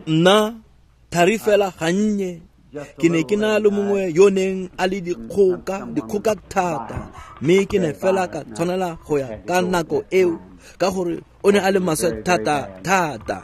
Nna thari fela gannye ke ne ke na le mongwe yo neng a le dikgoka thata, mme ke ne fela ka tshwanela go ya ka nako eo ka gore o ne a le maswe thata thata.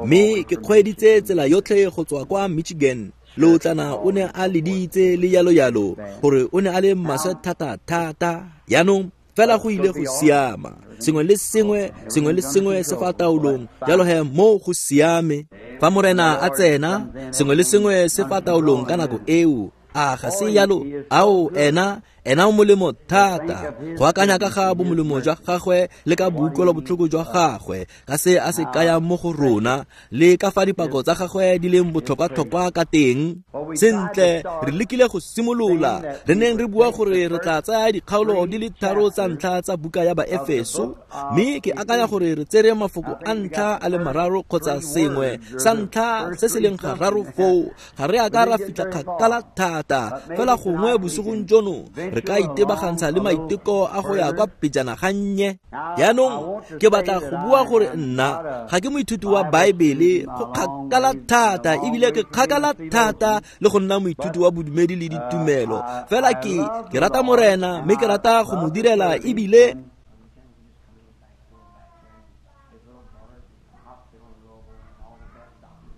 Mme ke kgweeditse tsela yotlhe go tswa kwa Michigan. Lootlana o ne a leditse le yalo yalo gore o ne a le maswe thata thata. Jaanong fela go ile go siama, sengwe le sengwe se fa taolong, jalo he mo go siame. Fa Morena a tsena, sengwe le sengwe se fa taolong ka nako eo. A ga se yalo? Ao, ena o molemo thata. Go akanya ka ga bomolemo jwa gagwe le ka boutlwelo botlhoko jwa gagwe, ka se a se kayang mo go rona, le ka fa dipako tsa gagwe di leng botlhokwa-tlhokwa ka teng. Sentle, re lekile go simolola, re neng re bua gore re tla tsaya dikgaolo di le 3 tsa ntlha tsa buka ya Baefeso, mme ke akanya gore re tsere mafoko a ntlha a le 3 kgotsa sengwe sa ntlha se se leng gararo foo. Ga re a ka ra fitlha kgakala thata, fela gongwe bosigong jono re ka itebagantsha le maiteko a go ya kwa pejana gannye. Jaanong ke batla go bua gore nna ga ke moithuti wa Baebele go kgakala thata, ebile ke kgakala thata le go nna moithuti wa bodumedi le ditumelo. Fela ke rata Morena mme ke rata go mo direla, ebile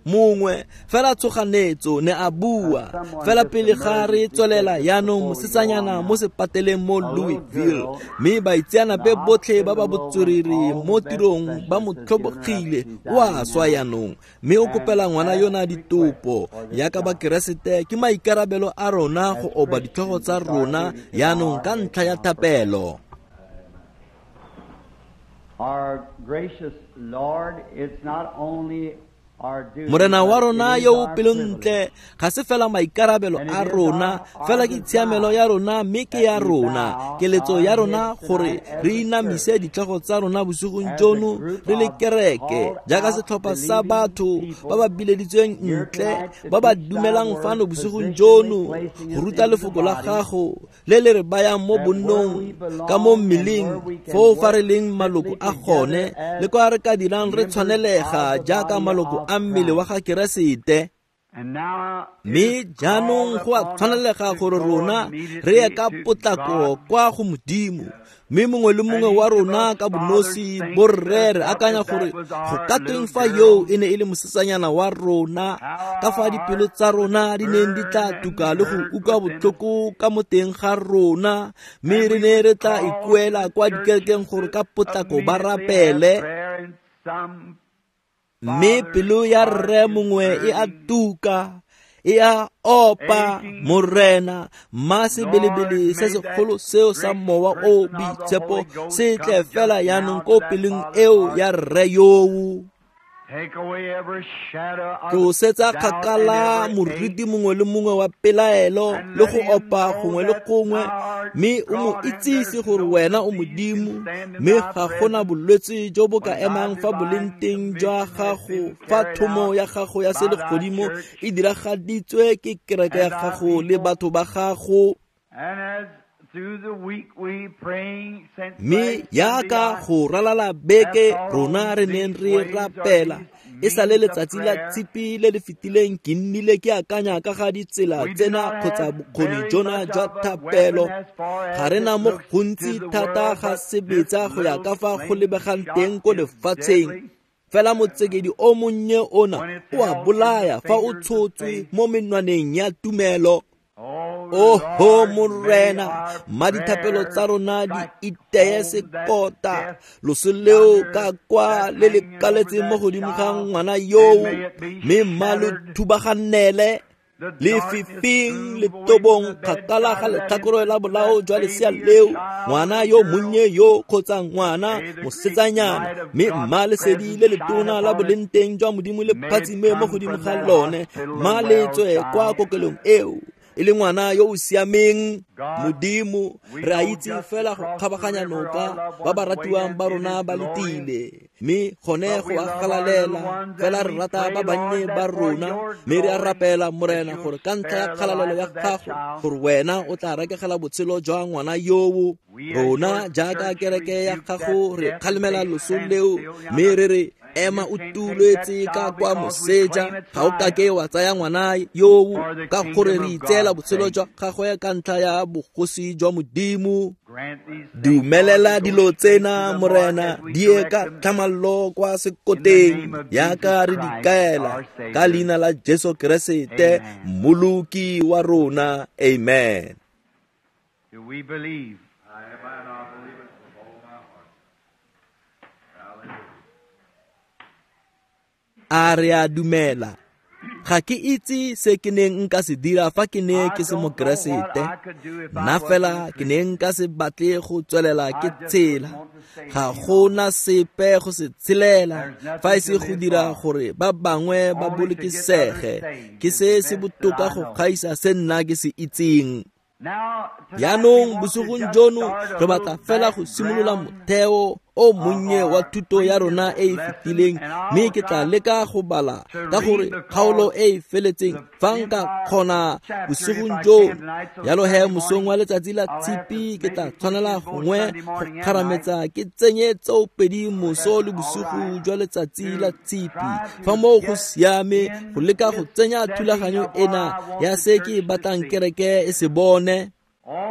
mongwe fela tshoganetso ne a bua fela pele ga re tswelela. Jaanong mosetsanyana mo sepateleng mo Louisville, mme baitseanape botlhe ba ba botswerere mo tirong ba mo tlhobogile, o a swa jaanong, mme o kopela ngwana yona ditopo. Yaka Bakeresete, ke maikarabelo a rona go oba ditlhogo tsa rona jaanong ka ntlha ya thapelo. Our gracious Lord, it's not only Morena wa rona yo o pelontle, ga se fela maikarabelo a rona, fela ke tshiamelo ya rona, mme ke ya rona, keletso ya rona gore re inamise ditlhogo tsa rona bosigong jono re le kereke, jaaka setlhopha sa batho ba ba bileditsweng ntle, ba ba dumelang fano bosigong jono go ruta lefoko la gago le le re bayang mo bonnong ka mo mmeleng, foo fa re leng maloko a gone, le kwa re ka dirang re tshwanelega jaaka maloko a mmele wa ga Keresete. Mme jaanong go a tshwanelega gore rona re ye ka potlako kwa go Modimo, mme mongwe le mongwe wa rona ka bonosi borre re akanya gore go ka tweng fa yo e ne e le mosetsanyana wa rona, ka fa dipelo tsa rona di neng di tla tuka le go utlwa botlhoko ka mo teng ga rona, mme re ne re tla ikuela kwa dikerekeng gore ka potlako ba rapele. Mme pelo ya rre mongwe e a tuka, e a opa. Morena, mma sebelebele se segolo seo sa mowa o boitshepo se tle fela jaanong ko pelong eo ya rre yoo. Tlosetsa kgakala moriti mongwe le mongwe wa pelaelo le go opa gongwe le gongwe, mme o mo itsise gore wena o Modimo, mme ga gona bolwetse jo bo ka emang fa boleng teng jwa gago, fa thomo ya gago ya selegodimo e diragaditswe ke kereke ya gago le batho ba gago. Mme yaka go ralala beke rona re neng re rapela, e sale letsatsi la tshipi le le fetileng ke nnile ke akanya ka ga ditsela tsena kgotsa bokgoni jona jwa thapelo. Ga re na mo gontsi thata ga sebetsa go ya ka fa go lebegang teng ko lefatsheng. Fela motsekedi o monnye ona o a bolaya fa o tshotswe mo menwaneng ya tumelo. Oho Morena, mma dithapelo tsa rona di iteye sekota, loso leo ka kwa le le kaletseng mo godimo ga ngwana yoo, mme mma lo thubagannele lefifing letobong kgakala ga letlhakore la bolao jwa lesea leo, ngwana yo monnye yo kgotsa ngwana mosetsanyana, mme mma lesedi le letona la boleng teng jwa Modimo le phatsime mo godimo ga lone, mma le tswe kwa kokelong eo e le ngwana yo o siameng. Modimo, re a itse fela go kgabaganya noka ba ba ratiwang ba rona ba letile, mme gone go a galalela, fela re rata ba bannye ba rona, mme re a rapela Morena gore ka ntlha ya kgalalelo ya gago gore wena o tla rekegela botshelo jwa ngwana yoo. Rona jaaka kereke ya gago re kgalemela loso leo, mme re re Ema o tuletse ka kwa moseja, ga o kake wa tsaya ngwana yoo ka gore re itseela botshelo jwa gagwe ka ntlha ya bogosi jwa Modimo. Dumelela dilo tsena, Morena, di ye ka tlhamallo kwa sekoteng yaka re di kaela ka leina la Jesu Keresete, Mmoloki wa rona. Amen. Do we believe? A re a dumela. Ga ke itse se ke neng nka se dira fa ke ne ke se Mokeresete. Nna fela ke ne nka se batle go tswelela ke tshela. Ga gona sepe go se tshelela fa e se go dira gore ba bangwe ba bolokesege. Ke se se botoka go gaisa se nna ke se itseng. Jaanong bosigong jono re batla fela go simolola motheo o monnye wa thuto ya rona e e fetileng, mme ke tla leka go bala ka gore kgaolo e e feletseng fa nka kgona bosigong jono. Jalo he mosong wa letsatsi la Tshipi ke tla tshwanela gongwe go kgarametsa ke tsenye tsoopedi moso le bosigo jwa letsatsi la Tshipi fa moo go siame, go leka go tsenya thulaganyo ena ya se ke batlang kereke e se bone.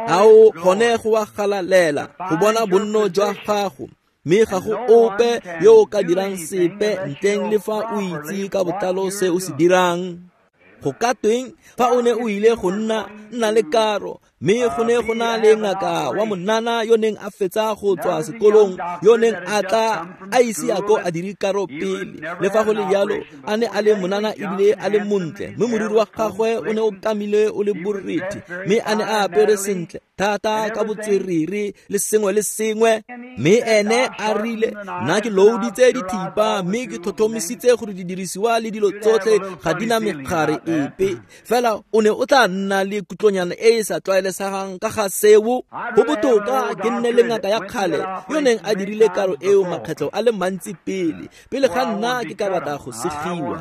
Ao gone go a galalela go bona bonno jwa gago, mme ga go ope yo o ka dirang sepe ntleng le fa o itse ka botlalo se o se dirang. Go ka tweng fa o ne o ile go nna le karo, mme go ne go na le ngaka wa monana yo neng a fetsa go tswa sekolong, yo neng a tla a ise a ko a dire karo pele. Le fa go le jalo, a ne a le monana ebile a le montle, mme moriri wa gagwe o ne o kamile o le borethe, mme a ne a apere sentle thata ka botswerere le sengwe le sengwe. Mme ene a rile, nna ke louditse dithipa mme ke tlhotlhomisitse gore didirisiwa le dilo tsotlhe ga di na megare epe. Fela o ne o tla nna le kutlonyana e e sa tlwaelesegang ka ga seo. Go botoka ke nne le ngaka ya kgale yo neng a dirile karo eo makgetlho a le mantsi pele ga nna ke ka batla go segiwa.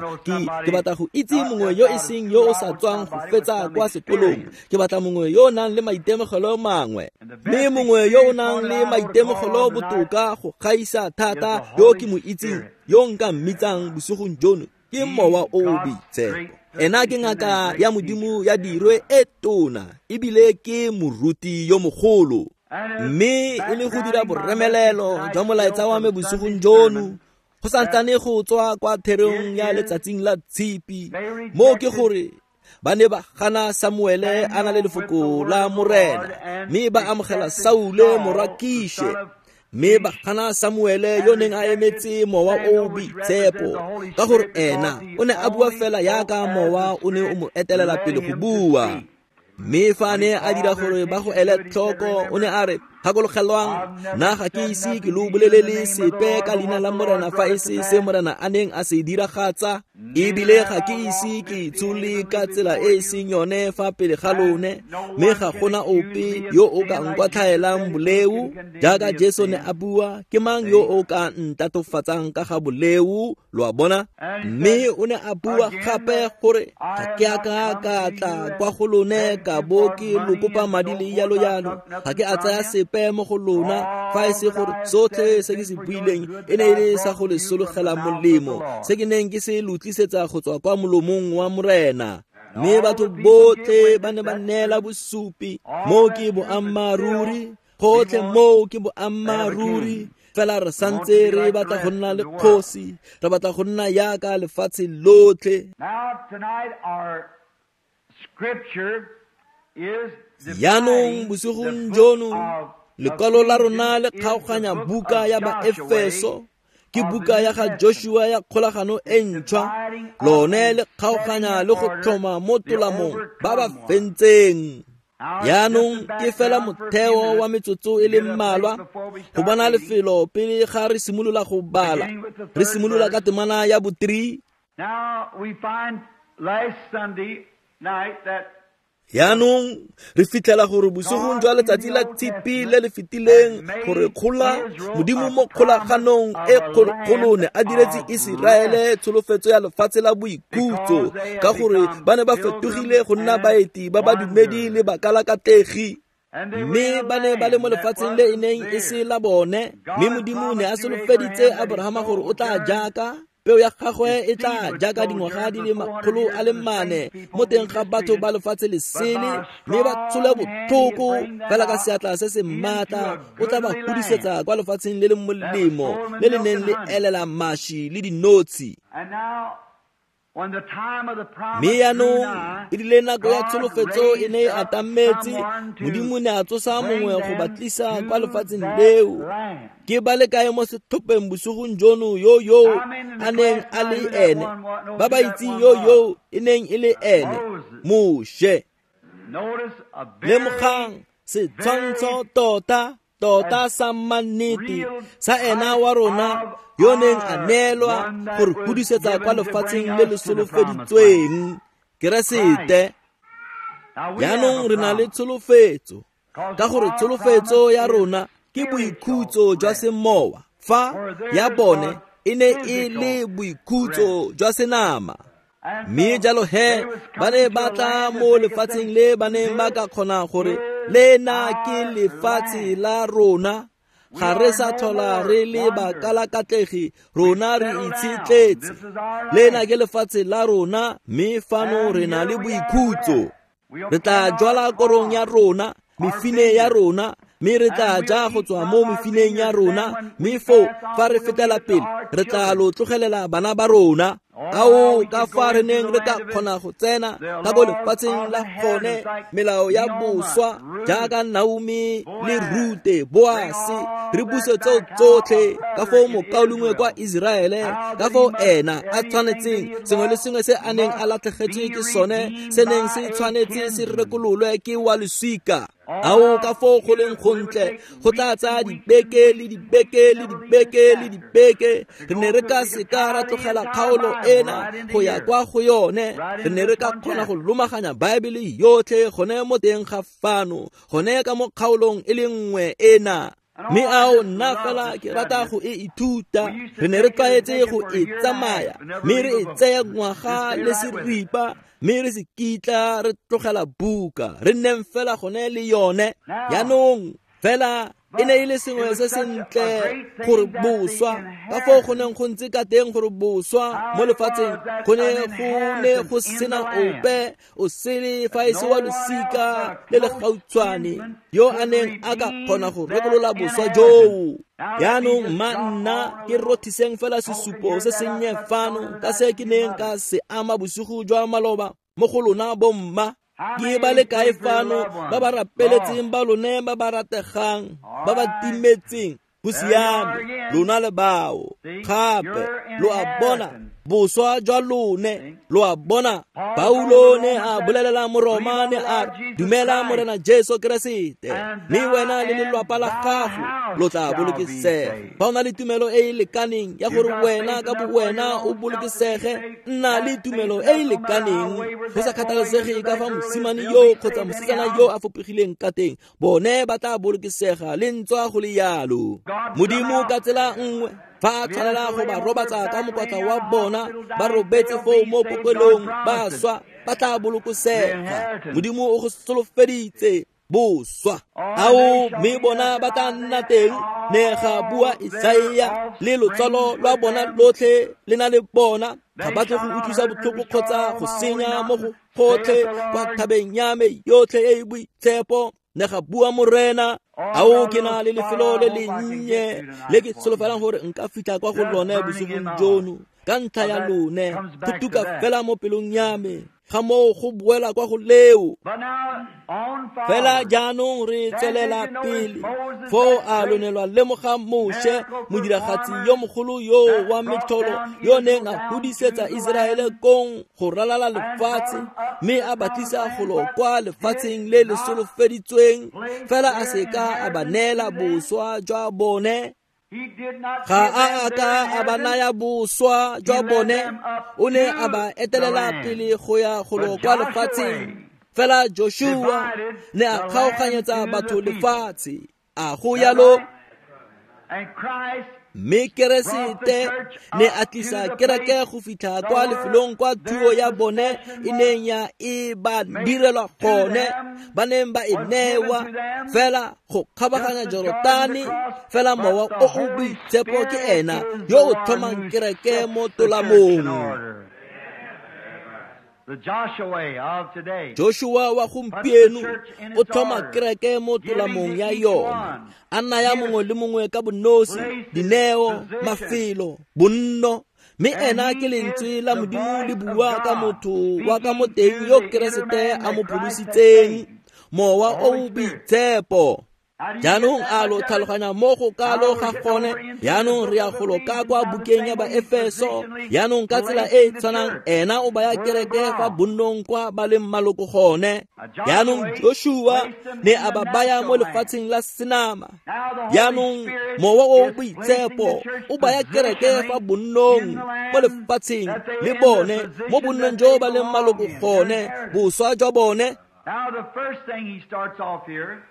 Ke batla go itse mongwe yo e seng yo o sa tswang go fetsa kwa sekolong. Ke batla mongwe yo o nang le maitemogelo mangwe, mme mongwe yo o nang le maitemogelo botoka go gaisa thata yo ke mo itseng, yo nka mmitsang bosigong jono, ke Mowa o o Boitshepo. Ena ke ngaka ya Modimo ya dirwe e tona, ebile ke moruti yo mogolo. Mme e le go dira boremelelo jwa molaetsa wa me bosigong jono, go santsane go tswa kwa therong ya letsatsing la Tshipi, mo ke gore ba ne ba gana Samuele a na le lefoko la Morena, mme ba amogela Saule morwa Kishe. Mme ba gana Samuele yo neng a emetse Mowa o o Boitshepo, ka gore ena o ne a bua fela yaka Mowa o ne o mo etelela pele go bua. Mme fa a ne a dira gore ba go ele tlhoko, o ne a re, gakologelwang, nna ga ke ise ke lo bolelele sepe ka leina la Morena fa e se se Morena a neng a se diragatsa, ebile ga ke ise ke tshole ka tsela e e seng yone fa pele ga lone, mme ga gona ope yo o ka nkwatlhaelang boleo. Jaaka Jesu ne a bua, ke mang yo o ka ntatofatsang ka ga boleo? Lo a bona? Mme o ne a bua gape gore ga ke a ka ka tla kwa go lone ka bo ke lo kopa madi le yalo yalo, ga ke a tsaya sepe mo go lona fa e se gore sotlhe se ke se buileng e ne e le sa go le sologela molemo, se ke neng ke se lo tlisetsa go tswa kwa molomong wa Morena. Mme batho botlhe ba ne ba neela bosupi, moo ke boammaaruri, gotlhe moo ke boammaaruri. Fela re santse re batla go nna le kgosi, re batla go nna yaka lefatshe lotlhe. Jaanong bosigong jono lekwalo la rona le kgaoganya buka ya Baefeso, ke buka ya ga Joshua ya kgolagano e ntšhwa. Lone le kgaoganya le go tlhoma mo tolamong ba ba fentseng. Jaanong ke fela motheo wa metsotso e le mmalwa go bona lefelo pele ga re simolola go bala. Re simolola ka temana ya bo 3. Jaanong re fitlhela gore bosigong jwa letsatsi la Tshipi le le fetileng gore kgola Modimo mo kgolaganong e kgologolo ne a diretse Iseraele tsholofetso ya lefatshe la boikhutso, ka gore ba ne ba fetogile go nna baeti ba badumedi le bakalakategi. Mme ba ne ba le mo lefatsheng le e neng e se la bone, mme Modimo ne a solofeditse Abrahama gore o tla jaaka. Peo ya gagwe e tla jaaka dingwaga di le 400 mo teng ga batho ba lefatshe le sele, mme ba tshole botlhoko fela ka seatla se se maatla o tla ba hudisetsa kwa lefatsheng le le molemo le le neng le elela maši le dinotshi. Mme jaanong e rile nako ya tsholofetso e ne e atametse, Modimo ne a tsosa mongwe go ba tlisa kwa lefatsheng leo. Ke ba le kae mo setlhopheng bosigong jono yo yo a neng a le ene? Ba ba itseng yo yo e neng e le ene, Moshe. Lemogang setshwantsho tota tota sa mannete sa ena wa rona yo neng a neelwa gore hudisetsa kwa lefatsheng le le solofeditsweng, Keresete. Jaanong re na le tsholofetso, ka gore tsholofetso ya rona ke boikhutso jwa semowa, fa ya bone e ne e le boikhutso jwa senama. Mme jalo he ba ne ba tla mo lefatsheng le ba neng ba ka kgona gore lena ke lefatshe la rona, ga re sa tlhola re le bakalakatlegi, rona re itshetletse. Lena ke lefatshe la rona, mme fano re na le boikhutso. Re tla jwala korong ya rona, mefine ya rona, mme re tla ja go tswa mo mefineng ya rona, mme foo fa re fetela pele re tla lo tlogelela bana ba rona. Ao ka fa re neng re ka kgona go tsena ka ko lefatsheng la gone, melao ya boswa jaaka Naomi le Rute, Boase, re buse tseo tsotlhe ka foo mokaulengwe kwa Iseraele, ka foo ena a tshwanetseng sengwe le sengwe se a neng a latlhegetswe ke sone se neng se tshwanetse se rekololwe ke wa losika. Ao ka foo go leng gontle go tla tsaya dibeke le dibeke le dibeke le dibeke. Re ne re ka seka ra tlogela kgaolo ena go ya kwa go yone. Re ne re ka kgona go lomaganya Baebele yotlhe gone mo teng ga fano, gone ka mo kgaolong e le nngwe ena. Mme ao nna fela ke rata go e ithuta. Re ne re tlwaetse go e tsamaya, mme re e tsaya ngwaga le seripa, mme re se kitla re tlogela buka, re nneng fela gone le yone. Jaanong fela e ne e le sengwe se sentle gore boswa, ka foo go neng go ntse ka teng gore boswa mo lefatsheng go ne go sena ope o sele fa e se wa losika le le gautshwane yo a neng a ka kgona go rekolola boswa joo. Jaanong mma nna ke rothiseng fela sesupo se sennye fano ka se ke neng ka se ama bosigo jwa maloba mo go lona bomma. Ke ba le kae fano ba ba rapeletseng ba lone ba ba rategang ba ba timetseng? Go siame, lona le bao. Gape lo a bona boswa jwa lone, lo a bona. Paulo ne a bolelela Moroma ne a re, dumela Morena Jesu Keresete, mme wena le lelwapa la gago lo tla bolokesega. Fa o na le tumelo e e lekaneng ya gore wena ka bowena o bolokesege, nna le tumelo e e lekaneng. Go sa kgathalesege ka fa mosimane yo kgotsa mosetsana yo a fopegileng ka teng, bone ba tla bolokesega le ntswa go le yalo. Modimo ka tsela nngwe fa a tshwanela go ba robatsa ka mokwatla wa bona, ba robetse foo mo kokelong ba swa, ba tla bolokosega. Modimo o go solofeditse boswa. Ao mme bona ba tla nna teng, ne ga bua Isaia, le lotsalo lwa bona lotlhe le na le bona. Ga ba tle go utlwisa botlhoko kgotsa go senya mo go gotlhe kwa thabeng ya me yotlhe e e boitshepo, ne ga bua Morena. Ao ke na le lefelo le lennye le ke solofelang gore nka fitlha kwa go lone bosigong jono ka ntlha ya lone, go tuka fela mo pelong ya me ga moo go boela kwa go leo. Fela jaanong re tswelela pele. Foo a lonelwa lemoga Moshe, modiragatsi yo mogolo yo wa metlholo yo neng a hudisetsa Iseraele kong go ralala lefatshe, mme a ba tlisa golo kwa lefatsheng le le solofeditsweng, fela a seka a ba neela boswa jwa bone. Ga a ka a ba naya boswa jwa bone, o ne a ba etelela pele go ya golo kwa lefatsheng. Fela Joshua ne a kgaoganyetsa batho lefatshe. A go yalo? Mme Keresete ne a tlisa kereke go fitlha kwa lefelong kwa thuo ya bone e neng ya e ba direlwa gone, ba neng ba e newa fela go kgabaganya Jorotane. Fela Mowa o o Boitshepo ke ena yo o tlhomang kereke mo tolamong. Joshua wa gompieno o tlhoma kereke mo tolamong ya yone, a naya mongwe le mongwe ka bonosi, dineo, mafelo, bonno. Mme ena ke lentswe la Modimo le bua ka motho wa ka mo teng yo Keresete a mo pholositseng, Mowa o o Boitshepo. Jaanong a lo tlhaloganya mo go kalo ga gone? Jaanong re ya golo ka kwa bukeng ya Baefeso. Jaanong ka tsela e e tshwanang ena o baya kereke fa bonnong kwa ba leng maloko gone. Jaanong Joshua ne a ba baya mo lefatsheng la senama. Jaanong Mowa o o Boitshepo o baya kereke fa bonnong mo lefatsheng le bone, mo bonnong jo ba leng maloko gone, boswa jwa bone. Now the first thing he starts off here,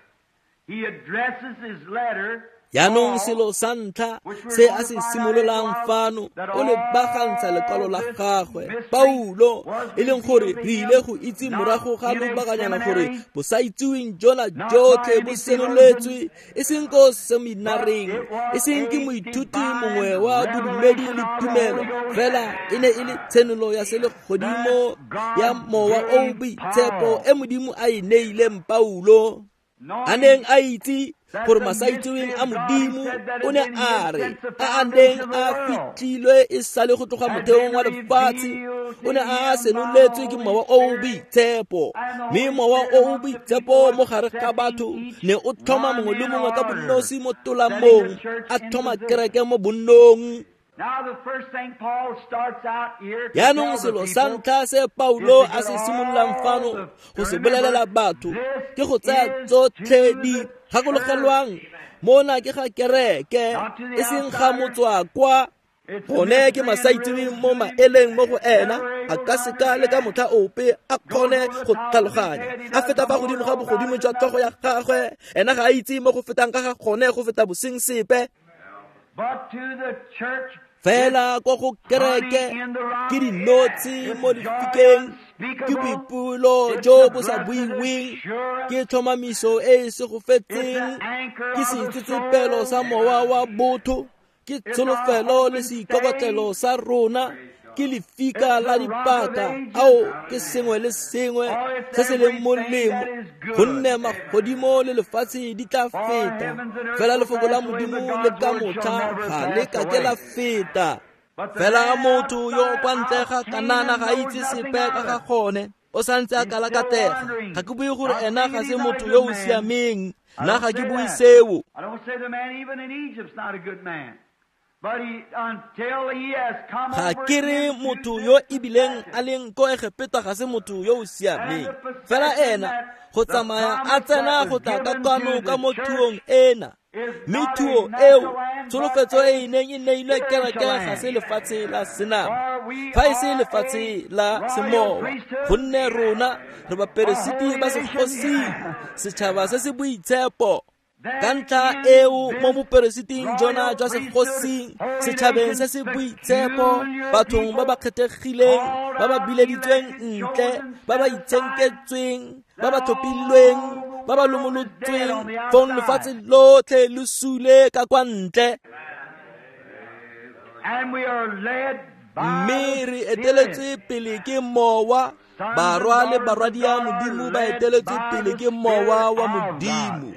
he addresses his letter. Jaanong selo sa ntlha se a se simololang fano, o lebagantsha lekwalo la gagwe Paulo, e leng gore re ile go itse morago ga lobakanyana gore bosaitseweng jona jotlhe bo senoletswe, e seng ko seminareng, e seng ke moithuti mongwe wa bodumedi le tumelo, fela e ne e le tshenolo ya selegodimo ya Mowa o o Boitshepo e Modimo a e neileng Paulo, a neng a itse gore masaitseweng a Modimo o ne a re a a neng a fitlhilwe e sale go tloga motheong wa lefatshe, o ne a senoletswe ke Mowa o o Boitshepo. Mme Mowa o o Boitshepo mo gare ga batho ne o tlhoma mongwe le mongwe ka bonosi mo tolamong, a tlhoma kereke mo bonnong. Jaanong selo sa ntlha se Paulo a se simololang fano go se bolelela batho ke go tsaya tsotlhe di gakologelwang mona ke ga kereke, e seng ga motswakwa. Gone ke masaitseweng mo maeleng mo go ena, a ka seka le ka motlha ope a kgone go tlhaloganya, a feta fa godimo ga bogodimo jwa tlhogo ya gagwe. Ena ga a itse mo go fetang ka ga gone go feta boseng sepe. Fela kwa go kereke ke dinotshi mo lefikeng, ke boipelo jo bo sa buiweng, ke tlhomamiso e e segofetseng, ke seitsetsepelo sa mowa wa botho, ke tsholofelo le seikokotlelo sa rona, ke lefika la dipaka. Ao ke sengwe le sengwe se se leng molemo, gonne magodimo le lefatshe di tla feta, fela lefoko la Modimo le ka motlha ga le ka ke la feta. Fela motho yo kwa ntle ga Kanana ga itse sepe ka ga gone, o santse a kalakatega. Ga ke bue gore ena ga se motho yo o siameng, nna ga ke bue seo. Ga ke re motho yo ebileng a leng ko Egepeta ga se motho yo o siameng, fela ena go tsamaya a tsena go tla ka kwano ka mo thuong ena. Mme thuo eo, tsholofetso e e neng e neilwe kereke ga se lefatshe la senama, fa e se lefatshe la semowa, gonne rona re baperesiti ba segosing, setšhaba se se boitshepo. Ka ntlha eo mo boperesiting jona jwa segosing, setšhabeng se se boitshepo, bathong ba ba kgethegileng, ba ba bileditsweng ntle, ba ba itshenketsweng, ba ba tlhophilweng, ba ba lomolotsweng, fong lefatshe lotlhe le sule ka kwa ntle. Mme re eteletswe pele ke Mowa, barwa le barwadia Modimo ba eteletswe pele ke Mowa wa Modimo,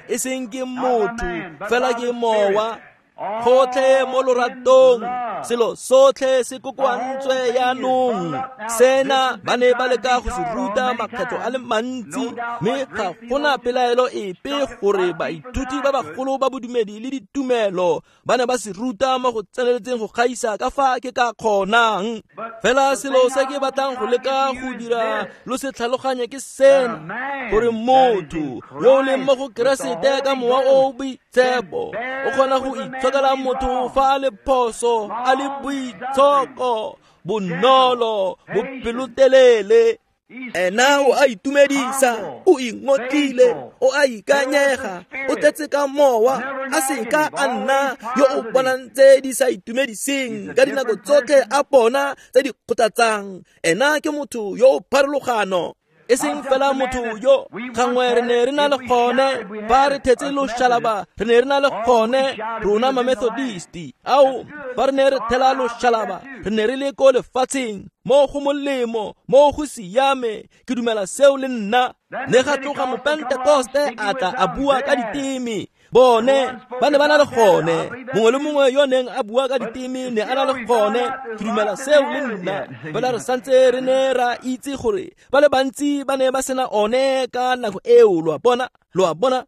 e seng ke motho, fela ke Mowa. Gotlhe mo loratong, selo sotlhe se kokoantswe jaanong. Sena ba ne ba leka go se ruta makgetlo a le mantsi, mme ga gona pelaelo epe gore baithuti ba bagolo ba bodumedi le ditumelo ba ne ba se ruta mo go tseneletseng go gaisa ka fa ke ka kgonang. Fela selo se ke batlang go leka go dira lo se tlhaloganye ke sena, gore motho yo o leng mo go Keresete ka Mowa o o Boitshepo o kgona go itshokela motho fa a le phoso, a le boitshoko, bonolo, bopelotelele. Ena o a itumedisa, o ingotlile, o a ikanyega, o tletse ka mowa, a seka a nna yo o bonang tse di sa itumediseng ka dinako tsotlhe a bona tse di kgothatsang. Ena ke motho yo o pharologano, e seng fela motho yo gangwe re ne re na le gone fa re thetse loshalaba, re ne re na le gone rona ma-Methodisti. Ao, fa re ne re thela loshalaba, re ne re le ko lefatsheng mo go molemo, mo go siame. Ke dumela seo le nna. Ne ga tloga mopentekoste a tla a bua ka diteme. Bone ba ne ba na le gone, mongwe le mongwe yo neng a bua ka diteme ne a na le gone. Ke dumela seo le nna. Fela re santse re ne ra itse gore ba le bantsi ba ne ba sena one ka nako eo. Lo a bona, lo a bona.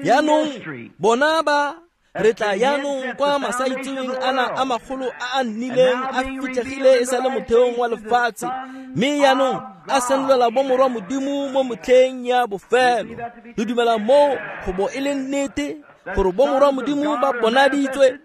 Jaanong bona ba re tla jaanong kwa masaitseweng ana a magolo a a nnileng a fitlhegile e sa le motheong wa lefatshe, mme jaanong a senolela bomorwa Modimo mo motlheng ya bofelo. Re dumela moo go bo e le nnete gore bomorwa Modimo ba bonaditswe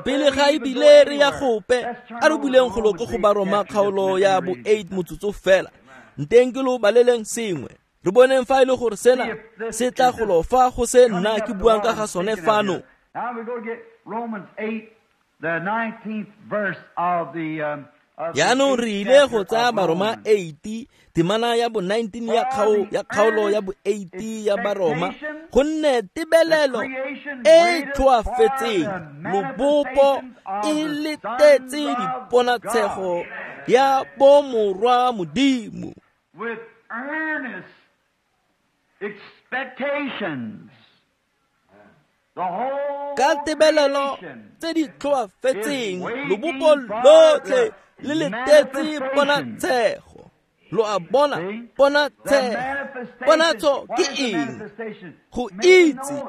pele ga ebile re ya gope. A re buleng golo ko go Baroma kgaolo ya bo 8 motsotso fela, nteng ke lo baleleng sengwe. Re boneng fa e le gore sena se tla golo fa go se nna ke buang ka ga sone fano. Now we go get Romans 8, the 19th verse of the Jaanong re ile go tsaya Baroma 8, temana ya bo 19 ya kgaolo ya bo 8 ya Baroma, gonne tebelelo e tlhoafetseng lobopo e letetse diponatshego ya bomorwa Modimo. With earnest expectations. Ka tebelelo tse di tlhoafetseng lobopo lotlhe le letetse ponatshego. Lo a bona, ponatshego. Ponatso ke eng? Go itse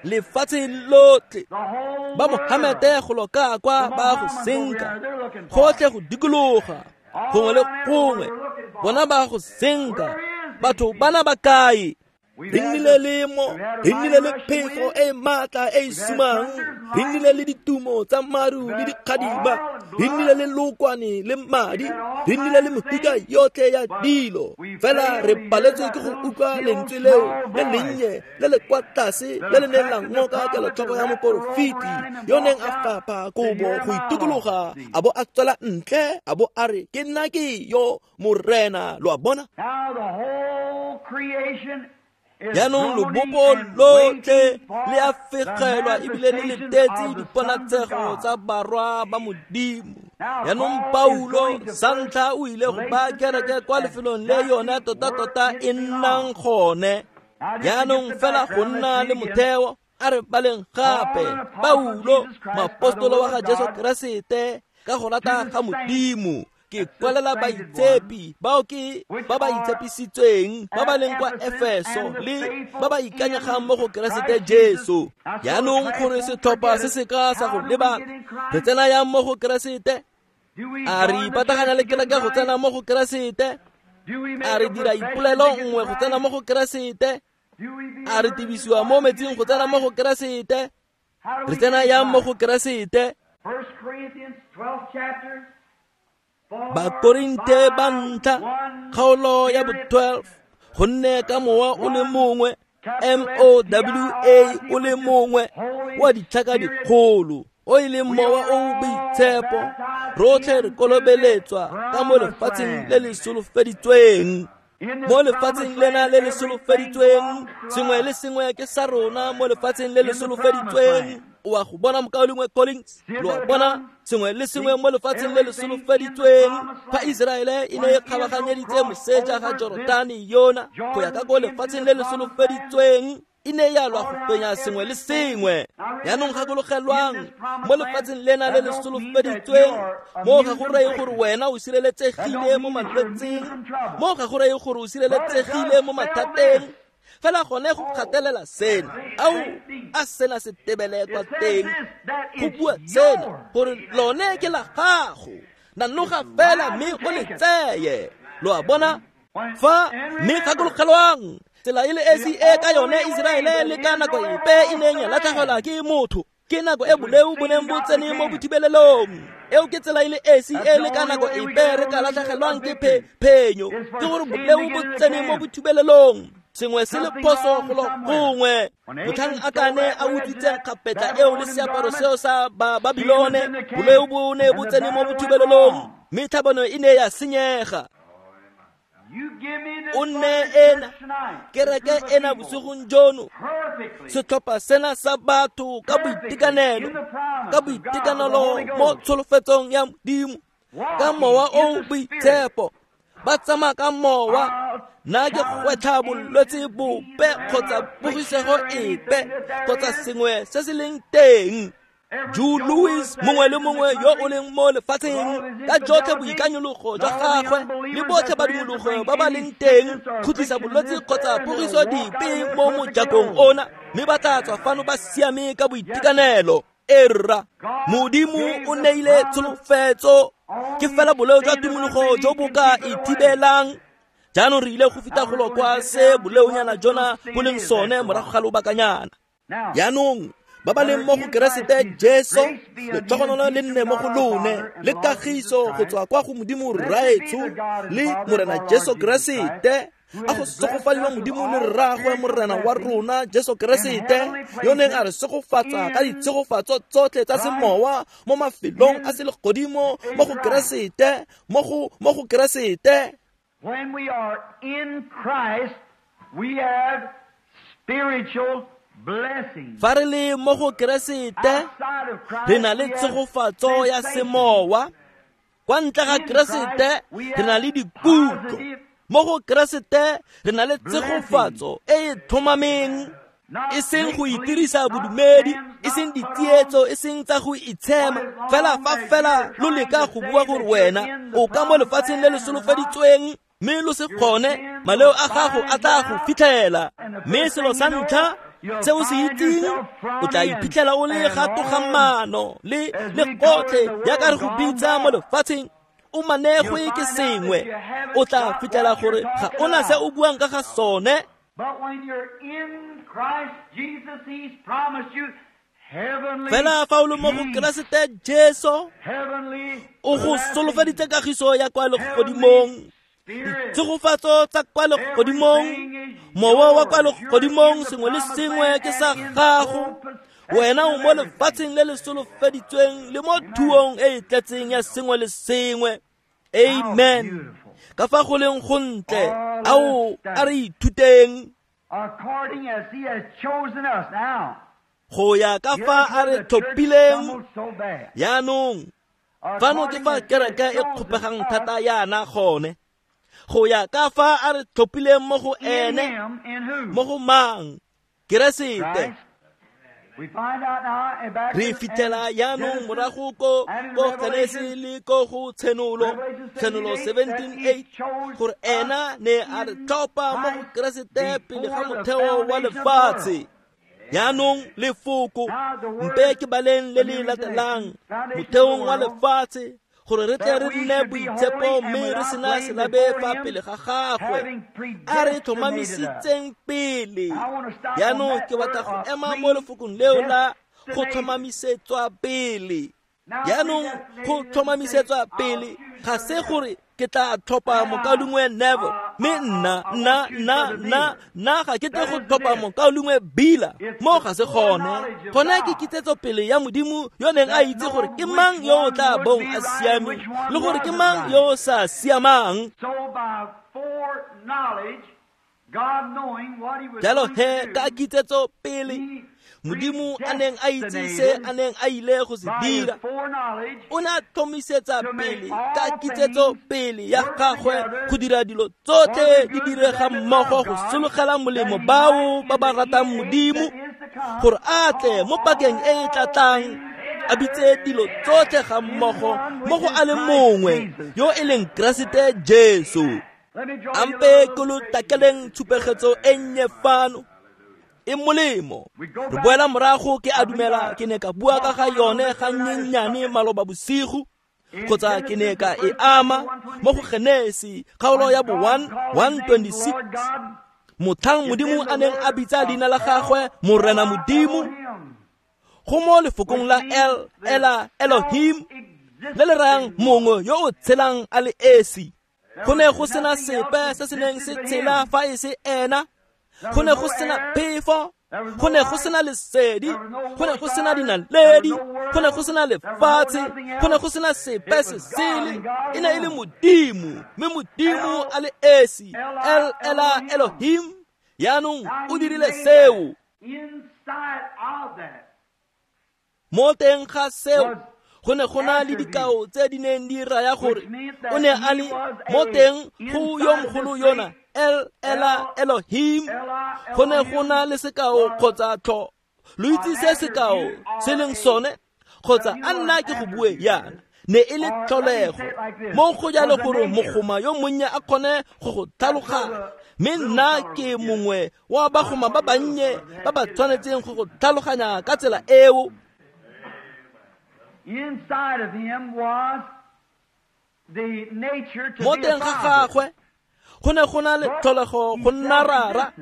lefatshe lotlhe. Ba Mohamete go loka kwa ba go senka, gotlhe go dikologa, gongwe le gongwe bona ba go senka. Batho bana ba kae? Re nnile le mo, re nnile le phefo e maatla e e sumang, re nnile le ditumo tsa maru le dikgadima, re nnile le lokwane le madi, re nnile le mefuta yotlhe ya dilo. Fela re paletswe ke go utlwa lentswe leo le lennye le le kwa tlase le le neng la ngoka kelotlhoko ya moporofeti yo neng a fapha kobo go itukologa, a bo a tswela ntle, a bo a re, ke nna ke yo Morena. Lo a bona? Jaanong lobopo lotlhe le a fegelwa ebile le letetse diponatshego tsa barwa ba Modimo. Jaanong Paulo sa ntlha o ile go baya kereke kwa lefelong le yone tota-tota e nnang gone. Jaanong fela go nna le motheo, a re baleng gape Paulo, moapostolo wa ga Jesu Keresete, ka go rata ga Modimo, ke kwalela baitshepi bao ke ba ba itshepisitsweng ba ba leng kwa Efeso le ba ba ikanyegang mo go Keresete Jesu. Jaanong gore setlhopha se se ka sa go lebala, re tsena yang mo go Keresete? A re ipataganya le kereke go tsena mo go Keresete? A re dira ipolelo nngwe go tsena mo go Keresete? A re tibisiwa mo metsing go tsena mo go Keresete? Re tsena yang mo go Keresete? 1 Corinthians 12 chapter. Bakorinthe ba ntlha kgaolo ya bo 12, gonne ka mowa o le mongwe, MOWA o le mongwe wa ditlhaka dikgolo, o e leng mowa o o boitshepo, rotlhe re kolobeletswa ka mo lefatsheng le le solofeditsweng. Mo lefatsheng lena le le solofeditsweng, sengwe le sengwe ke sa rona mo lefatsheng le le solofeditsweng. O a go bona mokaulengwe Collins? Lo a bona sengwe le sengwe mo lefatsheng le le solofeditsweng. Fa Iseraele e ne e kgabaganyeditse moseja ga Jorodane yona go ya ka ko lefatsheng le le solofeditsweng, e ne ya lwa go fenya sengwe le sengwe. Jaanong gakologelwang, mo lefatsheng lena le le solofeditsweng, mo ga go reye gore wena o sireletsegile mo malwetseng, mo ga go reye gore o sireletsegile mo mathateng. Fela gone go gatelela sena, ao a sena se tebele kwa teng, go bua sena gore lone ke la gago, nanoga fela mme o le tseye. Lo a bona? Fa mme gakologelwang, tsela e le esi e ka yone Iseraele le ka nako epe e neng ya latlhegelwa ke motho, ke nako e boleu bo neng bo tsene mo bothibelelong. Eo ke tsela e le esi e le ka nako epe re ka latlhegelwang ke phenyo, ke gore boleo bo tsene mo bothibelelong. Sengwe se le phoso golo gongwe. Motlhang a kane a utswitseng kgapetla eo le seaparo seo sa Babilone, boleo bo ne bo tsene mo bothibelelong, mme tlhabano e ne ya senyega. O nne ena kereke ena bosigong jono, setlhopha sena sa batho ka boitekanelo, ka boitekanelo mo tsholofetsong ya Modimo, ka mowa o boitshepo, ba tsamaya ka mowa. Nna ke gwetlha bolwetse bope kgotsa pogisego epe kgotsa sengwe se se leng teng. Jew Louis mongwe le mongwe yo o leng mo lefatsheng, ka jotlhe boikanyologo jwa gagwe le botlhe badumologo ba ba leng teng, khutlisa bolwetse kgotsa pogiso dipe mo mojakong ona, mme ba tla tswa fano ba siame ka boitekanelo. Erra, Modimo o neile tsholofetso, ke fela boleo jwa tumologo jo bo ka ithibelang. Jaanong re ile go feta golo kwa se boleonyana jona bo leng sone morago ga lobakanyana. Jaanong ba ba leng mo go Keresete Jesu, letlhogonolo le nne mo go lone, le kagiso go tswa kwa go Modimo Rraetsho le Morena Jesu Keresete. A go segofadiwa Modimo le Rraagwe Morena wa rona Jesu Keresete, yo neng a re segofatsa ka ditshegofatso tsotlhe tsa semowa mo mafelong a selegodimo mo go Keresete, mo go Keresete. When we are in Christ, we have spiritual blessings. Fa re le mo go Keresete, re na le tshegofatso ya semowa. Kwa ntle ga Keresete, re na le dikutlo. Mo go Keresete, re na le tshegofatso e e tlhomameng, e seng go itirisa bodumedi, e seng ditsietso, e seng tsa go itshema. Fela fa fela lo leka go bua gore wena o ka mo lefatsheng le le solofeditsweng, mme lo se kgone, maleo a gago a tla go fitlhela. Mme selo sa ntlha se o se itseng, o tla iphitlhela o le gatogamano le gotlhe jaaka re go bitsa mo lefatsheng, o manegwe ke sengwe. O tla fitlhela gore ga ona se o buang ka ga sone. Fela fa o le mo go Keresete Jesu, o go solofeditse kagiso ya kwa legodimong, ditshegofatso tsa kwa legodimong, mowa wa kwa legodimong, sengwe le sengwe ke sa gago. Wena o mo lefatsheng le le solofeditsweng le mo thuong e e tletseng ya sengwe le sengwe. Amen. Ka fa go leng gontle, ao a re ithuteng go ya ka fa a re tlhophileng. Jaanong fano ke fa kereke e kgopegang thata yana gone. Go ya ka fa a re tlhophileng mo go ene, mo go mang? Keresete. Re fitlhela jaanong morago ko Genesi le ko go Tshenolo, Tshenolo 17:8, gore ena ne a re tlhopha mo go Keresete pele ga motheo wa lefatshe. Jaanong lefoko mpe ke baleng le le latelang, motheong wa lefatshe, gore re tle re nne boitshepo mme re sena selabe fa pele ga gagwe, a re tlhomamisitseng pele. Jaanong ke batla go ema mo lefokong leo la go tlhomamisetswa pele. Jaanong go tlhomamisetswa pele ga se gore ke tla tlhopha mokaulengwe Neville, mme nna ga ke tle go tlhopha mokaulengwe Bila. Mo ga se gone. Gone ke kitsetso pele ya Modimo yo neng a itse gore ke mang yo o tla bong a siame le gore ke mang yo o sa siamang. Jalo he ka kitsetso pele, Modimo a neng a itse se a neng a ile go se dira, o ne a tlhomisetsa pele ka kitsetso pele ya gagwe go dira dilo tsotlhe di direga mmogo go sologela molemo bao ba ba ratang Modimo, gore a tle mo pakeng e e tlatlang a bitse dilo tsotlhe ga mmogo mo go a le mongwe yo e leng Keresete Jesu. Ampe ke lo takeleng tshupegetso e nnye fano e molemo. Re boela morago, ke a dumela ke ne ka bua ka ga yone ga nnyennyane maloba bosigo, kgotsa ke ne ka e ama mo go Genesi kgaolo ya bo 1:26, motlhang Modimo a neng a bitsa leina la gagwe Morena Modimo, go mo lefokong la El, Ela, Elohim, le le rayang mongwe yo o tshelang a le esi. Go ne go sena sepe se se neng se tshela fa e se ena. Go ne go sena phefo, go ne go sena lesedi, go ne go sena dinaledi, go ne go sena lefatshe, go ne go sena sepe se sele. E ne e le Modimo, mme Modimo a le esi, El Ela Elohim. Jaanong o dirile seo. Mo teng ga seo go ne go na le dikao tse di neng di raya gore o ne a le mo teng go yo mogolo yona El Ela Elohim. Go ne go na le sekao kgotsa tlho. Lo itse se sekao se leng sone, kgotsa a nna ke go bue yana, ne e le tlholego mo go jalo gore mogoma yo monnye a kgone go go tlhaloganya. Mme nna ke mongwe wa bagoma ba bannye ba ba tshwanetseng go go tlhaloganya ka tsela eo. Inside of him was the nature to Mo be a teng ga father. gagwe go ne go na le tlholego go nna rara,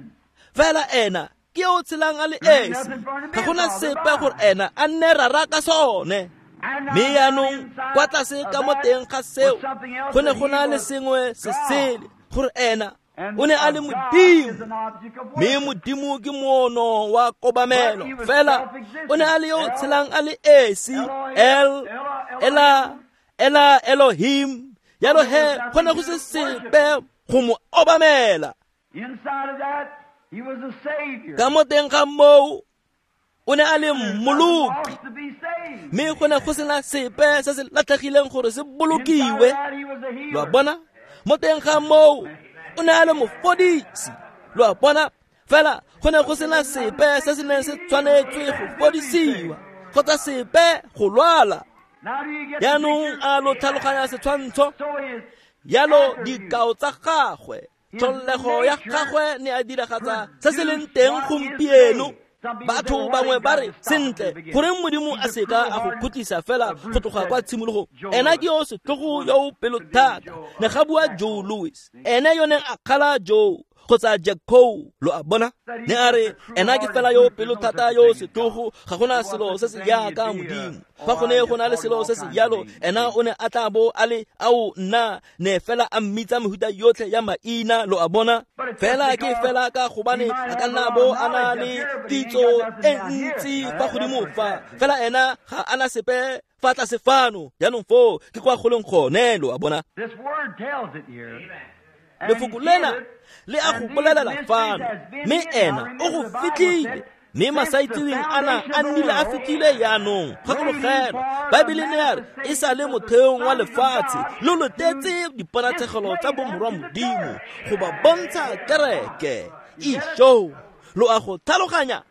fela ena ke yo o tshelang a le esi. Ga go na sepe gore ena a nne rara ka sone. Mme yaanong kwa tlase ka mo teng ga seo go ne go na le sengwe se sele, gore ena o ne a le Modimo, mme Modimo ke moono wa kobamelo. Fela o ne a le yo o tshelang a le esi, El Ela Ela Elohim. Jalo he go ne go se sepe go mo obamela. Inside of that, he was a savior. Ka mo teng ga moo o ne a le mmoloki, Lost to be saved. mme go ne go sena sepe se se latlhegileng gore se Inside of bolokiwe. that, he was a healer. Lo a bona? Mo teng ga moo o ne a le mofodisi. Lo a bona? Fela go ne go sena sepe se se neng se tshwanetswe go fodisiwa kgotsa sepe go lwala. Now do you get the Jaanong picture? a lo tlhaloganya setshwantsho? So his Jalo dikao tsa gagwe, tlholego ya gagwe ne a diragatsa se se leng teng gompieno. Batho bangwe ba re, sentle, goreng Modimo a seka a go khutlisa fela go tloga kwa tshimologong? Ena ke yo setlhogo yo o pelothata, ne ga bua Joe Louis, ene yo neng a kgala Joe kgotsa Jack Coe. Lo a bona? Ne a re ena ke fela yo pelothata yo setlhogo, ga gona selo se se jaaka Modimo. Fa go ne go na le selo se se jalo, ena o ne a tla bo a le ao nna ne fela a mmitsa mehuta yotlhe ya maina. Lo a bona? Fela ke fela ka gobane a ka nna bo a na le kitso e ntsi fa godimo fa, fela ena ga a na sepe fa tlase fano. Jaanong foo ke kwa goleng gone. Lo a bona? This word tells it here. Lefoko lena le a go bolelela fano, mme ena o go fitlhile. Mme masaitseweng ana a nnile a fitlhile jaanong. Gakologelwa, Baebele ne ya re e sa le motheong wa lefatshe lo lotetse diponatshegelo tsa bomorwa Modimo go ba bontsha kereke. Isho, lo a go tlhaloganya?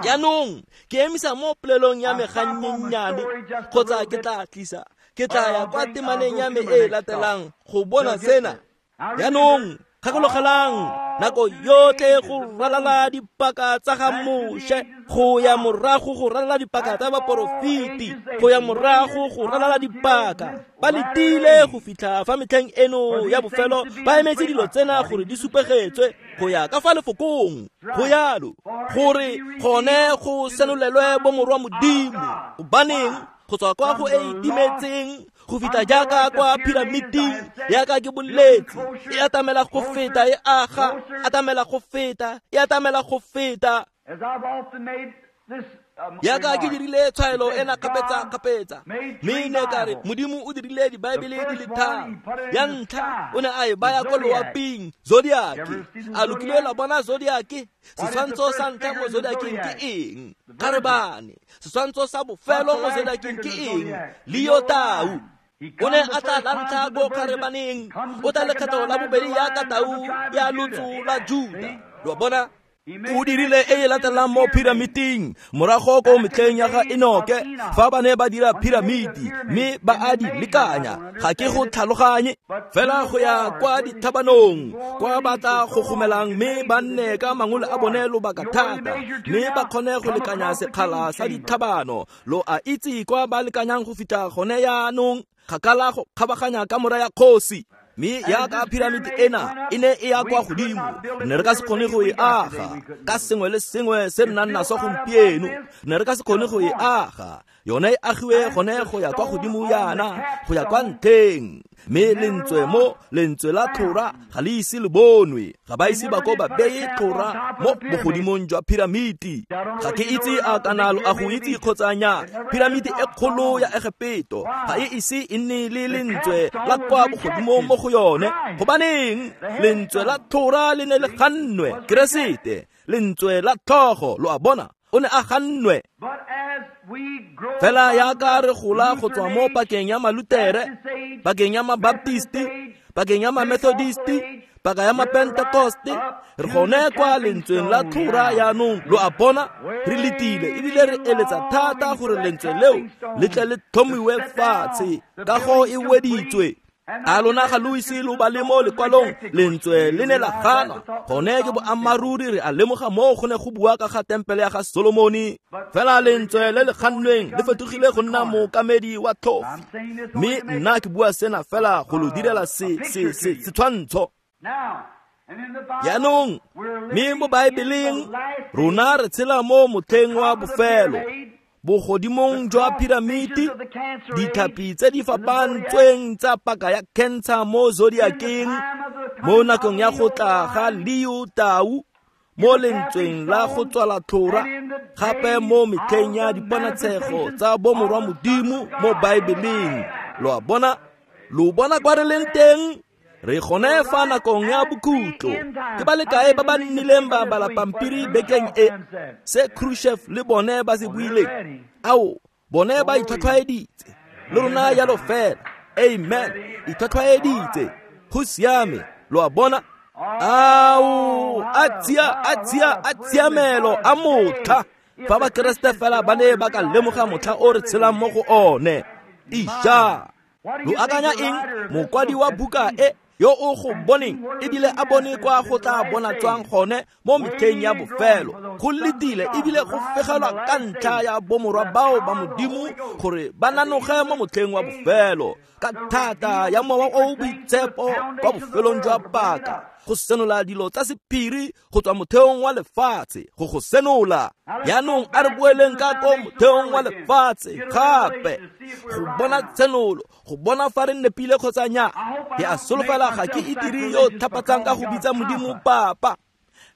Jaanong ke emisa mo polelong ya me gannyennyane, kgotsa ke tla tlisa, ke tla ya kwa temaneng ya me e e latelang go bona sena. Jaanong gakologelang, nako yotlhe go ralala dipaka tsa ga Moshe, go ya morago go ralala dipaka tsa baporofeti, go ya morago go ralala dipaka, ba letile go fitlha fa metlheng eno ya bofelo ba emetse dilo tsena gore di supegetswe go ya ka fa lefokong. Go yalo gore gone go senolelwe bomorwa Modimo. Gobaneng? Go tswa kwa go e itimetseng go fitlha jaaka kwa piramiding, jaaka ke boletse, e atamela go feta, e aga, atamela go feta, e atamela go feta. As I've often made this Jaaka ke remark, dirile tshwaelo ena kgapetsa-kgapetsa, mme ne ka re Modimo o dirile dibaebele di le tharo. Ya ntlha o ne a e baya ko loaping, zodiac. A lo kile la bona zodiac? Setshwantsho sa ntlha mo zodiaceng ke eng? Kgarebane. Setshwantsho sa bofelo mo zodiaceng ke eng? Leo tau. O ne a tla la ntlha ko kgarebaneng, o tla lekgetho la bobedi yaka tau ya lotso la Juda. Lo a bona? O dirile e e latelang mo piramiting morago ko metlheng ya ga Enoke, fa ba ne ba dira piramiti mme ba a di lekanya. Ga ke go tlhaloganye, fela go ya kwa dithabanong kwa ba tla go gomelang mme ba nne ka mangole a bone lobaka thata, mme ba kgone go lekanya sekgala sa dithabano. Lo a itse kwa ba lekanyang go fitlha gone yaanong, kgakala go kgabaganya kamora ya kgosi. Mme yaka piramiti ena e ne e ya kwa godimo, re ne re ka se kgone go e aga ka sengwe le sengwe se re nang naso gompieno. Re ne re ka se kgone go e aga. Yone e agiwe gone go ya kwa godimo yana, go ya kwa ntlheng. Mme lentswe mo lentswe la tlhora ga le ise le bonwe, ga ba ise ba ko ba beye tlhora mo bogodimong jwa piramiti. Ga ke itse a kana lo a go itse kgotsa nya, piramiti e kgolo ya Egepeto ga e ise e nne le lentswe la kwa bogodimong mo go yone. Gobaneng lentswe la tlhora le ne le gannwe? Keresete, lentswe la tlhogo, lo a bona, o ne a gannwe. Fela yaka re gola go tswa mo pakeng ya Malutere, pakeng ya Mabaptisti, pakeng ya Mamethodisti, paka ya Mapentekoste, re gone kwa lentsweng la tlhora yaanong. Lo a bona, re letile ebile re eletsa thata gore lentswe leo le tle le tlhomiwe fatshe, kago e weditswe. A lona ga lo ise lo bale mo lekwalong, lentswe le ne la ganwa. Gone ke boammaaruri, re a lemoga moo go ne go bua ka ga tempele ya ga Solomone. Fela lentswe le le gannweng le fetogile go nna mookamedi wa tlhofi. Mme nna ke bua sena fela go lo direla setshwantsho. Jaanong, mme mo Baebeleng rona re tshela mo motlheng wa bofelo, bogodimong jwa piramiti, ditlhapi tse di fapantsweng tsa paka ya cancer mo zodiakeng, mo nakong ya go tla ga Leo Tau, mo lentsweng la go tswala tlhora, gape mo metlheng ya diponatshego tsa bomorwa Modimo mo Baebeleng. Lo a bona, lo bona kwa re leng teng. Re gone fa nakong ya bokhutlo. Ke ba le kae ba ba nnileng ba bala pampiri bekeng e, se Khrushchev le bone ba se buileng? Ao, bone ba itlhwatlhwaeditse le rona yalo fela. Amen, itlhwatlhwaeditse. Go siame, lo a bona. Ao, a tshiamelo a motlha. Fa ba Keresete fela ba ne ba ka lemoga motlha o re tshelang mo go one. Isha, lo akanya eng? Mokwadi wa buka e yo o go boneng ebile a bone kwa go tla bona tswang gone mo metlheng ya bofelo. Go letile ebile go fegelwa ka ntlha ya bomorwa bao ba Modimo gore ba nanoge mo motlheng wa bofelo ka thata ya mowa o boitshepo kwa bofelong jwa paka, go senola dilo tsa sephiri go tswa motheong wa lefatshe, go go senola. Yaanong a re boeleng ka ko motheong wa lefatshe gape, go bona tshenolo, go bona fa re nepile kgotsa nya. Ke a solofela ga ke itire yo thapatsang ka go bitsa Modimo Papa,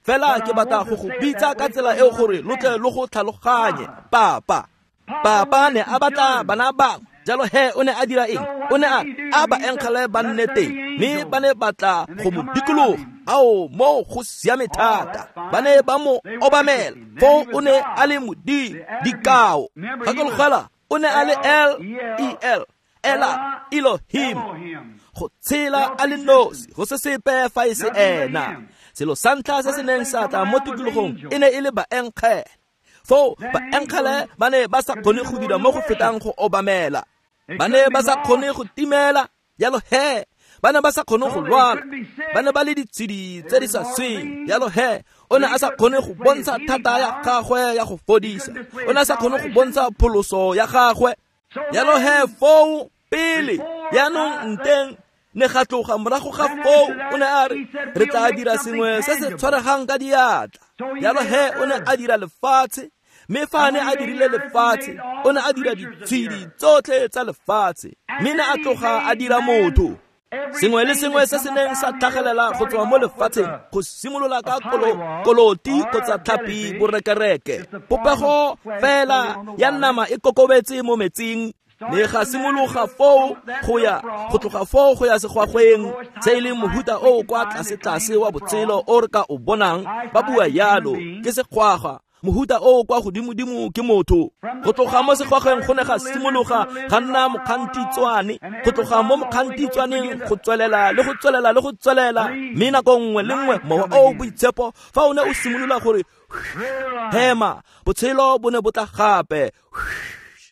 fela ke batla go go bitsa ka tsela eo gore lo tle lo go tlhaloganye. Papa, Papa ne a batla bana bangwe, jalo he o ne a dira eng? O ne a ba enkgele ba nne teng, mme ba ne batla go mo dikologa. Ao, moo go siame thata. Ba ne ba mo obamela. Foo o ne a le Modimo. Dikao, gakologela, o ne a le L-E-L, Ela Elohim, go tshela a le nosi, go se sepe fa e se ena. Selo sa ntlha se se neng sa tla mo tikologong e ne e le baenkgele. Foo baenkgele ba ne ba sa kgone go dira mo go fetang go obamela. Ba ne ba sa kgone go timela, jalo he ba ne ba sa kgone go lwala. Ba ne ba le ditshedi tse di sa sweng, jalo he o ne a sa kgone go bontsha thata ya gagwe ya go fodisa. O ne a sa kgone go bontsha pholoso ya gagwe. Jalo he foo pele yaanong nteng ne ga tloga morago ga foo o ne a re re tla dira sengwe se se tshwaregang ka diatla. Jalo he o ne a dira lefatshe, mme fa a ne a dirile lefatshe, o ne a dira ditshedi tsotlhe tsa lefatshe, mme ne a tloga a dira motho. Sengwe le sengwe se se neng sa tlhagelela go tswa mo lefatsheng, go simolola ka koloti kgotsa tlhapi borekereke, popego fela ya nama e kokobetse mo metsing, ne ga simologa foo go ya go tloga foo go ya segwagweng, se e leng mohuta o kwa tlase-tlase wa botshelo o re ka o bonang. Ba bua yalo, ke segwagwa. Mohuta o kwa godimo-dimo ke motho. Go tloga mo segwagweng go ne ga simologa ga nna mokgantitswane. Go tloga mo mokgantitswaneng go tswelela le go tswelela le go tswelela, mme nako nngwe le nngwe mowa o boitshepo fa o ne o simolola gore hema, botshelo bo ne bo tla gape,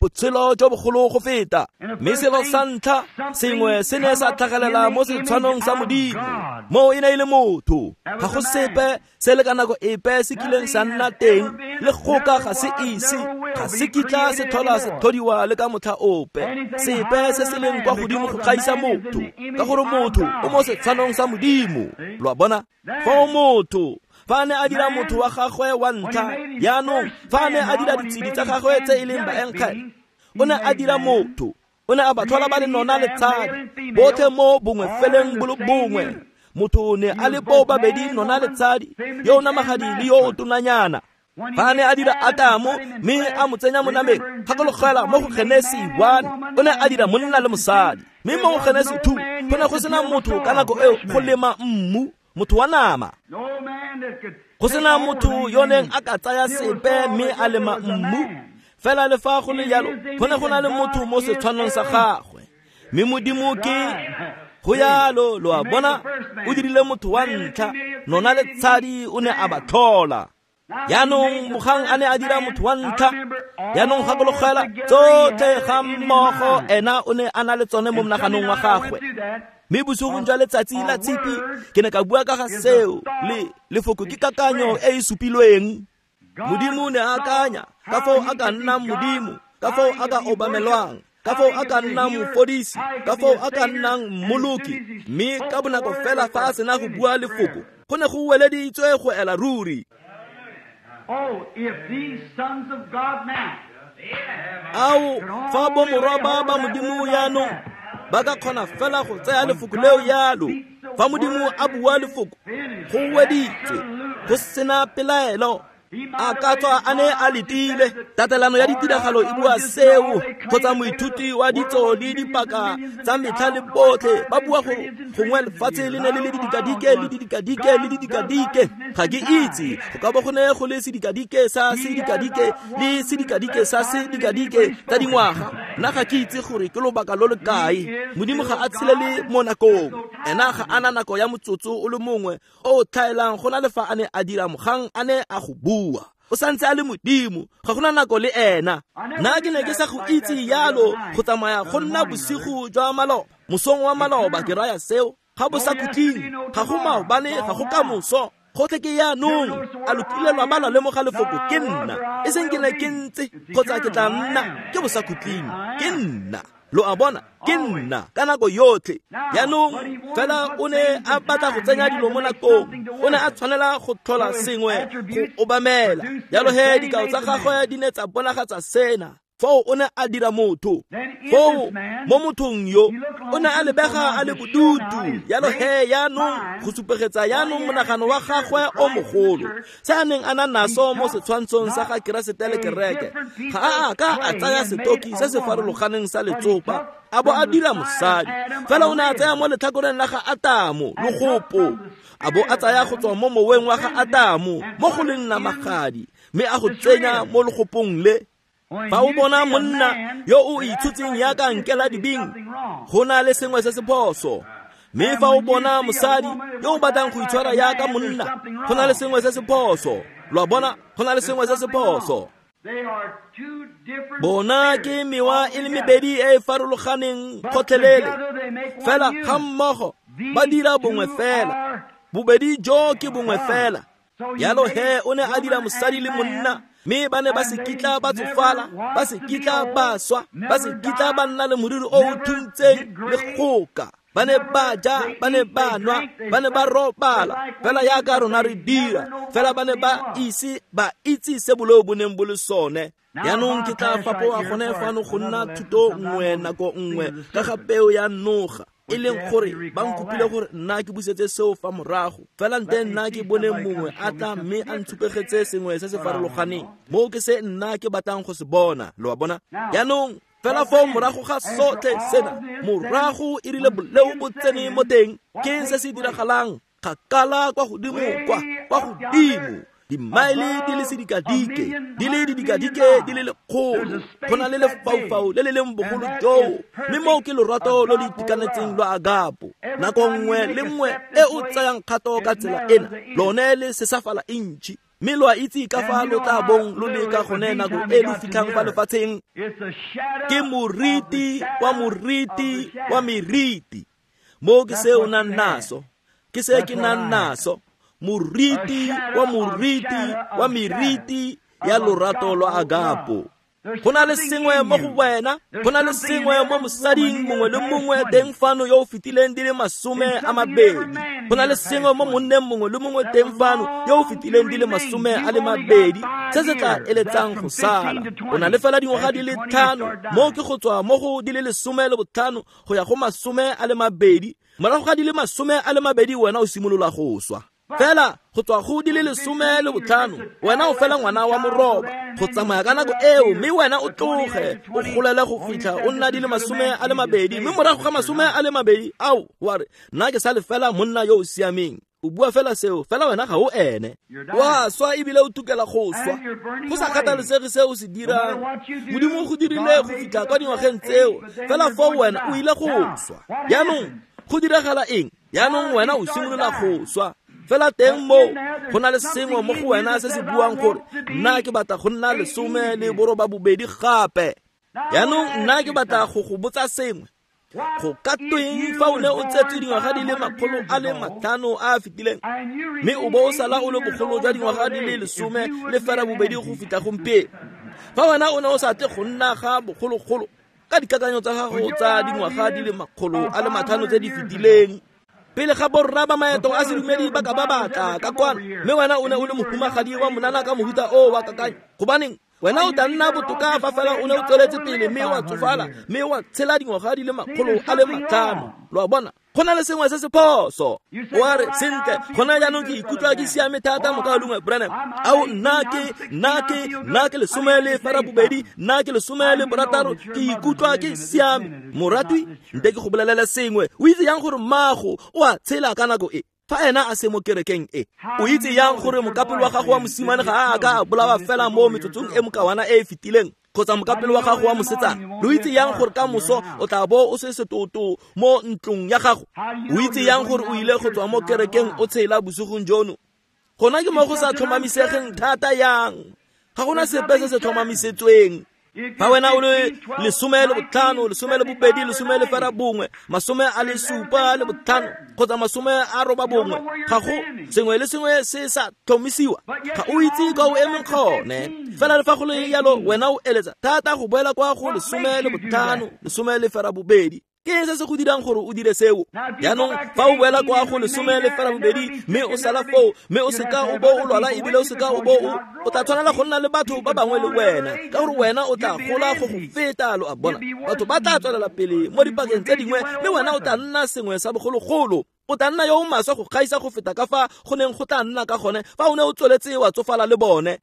botshelo jo bogolo go feta. Mme selo sa ntlha sengwe se ne sa tlhagelela mo setshwanong sa Modimo, moo e ne e le motho. Ga go sepe se le ka nako epe se kileng sa nna teng, le goka ga se ise Ga se kitla se tlhola se tlhodiwa le ka motlha ope, sepe se se leng kwa godimo go gaisa motho, ka gore motho o mo setshwanong sa Modimo. Lo a bona? Foo motho, fa a ne a dira motho wa gagwe wa ntlha, jaanong fa a ne a dira ditshedi tsa gagwe tse e leng baenkgele, o ne a dira motho, o ne a ba tlhola ba le nona le tshadi, botlhe mo bongwe feleng bo le bongwe. Motho ne a le bo babedi nona le tshadi, yo o namagadi le yo o tonanyana. Fa a ne a dira Atamo mme a mo tsenya mo nameng, gakologela mo go Genesi 1, o ne a dira monna le mosadi. Mme mo go Genesi 2, go ne go sena motho ka nako eo go lema mmu, motho wa nama. Go sena motho yo neng a ka tsaya sepe mme a lema mmu. Fela le fa go le jalo, go ne go na le motho mo setshwanong sa gagwe. Mme Modimo ke go yalo, lo a bona, o dirile motho wa ntlha, nona le tshadi o ne a ba tlhola. Jaanong mogang a ne a dira motho wa ntlha, jaanong gakologela tsotlhe ga mmogo ena o ne a na le tsone mo monaganong wa gagwe. Mme bosigong jwa letsatsi la Tshipi ke ne ka bua ka ga seo, le lefoko ke kakanyo e e supilweng. Modimo ne a akanya ka foo a ka nnang Modimo, ka foo a ka obamelwang, ka foo a ka nnang mofodisi, ka foo a ka nnang mmoloki. Mme ka bonako fela fa a sena go bua lefoko, go ne go weleditswe go ela ruri. Oh, if these sons of God now Ao, fa bomorwa ba ba Modimo jaanong ba ka kgona fela go tsaya lefoko leo yalo, fa Modimo a bua lefoko, go weditswe, go sena pelaelo. A ka tswa a ne a letile, tatelano ya ditiragalo e bua seo, kgotsa moithuti wa ditso le dipaka tsa metlha le botlhe ba bua gore gongwe lefatshe le ne le le didikadike le didikadike le didikadike. Ga ke itse, go ka bo go ne go le sedikadike sa sedikadike le sedikadike sa sedikadike tsa dingwaga. Nna ga ke itse gore ke lobaka lo le kae. Modimo ga a tshelele mo nakong, ena ga a na nako ya motsotso o le mongwe o tlhaelang go na le fa a ne a dira mogang a ne a go bua. O santse a le Modimo, ga gona nako le ena. Nna ke ne ke sa go itse yalo go tsamaya go nna bosigo jwa maloba, mosong wa maloba ke raya seo, ga bo sa khutleng, ga go maobane, ga go kamoso, gotlhe ke jaanong. A lo kile lwa ba lwa lemoga lefoko ke nna, e seng ke ne ke ntse kgotsa ke tla nna, ke bo sa khutleng, ke nna. Lo a bona, ke nna ka nako yotlhe. Jaanong fela o ne a batla go tsenya dilo mo nakong, o ne a tshwanela go tlhola sengwe go obamela. Jalo he dikao tsa gagwe di ne tsa bonagatsa sena. Foo o ne a dira motho. Foo mo mothong yo o ne a lebega a le bodutu. Jalo he jaanong go supegetsa jaanong monagano wa gagwe o mogolo, se a neng a na naso mo setshwantshong sa ga Keresete le kereke. Ga a ka a tsaya setoki se se farologaneng sa letsopa a bo a dira mosadi, fela o ne a tsaya mo letlhakoreng la ga Atamo logopo, a bo a tsaya go tswa mo moweng wa ga Atamo mo go leng namagadi, mme a go tsenya mo logopong le. Fa o bona monna yo o itshotseng jaaka nkela dibing, go na le sengwe se se phoso. Mme fa o bona mosadi yo o batlang go itshwara jaaka monna, go na le sengwe se se phoso. Lo a bona, go na le sengwe se se phoso. Bona ke mewa e le mebedi e e farologaneng gotlhelele, fela ga mmogo ba dira bongwe fela. Bobedi jo ke bongwe fela. Jalo he o ne a dira mosadi le monna, mme ba ne ba se kitla ba tsofala, ba se kitla ba swa, ba se kitla ba nna le moriri o o thuntseng le goka. Ba ne ba ja, ba ne ba nwa, ba ne ba robala, fela jaaka rona re dira, fela ba ne ba ise ba itse se boleo bo neng bo le sone. Jaanong ke tla fapoga gone fano go nna thuto nngwe nako nngwe ka ga peo ya noga, e leng gore ba nkopile gore nna ke busetse seo fa morago. Fela nte nna ke bone mongwe a tla mme a ntshupegetse sengwe se se farologaneng, moo ke se nna ke batlang go se bona. Lo a bona? Jaanong fela foo morago ga sotlhe sena, morago e rile boleo bo tsene mo teng, ke se se diragalang kgakala kwa godimo kwa godimo, dimaele di le sedikadike, di le didikadike di le lekgolo, go na le lefaufau le le leng bogolo joo, mme moo ke lorato lo lo itekanetseng lwa agapo. Nako nngwe le nngwe e o tsayang kgato ka tsela ena, lone le sesafala intšhi. Mme lo a itse ka fa lo tla bong lo le ka gone nako e lo fitlhang fa lefatsheng. Ke moriti wa moriti wa meriti. Moo ke se o nang naso, ke se ke nang naso, moriti wa moriti wa meriti ya lorato lwa agapo. Go na le sengwe mo go wena, go na le sengwe mo mosading mongwe le mongwe teng fano yo o fetileng di le 20, go na le sengwe mo monneng mongwe le mongwe teng fano yo o fetileng di le 20 se se tla eletsang go sala. O na le fela dingwaga di le 5, mo ke go tswa mo go di le 15 go ya go 20. Morago ga di le 20 wena o simolola go swa. Fela go tswa go di le 15 wena o fela ngwana wa moroba go tsamaya ka nako eo, mme wena o tloge o golele go fitlha o nna di le 20, mme morago ga 20 ao wa re nna ke sa le fela monna yo o siameng. O bua fela seo, fela wena ga o ene. Wa swa ebile o tukela go swa, go sa kgathalesege se o se dirang. Modimo o go dirile go fitlha kwa dingwageng tseo, fela foo wena o ile go swa. Jaanong go diragala eng? Jaanong wena o simolola go swa. Fela teng mo go na le sengwe mo go wena se se buang gore nna ke batla go nna 18 gape. Jaanong nna ke batla go go botsa sengwe. Go ka tweng fa o ne o tsetswe dingwaga di le 500 a a fetileng, mme o bo o sala o le bogolo jwa dingwaga di le 18 go fitlha gompieno? Fa wena o ne o sa tle go nna ga bogologolo ka dikakanyo tsa gago tsa dingwaga di le 500 tse di fetileng, pele ga borra ba maeto a sedumedi ba ka ba batla ka kwano, mme wena o ne o le mohumagadi wa monana ka mohuta o wa kakanyo, gobaneng wena o tla nna botoka fa fela o ne o tsweletse pele mme wa tsofala mme wa tshela dingwaga di le 500. Lo a bona, go na le sengwe se se phoso. O a re, sentle, gona jaanong ke ikutlwa ke siame thata, mokaulengwe Branham. Ao, nna ke 18, nna ke 16, ke ikutlwa ke siame. Moratwi, nte ke go bolelele sengwe. O itse yang gore mmago o a tshela ka nako e? Fa ena a se mo kerekeng e, o itse yang gore mokapelo wa gago wa mosimane ga a ka a bolawa fela mo metsotsong e mokawana e e fetileng, kgotsa mokapelo wa gago wa mosetsana? Lo itse yang gore ka moso o tla bo o se setoto mo ntlong ya gago? O itse yang gore o ile go tswa mo kerekeng o tshela bosigong jono? Gona ke mo go sa tlhomamisegeng thata yang. Ga gona sepe se se tlhomamisetsweng. Fa wena o le 15, 12, 11, 75 kgotsa 80, ga go sengwe le sengwe se sa tlhomisiwa. Ga o itse kwa o emeng gone. Fela le fa go le jalo, wena o eletsa thata go boela kwa go 15, 12. Ke se se go dirang gore o dire seo? Jaanong fa o boela kwa go 18 mme o sala foo, mme o seka o bo o lwala ebile o seka o bo o tla tshwanela go nna le batho ba bangwe le wena, ka gore wena o tla gola go go feta. Lo a bona, batho ba tla tswelela pele mo dipakeng tse dingwe, mme wena o tla nna sengwe sa bogologolo. O tla nna yo o maswe go gaisa go feta ka fa go neng go tla nna ka gone fa o ne o tsweletse wa tsofala le bone.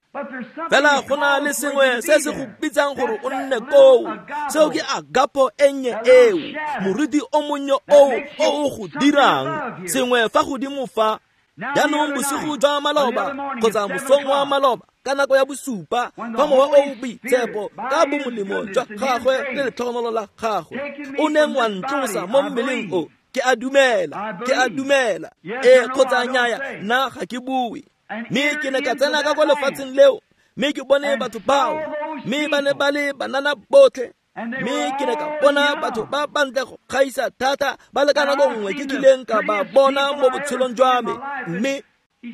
Fela go na le sengwe se se go bitsang gore o nne koo. Seo ke agapo e nnye eo, moriti o monnye oo o o go dirang sengwe fa godimo fa. Jaanong bosigo jwa maloba kgotsa mosong wa maloba ka nako ya 7, fa mowa o boitshepo ka bomolemo jwa gagwe le letlhogonolo la gagwe o neng wa ntlosa mo mmeleng o, ke a dumela, ke a dumela. Ee kgotsa nnyaya, nna ga ke bue. Mme ke ne ka tsena ka kwa lefatsheng leo, mme ke bone batho bao, mme ba ne ba le banana botlhe. Mme ke ne ka bona batho ba bantle go gaisa thata ba le ka nako nngwe ke kileng ka ba bona mo botshelong jwa me. Mme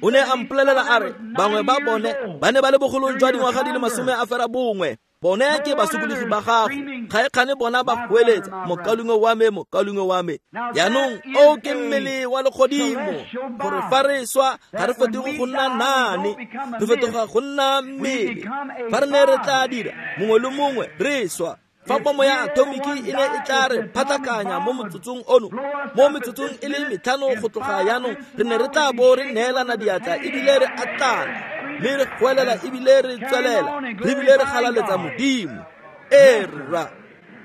o ne a mpolelela a re bangwe ba bone ba ne ba le bogolong jwa dingwaga di le 91. Bone ke basokologi ba gago, ga e kgane bona ba goeletsa, mokaulengwe wa me, mokaulengwe wa me. Jaanong o ke mmele wa legodimo, gore fa re swa ga re fetoge go nna nane, re fetoga go nna mmele. Fa re ne re tla dira mongwe le mongwe re swa, fa bomo ya atomiki e ne e tla re phatlakanya mo motsotsong ono, mo metsotsong e le 5 go tloga jaanong, re ne re tla bo re neelana diatla ebile re atlana, mme re goelela ebile re tswelela, re ebile re galaletsa Modimo. Ee rra.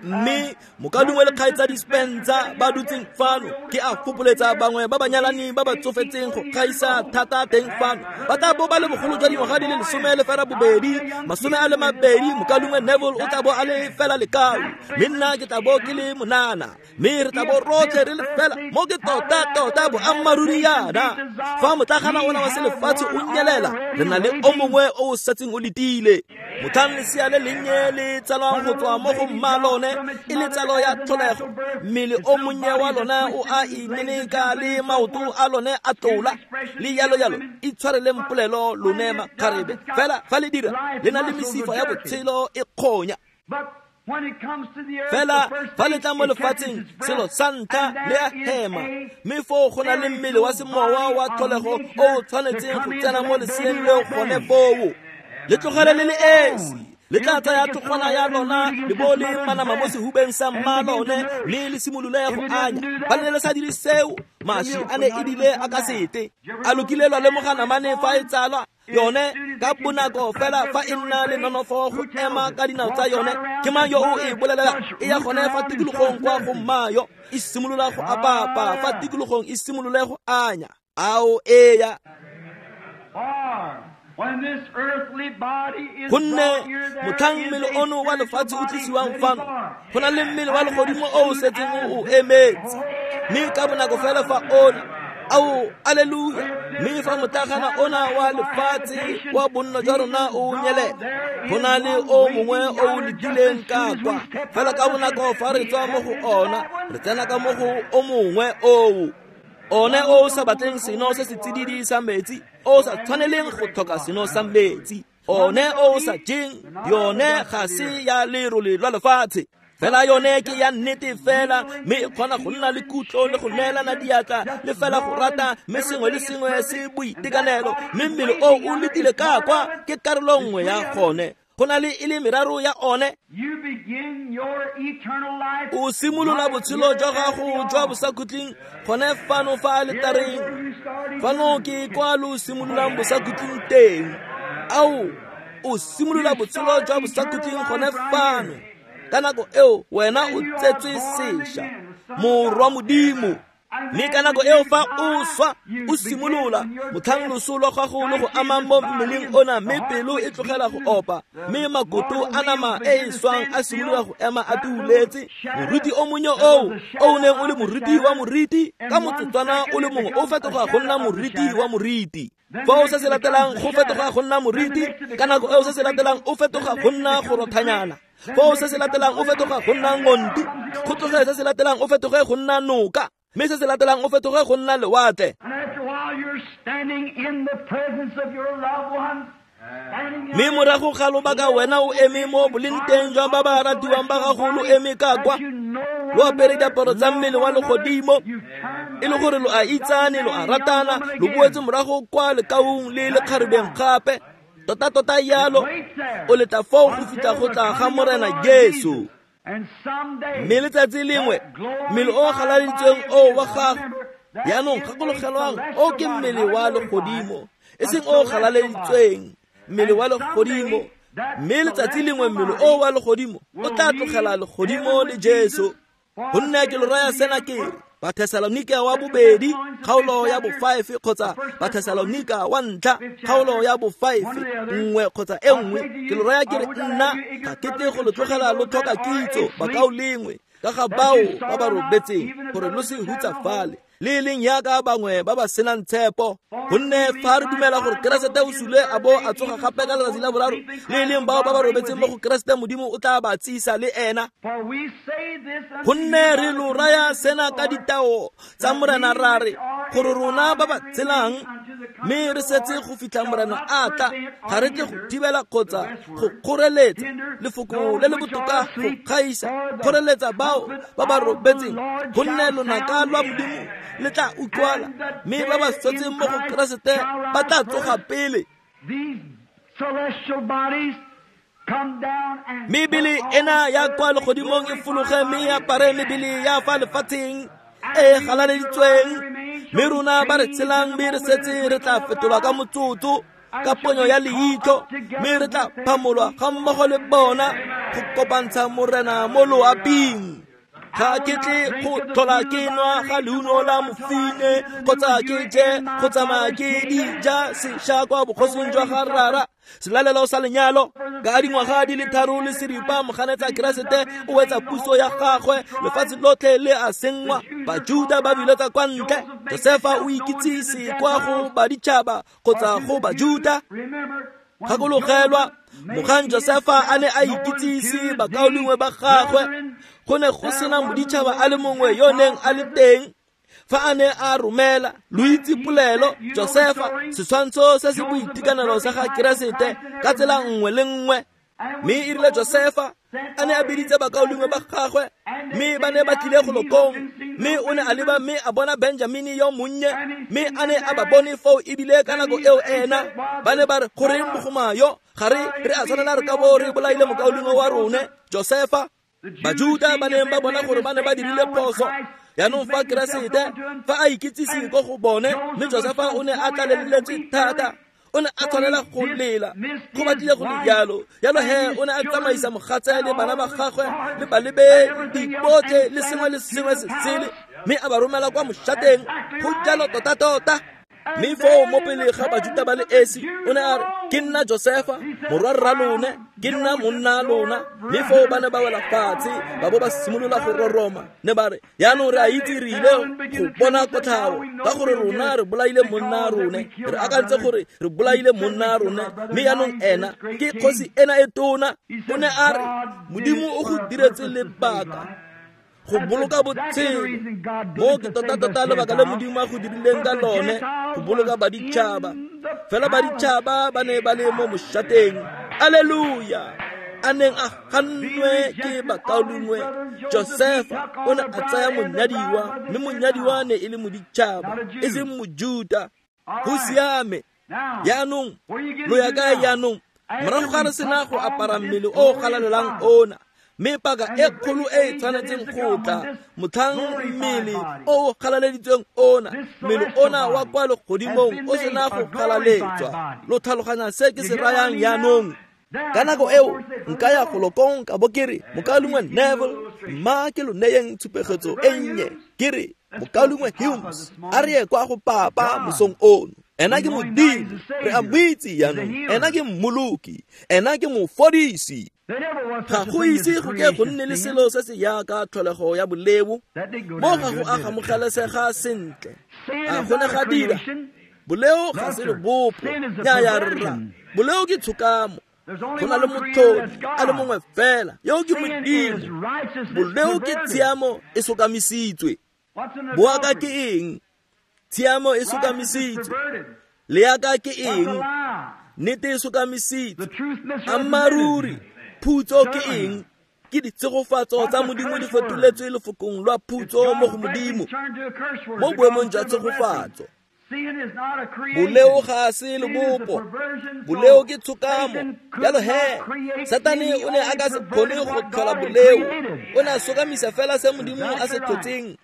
Mme mokaulengwe le kgaitsadi Spencer ba dutseng fano, ke a fopoletsa bangwe ba banyalani ba ba tsofetseng go gaisa thata teng fano, ba tla bo ba le bogolo jwa dingwaga di le 18, 20. Mokaulengwe Neville o tla bo a le fela lekau, mme nna ke tla bo ke le monana, mme re tla bo rotlhe re le fela mo ke tota-tota boammaaruri yana. Fa motlagana ona wa selefatshe o nyelela, re na le o mongwe o o setseng o letile. Motlhang lesea le lennye le tsalwang go tswa mo go mma lone lone e le tsalo ya tlholego, mmele o monnye wa lona o a imeleka le maoto a lone a tlola le jalo jalo. Itshwareleng polelo lone makgarebe, fela fa le dira le na le mesifa ya botshelo e kgonya. Fela fa le tla mo lefatsheng, selo sa ntlha le a hema, mme foo go na le mmele wa semowa wa tlholego o o tshwanetseng go tsena mo leseeng leo gone foo. Le tlogele le le esi, le tla tsaya tlogwana ya lona le bo le manama mo sehubeng sa mma lone, mme le simolole go anya. Ba ne le sa dire seo, maši a ne ebile a ka sete. A lokile lwa lemoga namane fa e tsalwa yone ka bonako fela fa e nna le nonofo go ema ka dinao tsa yone. Ke mang yo o e bolelela e ya gone fa tikologong kwa go mmayo, e simolola go apapa fa tikologong, e simolole go anya. Ao eya. Gonne motlhang mmele ono wa lefatshe o tlisiwang fano, go na le mmele wa legodimo o o setseng o emetse, mme ka bonako fela fa ona, ao aleluya, mme fa motlagana ona wa lefatshe wa bonno jwa rona o nyelela, go na le o mongwe o o letileng ka kwa. Fela ka bonako fa re tswa mo go ona, re tsena ka mo go o mongwe oo, one o sa batleng seno se se tsididi sa metsi, o sa tshwaneleng go tlhoka seno sa metsi, one o sa jeng yone ga se ya lerole lwa lefatshe. Fela yone ke ya nnete fela, mme e kgona go nna le kutlo le go neelana diatla le fela go rata, mme sengwe le sengwe se boitekanelo, mme mmele o o letile ka kwa ke karolo nngwe ya gone. Go na le e le meraro ya one. O simolola botshelo jwa gago jwa bosakhutleng gone fano fa aletareng. Fano ke kwa lo simololang bosakhutleng teng. Ao, o simolola botshelo jwa bosakhutleng gone fano. Ka nako eo wena o tsetswe sešwa, morwa Modimo. Mme ka nako eo fa o swa, o simolola motlhang loso lwa gago le go amang mo mmeleng ona, mme pelo e tlogela go opa, mme makoto a nama e e swang a simolola go ema a tuuletse. Moriti o monnye oo o neng o le moriti wa moriti, ka motsotswana o le mongwe o fetoga go nna moriti wa moriti. Foo se se latelang go fetoga go nna moriti, ka nako eo se se latelang o fetoga go nna go rothanyana. Foo se se latelang o fetoga go nna ngonti, go tloge se se latelang o fetoge go nna noka, mme se se latelang o fetoge go nna lewatle. Mme morago ga lobaka wena o eme mo boleng jwa ba ba ratiwang ba gago, lo eme ka kwa, lo apere diaparo tsa mmele wa legodimo, e le gore lo a itsane, lo a ratana, lo boetse morago kwa lekaung le lekgarebeng gape. Tota-tota yalo, o letla foo go fitlha go tla ga Morena Jesu. Mme letsatsi lengwe mmele o galaleditsweng o wa gago, jaanong gakologelwang, o ke mmele wa legodimo, e seng o galaleditsweng, mmele wa legodimo. Mme letsatsi lengwe mmele o wa legodimo o tla tlogela legodimo le Jesu. Gonne ke lo raya sena ke re, Bathesalonika wa bobedi kgaolo ya bo-5 kgotsa Bathesalonika wa ntlha kgaolo ya bo-5, nngwe kgotsa e nngwe. Ke lo raya ke re, nna ga ke tle go lo tlogela lo tlhoka kitso bakaulengwe ka ga bao ba ba robetseng, gore lo se hutsafale le e leng yaka bangwe ba ba senang tshepo. Gonne fa re dumela gore Keresete o sule a bo a tsoga gape ka letsatsi la boraro, le e leng bao ba ba robetseng mo go Keresete Modimo o tla ba tsisa le ena. Gonne re lo raya sena ka ditao tsa Morena ra re, gore rona ba ba tshelang mme re setse go fitlha Morena a tla, ga re tle go thibela kgotsa go kgoreletsa lefoko le le botoka go gaisa, kgoreletsa bao ba ba robetseng. Gonne lonaka lwa Modimo le tla utlwala, mme ba ba swetseng mo go Keresete ba tla tsoga pele. Mebele ena ya kwa legodimong e fologe mme e apare mebele ya fa lefatsheng e galaleditsweng, mme rona ba re tshelang mme re setse re tla fetolwa ka motsotso, ka ponyo ya leitlho, mme re tla phamolwa ga mmogo le bona go kopantsha Morena mo loaping. Ga ke tle go tlhola ke nwa ga leungo la mofine, kgotsa ke je go tsamaya ke di ja sešwa kwa bogosing jwa ga Rara. Selalelo sa lenyalo ka dingwaga di le 3 le seripa, moganetsa Keresete o wetsa puso ya gagwe, lefatshe lotlhe le a senngwa, Bajuda ba biletsa kwa ntle, Josefa o ikitsise kwa go baditšhaba kgotsa go Bajuda. Gakologelwa mogang Josefa a ne a ikitsise bakaulengwe ba gagwe, go ne go sena moditšhaba a le mongwe yo neng a le teng. Fa a ne a romela, lo itse polelo, Josefa, setshwantsho se se boitekanelo sa ga Keresete ka tsela nngwe le nngwe. Mme e rile Josefa a ne a biditse bakaulengwe ba gagwe, mme ba ne ba tlile go lokong, mme o ne a leba mme a bona Benjamini yo monnye, mme a ne a ba bone foo ebile ka nako eo ena ba ne ba re, goreng mogoma yo ga re a tshwanela re ka bo re bolaile mokaulengwe wa rone Josefa. Bajuda ba neng ba bona gore ba ne ba dirile phoso. Yaanong fa Keresete fa a ikitsise ko go bone, mme Josefa o ne a tlaleletswe thata, o ne a tshwanela go lela, go batlile go le jalo. Jalo he o ne a tsamaisa mogatse le bana ba gagwe le balebedi botlhe le sengwe le sengwe se sele, mme a ba romela kwa moshateng. Go jalo tota-tota. Mme foo mo pele ga Bajuda ba le esi, o ne a re, ke nna Josefa, morwa rra lone, ke nna monna lona. Mme foo ba ne ba wela fatshe, ba bo ba simolola go roroma. Ne ba re, yaanong re a itse re ile go bona kotlhao, ka gore rona re bolaile monna rone, re akantse gore re bolaile monna rone, mme yaanong ena ke kgosi ena e tona. O ne a re, Modimo o go diretse lebaka go boloka botshelo. Mo ke tota-tota lebaka le Modimo a go dirileng ka lone, go boloka baditšhaba. Fela baditšhaba ba ne ba le mo moshateng. Alleluia! A neng a gannwe ke bakaulengwe, Josefa o ne a tsaya monyadiwa, mme monyadiwa ne e le moditšhaba, e seng Mojuta. Go siame. Yaanong lo ya kae yaanong? Morago ga re sena go apara mmele o galalelang ona, mme paka e kgolo e e tshwanetseng go tla, motlhang mmele o galaleditsweng ona, mmele ona wa kwa legodimong o sena go galaletswa. Lo tlhaloganya se ke se rayang yaanong? Ka nako eo nka ya go lokong ka bo ke re, mokaulengwe Neville, mma ke lo neyeng tshupegetso e nnye. Ke re, mokaulengwe Humes, a re ye kwa go papa mosong ono. Ena ke Modimo, re a mo itse yaanong. Ena ke mmoloki, ena ke mofodisi. Ga go ise go ke go nne le selo se se yaka tlholego ya boleo, mo ga go a gamogelesega sentle. A go ne ga dira. Boleo ga se lebopo, nnyaya rra. Boleo ke tshokamo. Go na le motlhodi a le mongwe fela, yo ke Modimo. Boleo ke tshiamo e sokamisitswe. Boaka ke eng? Tshiamo e sokamisitswe. Leaka ke eng? Nnete e sokamisitswe. Ammaruri, phutso ke eng? Ke ditshegofatso tsa Modimo di fetoletswe lefokong lwa phutso mo go Modimo, mo boemong jwa tshegofatso. Boleo ga se lebopo, boleo ke tshokamo. Jalo he, Satane o ne a ka se kgone go tlhola boleo, o ne a sokamisa fela se Modimo a se tlhotseng.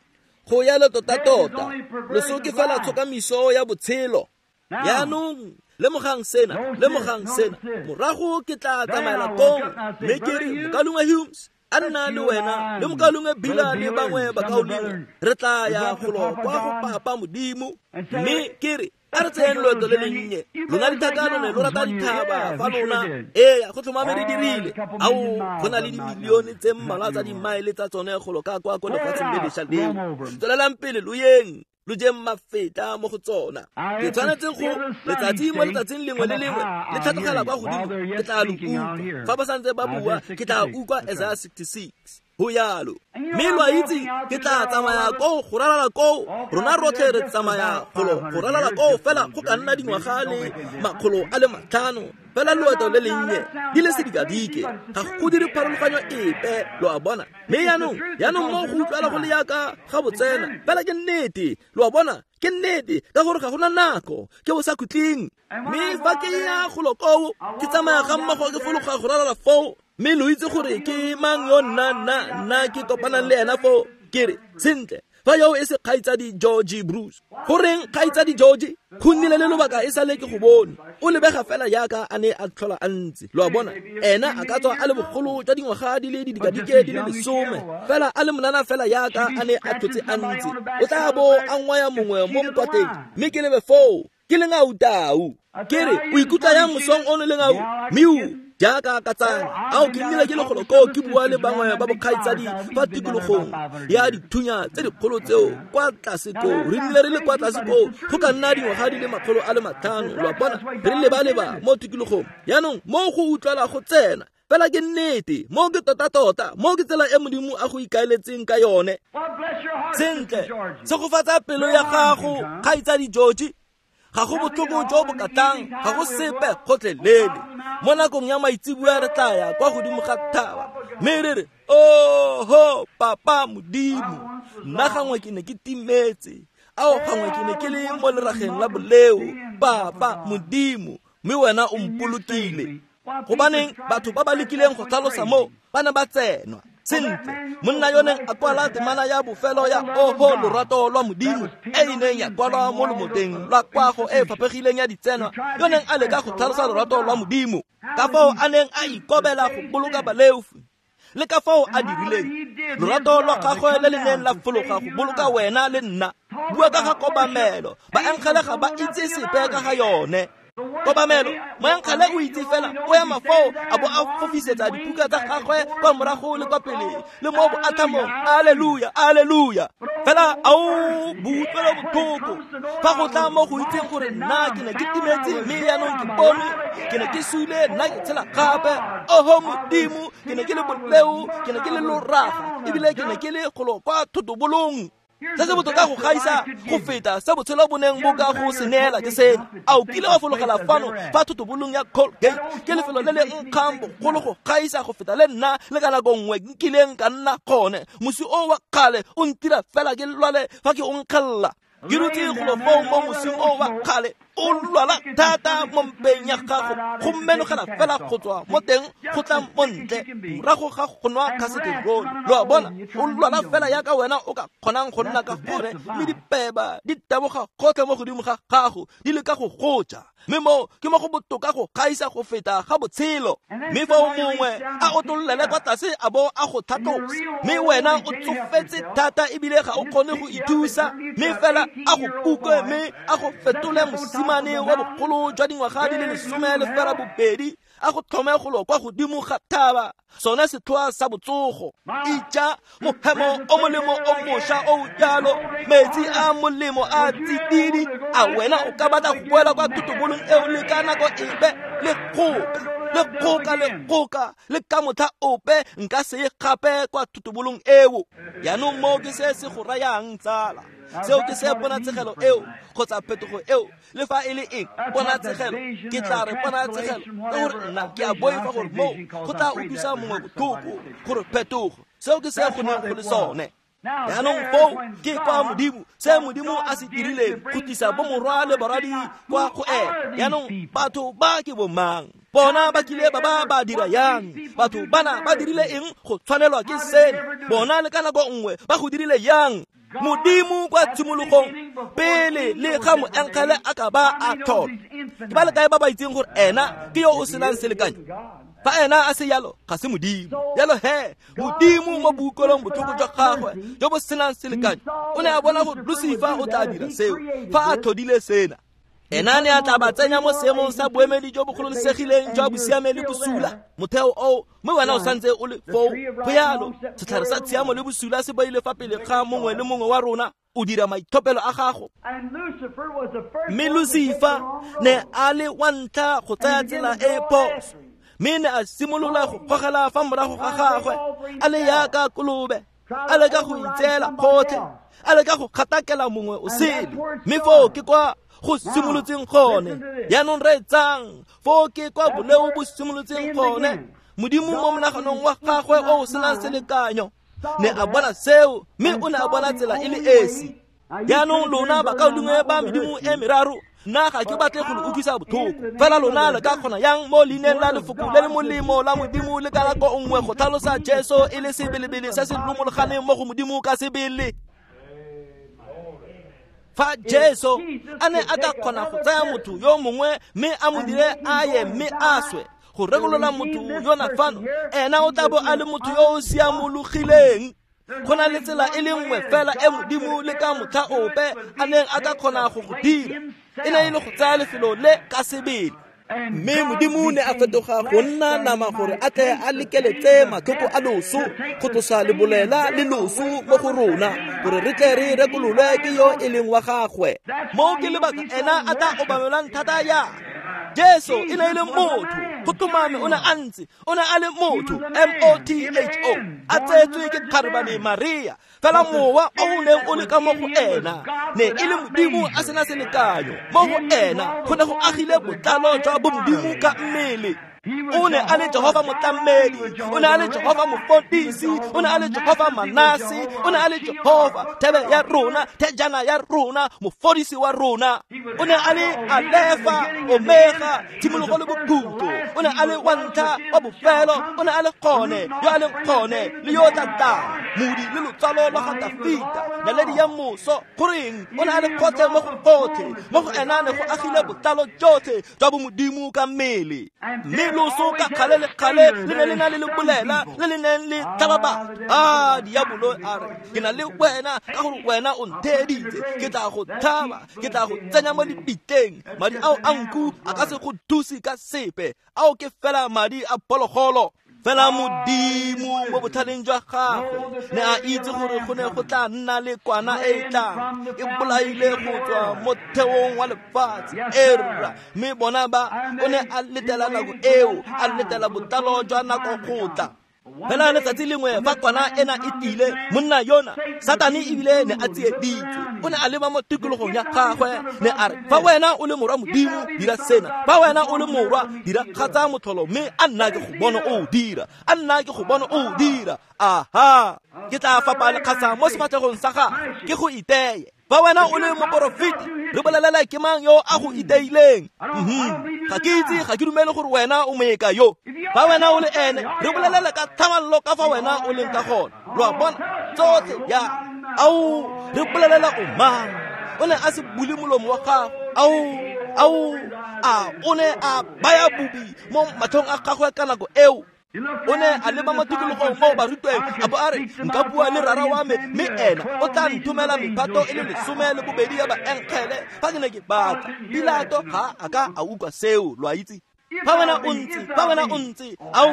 Go yalo tota-tota, loso ke fela tshokamiso ya botshelo. Yaanong lemogang sena, lemogang sena. Morago ke tla tsamaela kong, mme ke re, mokaulengwe Humes, a nna le wena le mokaulengwe Bila le bangwe bakaulengwe, re tla ya golo kwa go papa Modimo. Mme ke re, a re tseyeng loeto le lennye. Lona dithaka lone lo rata dithaba fa lona. Eya, go tlhomame re dirile. Ao, go na le dimilione tse mmalwa tsa dimaele tsa tsone golo ka kwa ko lefatsheng le lešwa leo. Tswelelang pele lo yeng, lo jeng mafeta mo go tsona. Ke tshwanetse go letsatsi mo letsatsing lengwe le lengwe le tlhatlogela kwa godimo, ke tla lo utlwa. Fa ba santse ba bua, ke tla utlwa Isaiah 66. Ho yalo. Mme lo a itse, ke tla tsamaya koo go ralala koo. Rona rotlhe re tsamaya golo go ralala koo fela go ka nna dingwaga le 500. Fela loeto le lennye di le sedikadike, ga go dire pharologanyo epe, lo a bona. Mme yaanong mo go utlwala go le yaka ga botsena, fela ke nnete, lo a bona, ke nnete, ka gore ga gona nako, ke bo sa khutleng. Mme fa ke ya golo koo, ke tsamaya ga mmogo ke fologa go ralala foo, mme lo itse gore ke mang yo nna ke kopanang le ena foo. Ke re, sentle, fa yo e se kgaitsadi Georgie Bruce. Goreng kgaitsadi Georgie? Go nnile le lobaka e sale ke go bone. O lebega fela yaka a ne a tlhola a ntse. Lo a bona, ena a ka tswa a le bogolo jwa dingwaga di le didikadike di le 10, fela a le monana fela yaka a ne a tlhotse a ntse. O tla bo a ngwaya mongwe mo mokwateng, mme ke lebe foo, ke lengau tau. Ke re, o ikutlwa yang mosong ono lengau? Miu, Jaaka ka tsala, ao ke nnile ke le golo koo ke bua le bangwe ba bokgaitsadi fa tikologong ya dithunya tse dikgolo tseo kwa tlase koo. Re nnile re le kwa tlase koo go ka nna dingwaga di le 500, lo a bona, re leba-leba mo tikologong. Jaanong mo go utlwala go tsena fela ke nnete, mo ke tota-tota, mo ke tsela e Modimo a go ikaeletseng ka yone. Sentle, tshegofatsa pelo ya gago, kgaitsadi George. Ga go botlhoko jo bo ka tlang, ga go sepe gotlhelele. Mo nakong ya maitseboa re tla ya kwa godimo ga thaba mme re re, oho papa Modimo, nna gangwe ke ne ke timetse, ao gangwe ke ne ke le mo lerageng la boleo, papa Modimo, mme wena o mpolokile. Gobaneng batho ba ba lekileng go tlhalosa mo ba ne ba tsenwa. Sentle, monna yo neng a kwala temana ya bofelo ya oho lorato lwa Modimo e e neng ya kwalwa mo lomoteng lwa kwago e e faphegileng ya ditsenwa, yo neng a leka go tlhalosa lorato lwa Modimo, ka fao a neng a ikobela go boloka baleofi, le ka fao a dirileng lorato lwa gagwe le le neng la fologa go boloka wena le nna. Bua ka ga kobamelo, baengele ga ba itse sepe ka ga yone. Kobamelo, moengele o itse fela o ema foo a bo a fofisetsa dipuka tsa gagwe kwa morago le kwa pele le mo boathamong, alleluia, alleluia. Fela ao boutlwelo botlhoko fa go tla mo go itseng gore nna ke ne ke timetse mme jaanong ke bone, ke ne ke sule, nna ke tshela gape. Oho Modimo, ke ne ke le boleo, ke ne ke le loraga, ebile ke ne ke le golo kwa thotobolong. Se se botoka go gaisa go feta se botshelo bo neng bo ka go se neela ke sena. A o kile wa fologela fano fa thotobolong ya Colgate? Ke lefelo le le nkgang bogolo go gaisa go feta le nna le ka nako nngwe nkileng ka nna gone. Mosi o wa kgale o ntira fela ke lwale fa ke o nkgella. Ke dutse golo foo mo mosing o wa kgale, o lwala thata mo mpeng ya gago, go menogela fela go tswa mo teng go tla mo ntle morago ga go nwa khaseterole. Lo a bona, o lwala fela yaka wena o ka kgonang go nna ka gone, mme dipeba di taboga gotlhe mo godimo ga gago di leka go goja. Mme mo ke mo go botoka go gaisa go feta ga botshelo. Mme fa o mongwe a otlolele kwa tlase a bo a go tlhatlosa, mme wena o tsofetse thata ebile ga o kgone go ithusa, mme fela a go kuke mme a go fetole mosimane wa bogolo jwa dingwaga di le 18, a go tlhome golo kwa godimo ga thaba, sone setlhoa sa botsogo. Ija mohemo o molemo o mošwa o jalo, metsi a molemo a tsididi. A wena o ka batla go boela kwa thotobolong eo le ka nako epe? Le kgoka, le kgoka, le kgoka, le ka motlha ope nka se ye gape kwa thotobolong eo. Jaanong mo ke se se go rayang, tsala. Seo ke se ponatshegelo eo kgotsa phetogo eo, le fa e le eng ponatshegelo, ke tla re ponatshegelo ka gore nna ke a boifa gore mo go tla utlwisa mongwe botlhoko gore phetogo. Seo ke se go neng go le sone. Jaanong foo ke kwa Modimo, se Modimo a se dirileng go tlisa bomorwa le barwadi kwa go ene. Jaanong batho ba ke bomang? Bona ba kile ba ba ba dira yang? Batho bana ba dirile eng go tshwanelwa ke seno? Bona le ka nako nngwe ba go dirile yang? Modimo kwa tshimologong pele le ga moengele a ka ba a tlhola. Ke ba le kae ba ba itseng gore ena ke yo o senang selekanyo? Fa ena a se yalo, ga se Modimo. Jalo he, Modimo mo boutlwelong botlhoko jwa gagwe jo bo senang selekanyo, o ne a bona gore Lucifer o tla dira seo fa a tlhodile sena. Ena ne a tla ba tsenya mo seemong sa boemedi jo bo gololesegileng jwa bosiame le bosula, motheo oo, mme wena o santse o le foo. Go yalo, setlhare sa tshiamo le bosula se beile fa pele ga mongwe le mongwe wa rona. O dira maitlhophelo a gago. Mme Lucifer ne a le wa ntlha go tsaya tsela e phoso, mme ne a simolola go gogela fa morago ga gagwe, a le yaka kolobe, a leka go itseela kgotlhe, a leka go kgatakela mongwe o sele. Mme foo ke kwa go simolotseng gone. Jaanong reetsang, foo ke kwa boleo bo simolotseng gone. Modimo mo monaganong wa gagwe o o senang selekanyo ne a bona seo, mme o ne a bona tsela e le esi. Jaanong lona bakaulengwe ba medimo e meraro, nna ga ke batle go le utlwisa botlhoko, fela lona le ka kgona yang mo leineng la lefoko le le molemo la Modimo le ka nako nngwe go tlhalosa Jesu e le sebelebele se se lomologaneng mo go Modimo ka sebele? Fa Jesu a ne a ka kgona go tsaya motho yo mongwe mme a mo dire a ye mme a swe go rekolola motho yona fano, ena o tla bo a le motho yo o siamologileng. Go na le tsela e le nngwe fela e Modimo le ka motlha ope a neng a ka kgona go go dira, e ne e le go tsaya lefelo le ka sebele. Mme Modimo ne a fetoga go nna nama gore a tle a lekeletse matlhoko a loso go tlosa lebolela le loso mo go rona gore re tle re rekololwe ke yo e leng wa gagwe. Mo ke lebaka ena a tla obamelwang thata ya Jesu e ne e le motho, go tlhomame o ne a ntse, o ne a le motho, M-O-T-H-O, a tsetswe ke kgarebane Maria. Fela mowa o o neng o le ka mo go ena ne e le Modimo a sena selekanyo. Mo go ena go ne go agile botlalo jwa bomodimo ka mmele. O ne a le Jehova motlamedi, o ne a le Jehova mofodisi, o ne a le Jehova Manase, o ne a le Jehova thebe ya rona, thejana ya rona, mofodisi wa rona. O ne a le Alefa, Omega, tshimologo le bokhutlo. O ne a le wa ntlha, wa bofelo, o ne a le gone, yo a leng gone, le yo o tla tlang, modi le lotsalo lwa ga Dafita, naledi ya moso. Goreng o ne a le gotlhe mo go gotlhe, mo go ena ne go agile botlalo jotlhe jwa bomodimo ka mmele. Mme loso ka kgale le kgale le ne le na le lebolela le le neng le tlhaba batho. A diabolo a re, ke na le wena ka gore wena o ntheeditse, ke tla go tlhaba, ke tla go tsenya mo lebitleng. Madi ao a nku a ka se go thuse ka sepe, ao ke fela madi a phologolo. Fela Modimo mo botlhaleng jwa gagwe ne a itse gore go ne go tla nna le kwana e e tlang e bolaile go tswa mo theong wa lefatshe. Erra, mme bona ba o ne a letela nako eo, a letela botlalo jwa nako go tla. Fela letsatsi lengwe fa kwana ena e tile, monna yona Satane ebile ne a tsieditswe. O ne a leba mo tikologong ya gagwe, ne a re, fa wena o le morwa Modimo, dira sena. Fa wena o le morwa, dira kgatsa motlholo, mme a nna ke go bona o dira, a nna ke go bona o dira. Aha, ke tla fapa lekgasa mo sefatlhegong sa gagwe, ke go iteye. Fa wena o le moporofeti, re bolelela ke mang yo a go iteileng? Ga ke itse, ga ke dumele gore wena o moeka yo. Fa wena o le ene, re bolelela ka tlhamallo ka fa wena o leng ka gona. Lo a bona tsotlhe ya ao, re bolelela o mang? O ne a se bule molomo wa gagwe. Ao, a o ne a baya bobi mo matlhong a gagwe ka nako eo. O ne a leba mo tikologong mo barutweng, a bo a re, nka bua le rara wa me, mme ena o tla nthomela mephato e le 12 ya baenkgele fa ke ne ke batla. Pilato ga a ka a utlwa seo, lo a itse. Fa wena o ntse, fa wena o ntse, ao,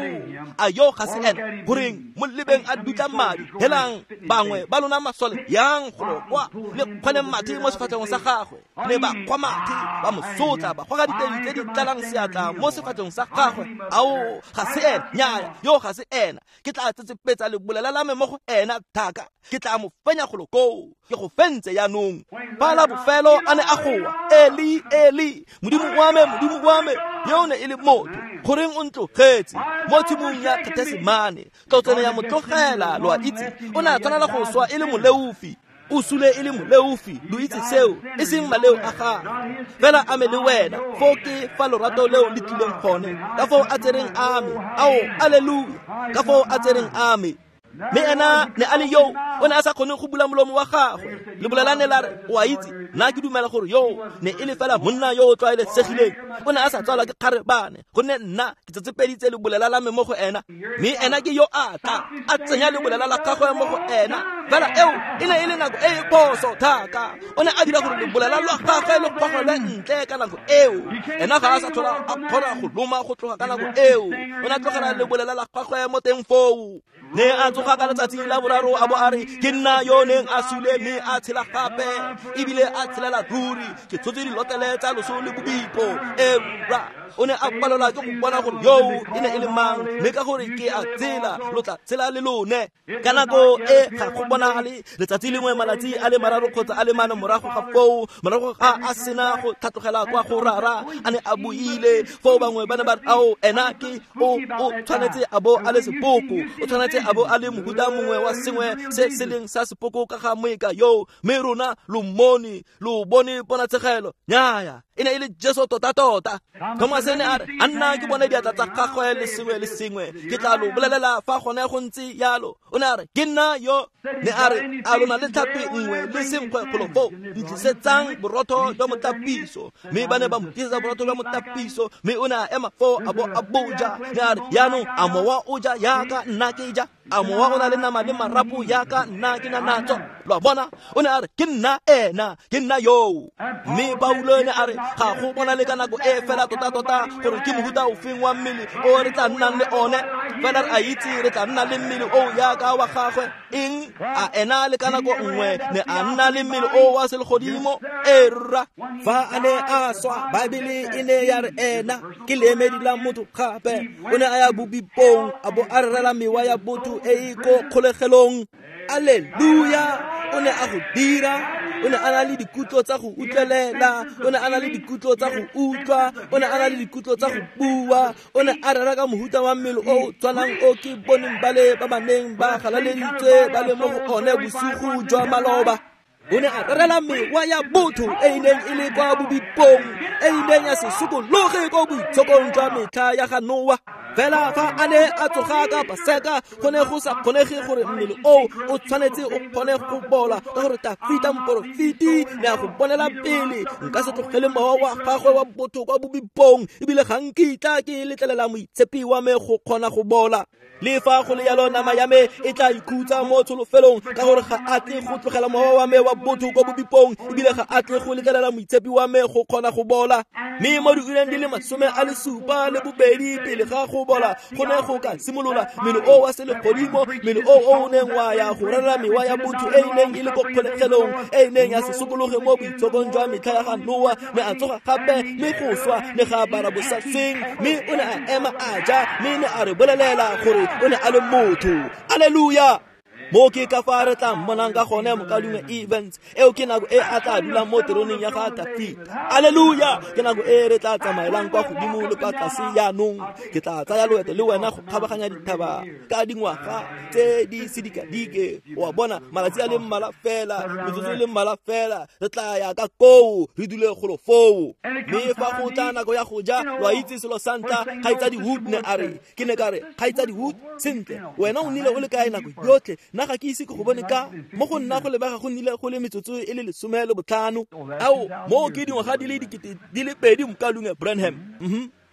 a yo ga se ena. Goreng mo lebeng a dutla madi? Helang bangwe ba lona masole yang golo kwa le kgone mathe mo sefatlhegong sa gagwe. Ne ba kgwa mathe, ba mo sotla, ba goga diteng tse di tlalang seatla mo sefatlhegong sa gagwe. Ao, ga se ena, nnyaya, yo ga se ena. Ke tla tsetsepetsa lebolela la me mo go ena thaka, ke tla mo fenya golo koo, ke go fentse jaanong. Fa la bofelo a ne a goa, Eli, Eli, Modimo wa me, Modimo wa me, yo ne e le motho, goreng o ntlogetse mo tshimong ya Getsemane? Tlotsene ya mo tlogela, lo a itse. O ne a tshwanela go swa e le moleofi, o sule e le moleofi, lo itse seo, e seng maleo a gagwe. Fela a me le wena, foo ke fa lorato leo le tlileng gone, ka foo a tsereng a me. Ao, alleluia, ka foo a tsereng a me. Mme ena ne a le yo, o ne a sa kgone go bula molomo wa gagwe. Lebolela ne la re, o a itse, nna ke dumela gore yo ne e le fela monna yo o tlwaelesegileng. O ne a sa tswalwa ke kgarebane, gonne nna ke tsetsepeditse lebolela la me mo go ena. Mme ena ke yo a tla, a tsenya lebolela la gagwe mo go ena. Fela eo e ne e le nako e e phoso thata. O ne a dira gore lebolela lwa gagwe le gogelwe ntle ka nako eo. Ena ga a sa tlhola a kgona go loma go tloga ka nako eo. O ne a tlogela lebolela la gagwe mo teng foo. Ne a tsoga ka letsatsi la boraro a bo a re, ke nna yo neng a sule mme a tshela gape, ebile a tshelela ruri, ke tshotse dilotlele tsa loso le bobipo. Era, o ne a palelwa ke go bona gore yoo e ne e le mang, mme ka gore ke a tsela, lo tla tshela le lone. Ka nako e ga go bonagale letsatsi lengwe malatsi a le mararo kgotsa a le mane morago ga foo, morago ga a sena go tlhatlogela kwa go rara, a ne a buile foo bangwe ba ne ba re, ao, ena ke o tshwanetse a bo a le sepoko, o tshwanetse a bo a le mohuta mongwe wa sengwe se se leng sa sepoko ka ga moeka yo, mme rona lo mmone, lo bone ponatshegelo. Nnyaya, e ne e le Jesu tota-tota. Thomas ne a re, a nna ke bone diatla tsa gagwe le sengwe le sengwe, ke tla lo bolelela fa gone go ntse yalo. O ne a re, ke nna yo. Ne a re, a lona le tlhapi nngwe le senkgwe golo foo, ntlisetsang borotho jwa motlapiso. Mme ba ne ba mo tlisetsa borotho jwa motlapiso, mme o ne a ema foo a bo a boja. Ne a re, jaanong a mowa o ja yaka nna ke ja? A mowa o na le nama le marapo yaka nna ke na natso. Lo a bona? O ne a re ke nna ena, ke nna yoo. Mme Paulo ne a re ga go bona le ka nako e fela tota-tota gore ke mohuta ofeng wa mmele o re tla nnang le one. Fela re a itse re tla nna le mmele o yaka wa gagwe. Eng a ena le ka nako nngwe ne a nna le mmele o wa selegodimo? E rra, fa a ne a swa, Baebele e ne ya re ena ke leemedi la motho gape. O ne a ya bobipong a bo a rerela mewa ya botho e e ko kgolegelong. Alleluia! O ne a go dira. O ne a na le dikutlo tsa go utlwelela, o ne a na le dikutlo tsa go utlwa, o ne a na le dikutlo tsa go bua, o ne a rera ka mohuta wa mmele o tshwanang o ke boneng ba le ba ba neng ba galaleditswe ba le mo go one bosigo jwa maloba. O ne a rerela mewa ya botho e e neng e le kwa bobipong, e e neng ya se sokologe ko boitshokong jwa metlha ya ga Noa. Fela fa a ne a tsoga ka Paseka, go ne go sa kgonege gore mmele oo o tshwanetse o kgone go bola, ka gore Tafita moporofeti ne a go bonela pele. Nka se tlogele mowa wa gagwe wa botho kwa bobipong, ebile ga nkitla ke letlelela moitshepi wa me go kgona go bola. Le fa go le yalo, nama ya me e tla ikhutsa mo tsholofelong, ka gore ga a tle go tlogela mowa wa me wa botho kwa bobipong, ebile ga a tle go letlelela moitshepi wa me go kgona go bola. Mme mo diureng di le 72 pele ga go bola go ne go ka simolola mmele o wa selegodimo, mmele o o neng wa ya go rera mewa ya botho e e neng e le ko kgolegelong, e e neng ya se sokologe mo boitshokong jwa metlha ya ga Noa. Ne a tsoga gape, mme go swa ne ga apara bosasweng, mme o ne a ema a ja, mme ne a re bolelela gore o ne a le motho. Alleluia! Mo ke ka fa re tla mmonang ka gone mokaulengwe Evans. Eo ke nako e a tla dulang mo teroneng ya ga Tafita. Alleluia! Ke nako e re tla tsamaelang kwa godimo le kwa tlase jaanong. Ke tla tsaya loeto le wena go kgabaganya dithaba ka dingwaga tse di sedikadike. O a bona, malatsi a le mmalwa fela, metsotso e le mmalwa fela, re tla ya ka koo, re dule golo foo. Mme fa go tla nako ya go ja, lo a itse selo sa ntlha, Kgaitsadi Wood ne a re, ke ne ka re, Kgaitsadi Wood, sentle, wena o nnile o le kae nako yotlhe? Nna ga ke ise ke go bone ka mo go nna go lebega go nnile go le metsotso e le 15. Ao, mo ke dingwaga di le 2000 mokaulengwe Branham.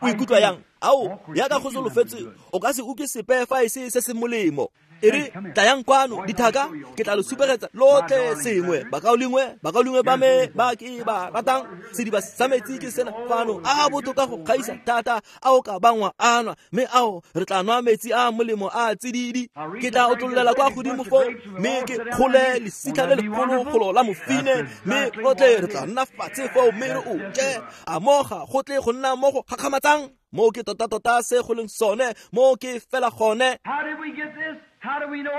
O ikutlwa yang? Ao, yaka go solofetse o ka se utlwe sepe fa e se se se molemo. E re, tlayang kwano dithaka, ke tla lo supegetsa lotlhe sengwe. Bakaulengwe ba me ba ke ba ratang, sediba sa metsi ke sena fano, a botoka go gaisa thata a o ka bangwa a nwa, mme ao re tla nwa metsi a molemo a tsididi. Ke tla otlololela kwa godimo foo, mme ke kgole lesitlha le legologolo la mofine, mme rotlhe re tla nna fatshe foo mme re o je. A mo ga go tle go nna mo go gakgamatsang? Mo ke tota-tota se go leng sone, mo ke fela gone.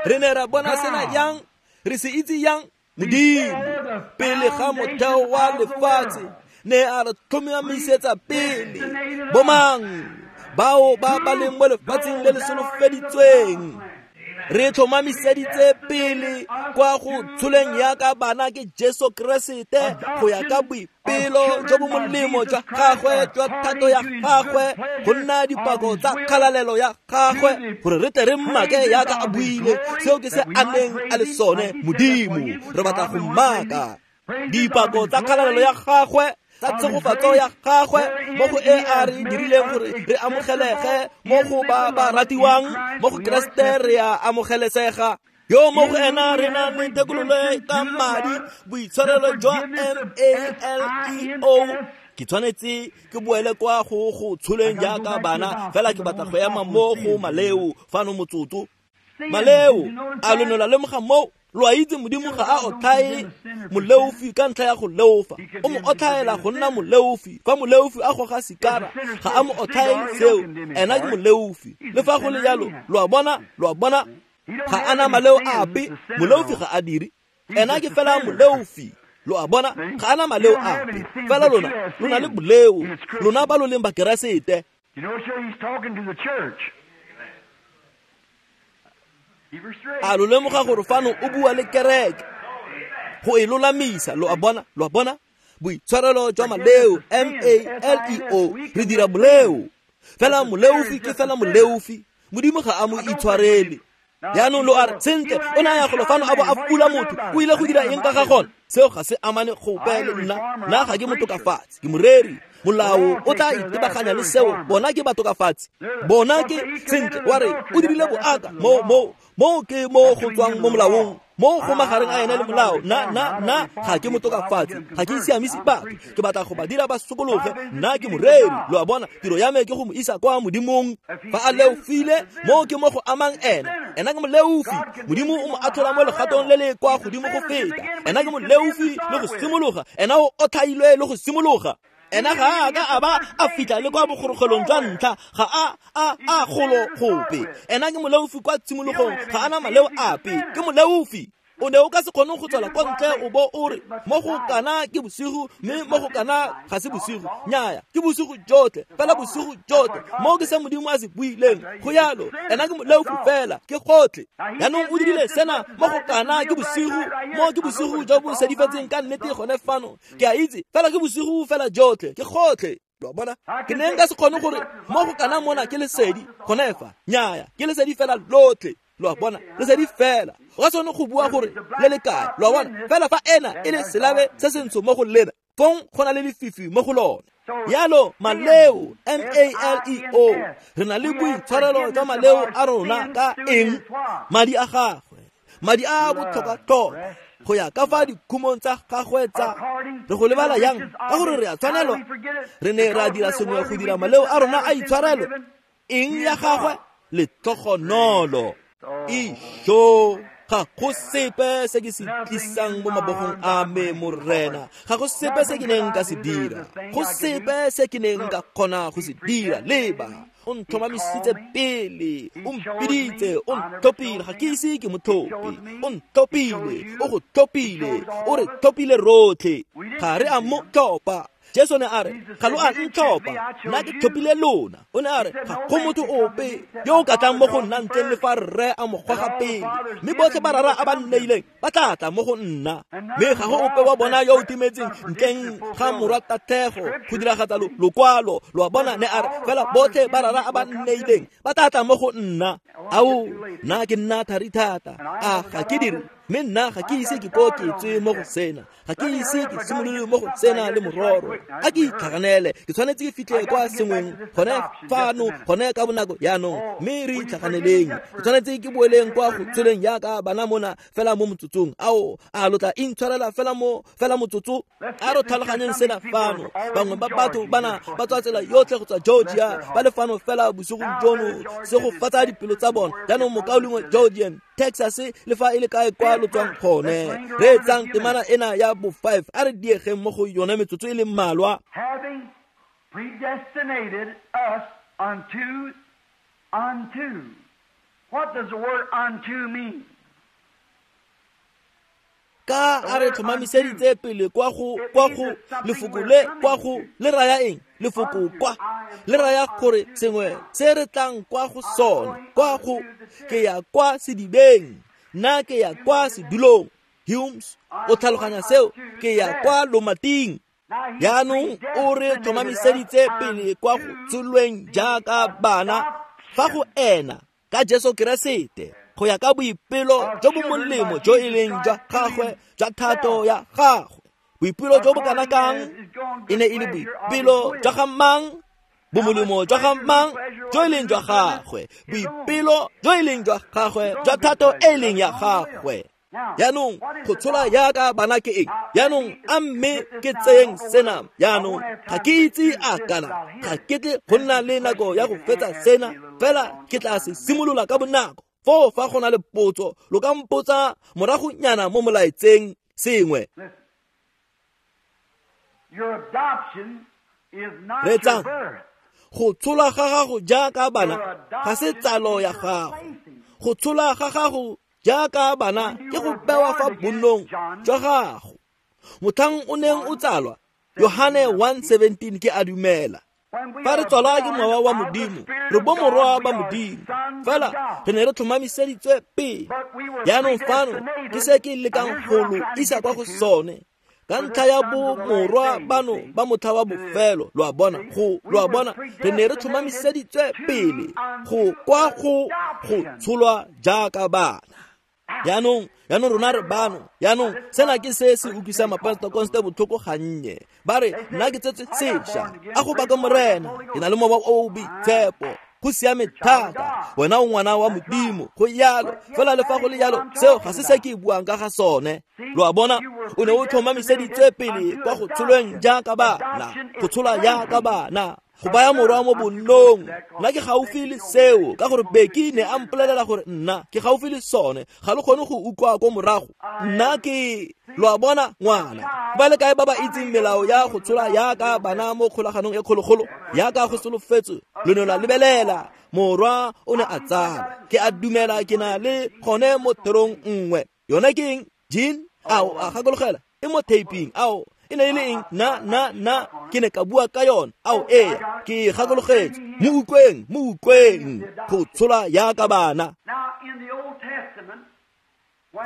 Re ne ra bona sena yang? Re se itse yang? Modimo, pele ga motheo wa lefatshe, ne a re tlhomamisetsa pele bomang bao ba ba leng mo lefatsheng le le solofeditsweng. Re tlhomamiseditse pele kwa go tsholeng yaka bana ke Jesu Keresete, go ya ka boipelo jo bo molemo jwa gagwe, jwa thato ya gagwe, go nna dipako tsa kgalalelo ya gagwe, gore re tle re mmake yaka a buile. Seo ke se a neng a le sone Modimo. Re batla go mmaka dipako tsa kgalalelo ya gagwe, tsa tshegofatso ya gagwe, mo go e a re dirileng gore re amogelege mo go ba ba ratiwang mo go Keresete, re a amogelesega. Yo mo go ena re na le thekololo ka madi, boitshwarelo jwa MALEO. Ke tshwanetse ke boele kwa go go tsholeng jaaka bana, fela ke batla go ema mo go maleo fano motsotso. Maleo a lo ne la lemoga moo? Lo a itse Modimo ga a otlhae moleofi ka ntlha ya go leofa, o mo otlhaela go nna moleofi. Fa moleofi a goga sikara, ga a mo otlhaele seo, ena ke moleofi. Le fa go le jalo, lo a bona, ga a na maleo ape. Moleofi ga a dire, ena ke fela moleofi. Lo a bona, ga a na maleo ape. Fela lona, lo na le boleo, lona ba lo leng ba Keresete. A lo lemoga gore fano o bua le kereke go e lolamisa? Lo a bona, boitshwarelo jwa maleo, MALEO. Re dira boleo fela, moleofi ke fela moleofi. Modimo ga a mo itshwarele. Jaanong lo a re, sentle, o ne a ya golo fano a bo a fula motho, o ile go dira eng ka ga gone? Seo ga se amane gope le nna. Nna ga ke motokafatsi, ke moreri. Molao o tla itebaganya le seo. Bona ke batokafatsi, bona ke sentle wa re o dirile boaka mo ke mo go tswang mo molaong, mo go magareng a ena le molao. Nna ga ke motokafatsi, ga ke siamise batho, ke batla go ba dira ba sokologe. Nna ke moreri, lo a bona, tiro ya me ke go mo isa kwa modimong. Fa a leofile, mo ke mo go amang ena. Ena ke moleofi, modimo o mo atlhola mo legatong le le kwa godimo go feta. Ena ke moleofi le go simologa, ena o otlhailwe le go simologa. Ena ga a ka a ba a fitlha le kwa bogorogelong jwa ntlha, ga a golo gope. Ena ke moleofi kwa tshimologong, ga ana maleo ape, ke moleofi. O ne o ka se kgone go tswela kwa ntle o bo o re mo go kana ke bosigo, mme mo go kana ga se bosigo. Nnyaya, ke bosigo jotlhe, fela bosigo jotlhe. Mo ke se modimo a se buileng, go yalo. Ena ke moleofi fela, ke gotlhe. Jaanong o dirile sena mo go kana ke bosigo, mo ke bosigo jo bo sedifetseng ka nnete gone fano. Ke a itse, fela ke bosigo fela jotlhe, ke gotlhe. Lo bona, ke ne nka se kgone gore mo go kana mona ke lesedi gone fa. Nnyaya, ke lesedi fela lotlhe. Lo a bona, lesedi fela. O ka se kgone go bua gore le le kae, lo a bona. Fela fa ena e le selabe se sentsho mo go lena, fong go na le lefifi mo go lona. Yalo maleo, M-A-L-E-O, re na le boitshwarelo jwa maleo a rona ka eng? Madi a gagwe, madi a botlhokwa-tlhokwa, go ya ka fa dikhumong tsa gagwe tsa. Re go lebala yang? Ka gore re a tshwanelwa. Re ne ra dira sengwe go dira maleo a rona a itshwarelo. Eng ya gagwe? Letlhogonolo. Isho, ga go sepe se ke se tlisang mo mabogong a me, morena. Ga go sepe se ke neng ka se dira, go sepe se ke neng ka kgona go se dira. Leba, o ntlhomamisitse pele, o mpiditse, o ntlhophile. Ga ke ise ke mo tlhophe, o ntlhophile, o go tlhophile, o re tlhophile rotlhe. Ga re a mo tlhopha. Jesu ne a re, ga lo a ntlhopha, nna ke tlhophile lona. O ne a re, ga go motho ope yo o ka tlang mo go nna ntleng le fa rre a mo goga pele, mme botlhe ba rara a ba nneileng ba tla tla mo go nna. Mme ga go ope wa bona yo o timetseng ntleng ga morwa tatlhego go diragatsa lokwalo. Lo a bona, ne a re, fela botlhe ba rara a ba nneileng ba tla tla mo go nna. Ao, nna ke nna thari thata, a ga ke dire? Mme nna ga ke ise ke ko ke tswe mo go sena, ga ke ise ke simolole mo go sena le mororo. A ke itlhaganele, ke tshwanetse ke fitlhe kwa sengweng gone fano, gone ka bonako jaanong. Mme re itlhaganeleng, ke tshwanetse ke boeleng kwa go tsholeng jaaka bana mona fela mo motsotsong. Ao, a lo tla intshwarela fela mo, fela motsotso. A re tlhaloganyeng sena fano. Bangwe ba batho bana ba tswa tsela yotlhe go tswa Georgia, ba le fano fela bosigong jono, se go fatsa dipelo tsa bona. Jaanong mokaulengwe Georgian, Texas, le fa e le kae kwa lo tswang gone, re etsang temana ena ya bo 5, a re diegeng mo go yone metsotso e le mmalwa. Having predestinated us unto. What does the word unto mean? Ka a re tlhomamiseditse pele kwa go lefoko le kwa go le raya eng? Lefoko kwa le raya gore sengwe se re tlang kwa go sone, kwa go ke ya kwa sedibeng, nna ke ya kwa sedulong. Humes o tlhaloganya seo, ke ya kwa lomating. Jaanong o re tlhomamiseditse pele kwa go tsholweng jaaka bana fa go ena ka Jesu Keresete, go ya ka boipelo jo bo molemo jo e leng jwa gagwe, jwa thato ya gagwe. Boipelo jo bo kana kang? E ne e le boipelo jwa ga mang? Bomolemo jwa ga mang? Jo e leng jwa gagwe. Boipelo jo e leng jwa gagwe, jwa thato e leng ya gagwe. Jaanong go tshola jaaka bana ke eng? Jaanong a mme ke tseyeng sena. Jaanong ga ke itse a kana ga ke tle go nna le nako ya go fetsa sena, fela ke tla se simolola ka bonako. Foo fa go na le potso, lo ka mpotsa moragonyana mo molaetseng sengwe. Reetsang, go tshola ga gago jaaka bana ga se tsalo ya gago. Go tshola ga gago jaaka bana ke go bewa fa bonnong jwa gago. Motlhang o neng o tsalwa, Yohane 1:17 ke a dumela. Fa re tswalwa ke mowa wa Modimo, re bo morwa ba Modimo. Fela re ne re tlhomamiseditswe pele. Jaanong fano ke se ke lekang go lo isa kwa go sone. Ka ntlha ya bo morwa bano ba motlha wa bofelo, lo a bona, go lo a bona, re ne re tlhomamiseditswe pele go kwa go tsholwa jaaka bana. Jaanong rona re bano. Jaanong sena ke se se utlwisang mapentekoste botlhoko gannye. Ba re nna ke tsetswe sešwa, a go baka Morena, ke na le mowa o o boitshepo. Go siame thata, wena o ngwana wa Modimo, go yalo. Fela le fa go le yalo, seo ga se se ke buang ka ga sone. Lo a bona, o ne o tlhomamiseditswe pele kwa go tsholweng jaaka bana, go tsholwa jaaka bana, go baya morwa mo bonnong. Nna ke gaufi le seo, ka gore Beki ne a mpolelela gore nna ke gaufi le sone. Ga le kgone go utlwa ko morago. Nna ke, lo a bona, ngwana. Ba le kae ba ba itseng melao ya go tshola yaka bana mo kgolaganong e kgologolo, yaka go solofetswe, lo ne la lebelela morwa o ne a tsala. Ke a dumela ke na le gone mo therong nngwe. Yone ke eng? Jean? Ao, a gakologela e mo taping. Ao, e ne e le eng? Na ke ne ka bua ka yone. Ao, ee, ke gakologetse. Mo utlweng go tshola yaka bana.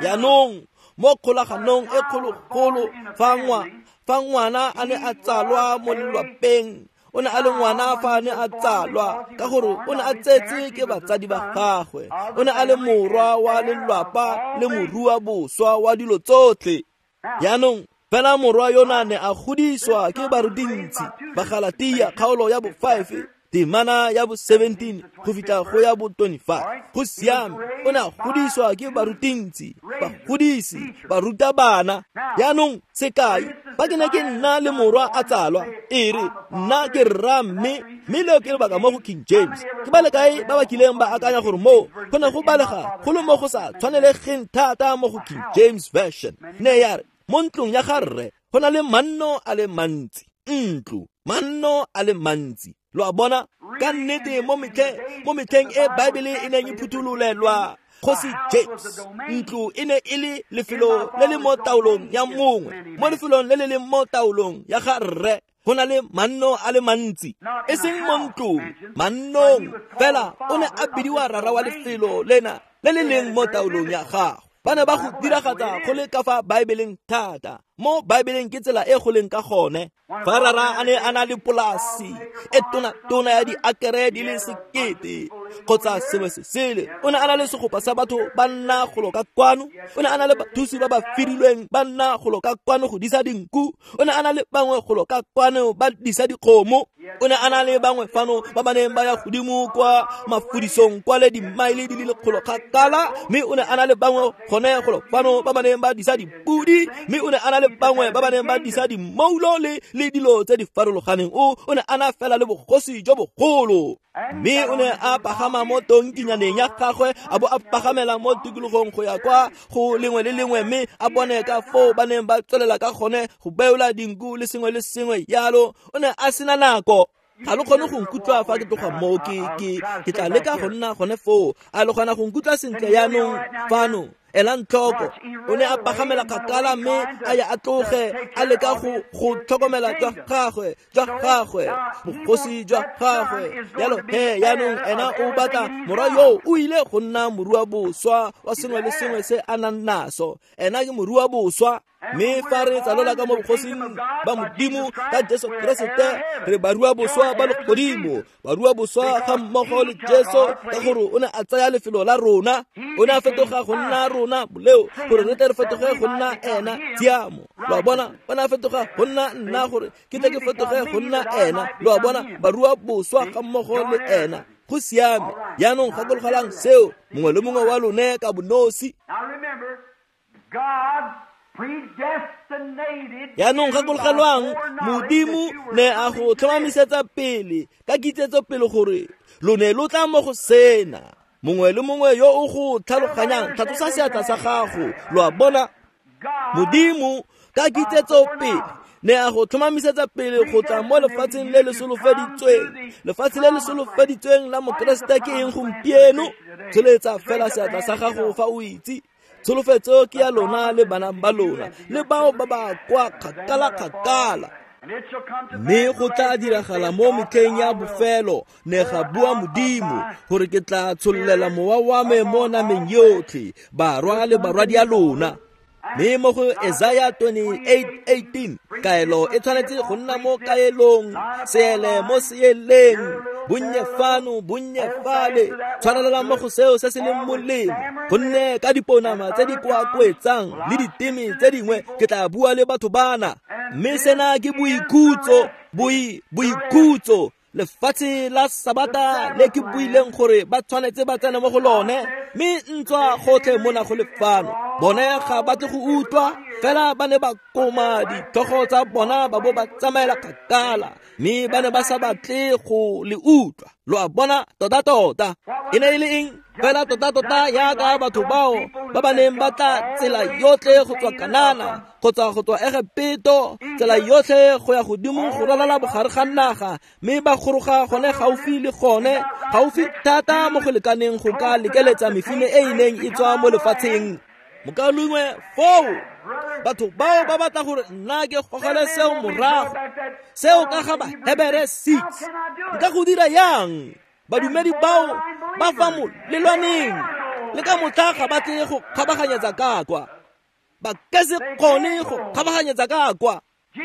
Jaanong mo kgolaganong e kgologolo, fa ngwana a ne a tsalwa mo lelwapeng, o ne a le ngwana fa a ne a tsalwa, ka gore o ne a tsetse ke batsadi ba gagwe. O ne a le morwa wa lelwapa le morua boswa wa dilo tsotlhe. Jaanong fela morwa yona ne a godiswa ke barutintsi ba Galatia kgaolo ya bo 5 temana ya bo 17 go fitlha go ya bo 25. Go siame, o ne a godiswa ke barutintsi, bagodisi, barutabana. Jaanong sekai, fa ke ne ke nna le morwa a tsalwa, e re nna ke rra mme leo ke lebaka mo go King James. Ke ba le kae ba ba kileng ba akanya gore moo go ne go balega go le mo go sa tshwanelegeng thata mo go King James Version. Ne ya re mo ntlong ya ga rre go na le manno a le mantsi, ntlo, manno a le mantsi. Lo a bona, ka nnete mo metlheng e Baebele e neng e phuthololelwa Kgosi James, ntlo e ne e le lefelo le le mo taolong ya mongwe. Mo lefelong le le leng mo taolong ya ga rre go na le manno a le mantsi, e seng mo ntlong, mannong. Fela o ne a bidiwa rara wa lefelo lena le le leng mo taolong ya gagwe. Ba ne ba go diragatsa go le ka fa Baebeleng thata. Mo Baebeleng ke tsela e go leng ka gone. Fa rara a ne a na le polasi e tona ya diakere di le 1000 kgotsa sengwe se sele, o ne a na le segopa sa batho ba nna golo ka kwano. O ne a na le bathusi ba ba firilweng ba nna golo ka kwano go disa dinku. O ne a na le bangwe golo ka kwano ba disa dikgomo. O ne a na le bangwe fano ba ba neng ba ya godimo kwa mafudisong kwa le dimaele di le lekgolo kgakala, mme o ne a na le bangwe gone golo fano ba ba neng ba disa dipudi, mme o ne a na le bangwe ba ba neng ba disa dimoulo le dilo tse di farologaneng. O ne a na fela le bogosi jo bogolo. Mme o ne a pagama mo tonkinyaneng ya gagwe, a bo a pagamela mo tikologong go ya kwa go lengwe le lengwe, mme a bone ka foo ba neng ba tswelela ka gone go beola dinku le sengwe le sengwe yalo. O ne a sena nako. Ga le kgone go nkutlwa fa ke tloga moo, ke tla leka go nna gone foo. A le kgona go nkutlwa sentle jaanong fano? Elang tlhoko, o ne a pagamela kgakala mme a ya a tloge a leka go tlhokomela jwa gagwe, bogosi jwa gagwe. Jalo he jaanong ena o batla morwa yo o ile go nna morua boswa wa sengwe le sengwe se a nang naso. Ena ke morua boswa. Mme fa re tsalola ka mo bogosing ba Modimo ka Jesu Keresete, re barua boswa ba legodimo, barua boswa ga mmogo le Jesu, ka gore o ne a tsaya lefelo la rona. O ne a fetoga go nna rona boleo, gore re tle re fetoge go nna ena tshiamo. Lo a bona, o ne a fetoga go nna nna, gore ke tle ke fetoge go nna ena. Lo a bona, barua boswa ga mmogo le ena. Go siame. Jaanong gakologelang seo, mongwe le mongwe wa lone ka bonosi. Jaanong gakologelwang, Modimo ne a go tlhomamisetsa pele ka kitsetso pele gore lo ne lo tla mo go sena. Mongwe le mongwe yo o go tlhaloganyang, tlhatlosa seatla sa gago. Lo a bona, Modimo ka kitsetso pele ne a go tlhomamisetsa pele go tla mo lefatsheng le le solofeditsweng. Lefatshe le le solofeditsweng la Mokeresete ke eng gompieno? Tsholetsa fela seatla sa gago fa o itse. Tsholofetso ke ya lona le bana ba lona le bao ba ba kwa kgakala-kgakala. Mme go tla diragala mo metlheng ya bofelo, ne ga bua Modimo, gore ke tla tshollela mowa wa me mo nameng yotlhe, barwa le barwadi ya lona. Mme mo go Isaiah 28:18 kaelo e tshwanetse go nna mo kaelong, seele mo seeleng, bonnye fano bonnye fale, tshwarelela mo go seo se se leng molemo, gonne ka diponama tse di koakoetsang le diteme tse dingwe ke tla bua le batho bana. Mme sena ke boikhutso, boikhutso, lefatshe la Sabata le ke buileng gore ba tshwanetse ba tsene mo go lone, mme ntswa gotlhe mona go le fano bone ga ba tle go utlwa, fela ba ne ba koma ditlhogo tsa bona ba bo ba tsamaela kgakala, mme ba ne ba sa batle go le utlwa. Lo a bona tota-tota e ne e le eng? Fela tota-tota yaka batho bao ba ba neng ba tla tsela yotlhe go tswa Kanana kgotsa go tswa Egepeto, tsela yotlhe go ya godimo go ralala bogare ga naga, mme ba goroga gone gaufi le gone, gaufi thata mo go lekaneng go ka lekeletsa mefine e e neng e tswa mo lefatsheng. Mokaulengwe foo batho bao ba batla gore nna ke gogele seo morago, seo ka ga Bahebere 6. Nka go dira yang? Badumedi bao ba fa molelwaneng le ka motlha ga ba tle go kgabaganyetsa ka kwa, ba ka se kgone go kgabaganyetsa ka kwa.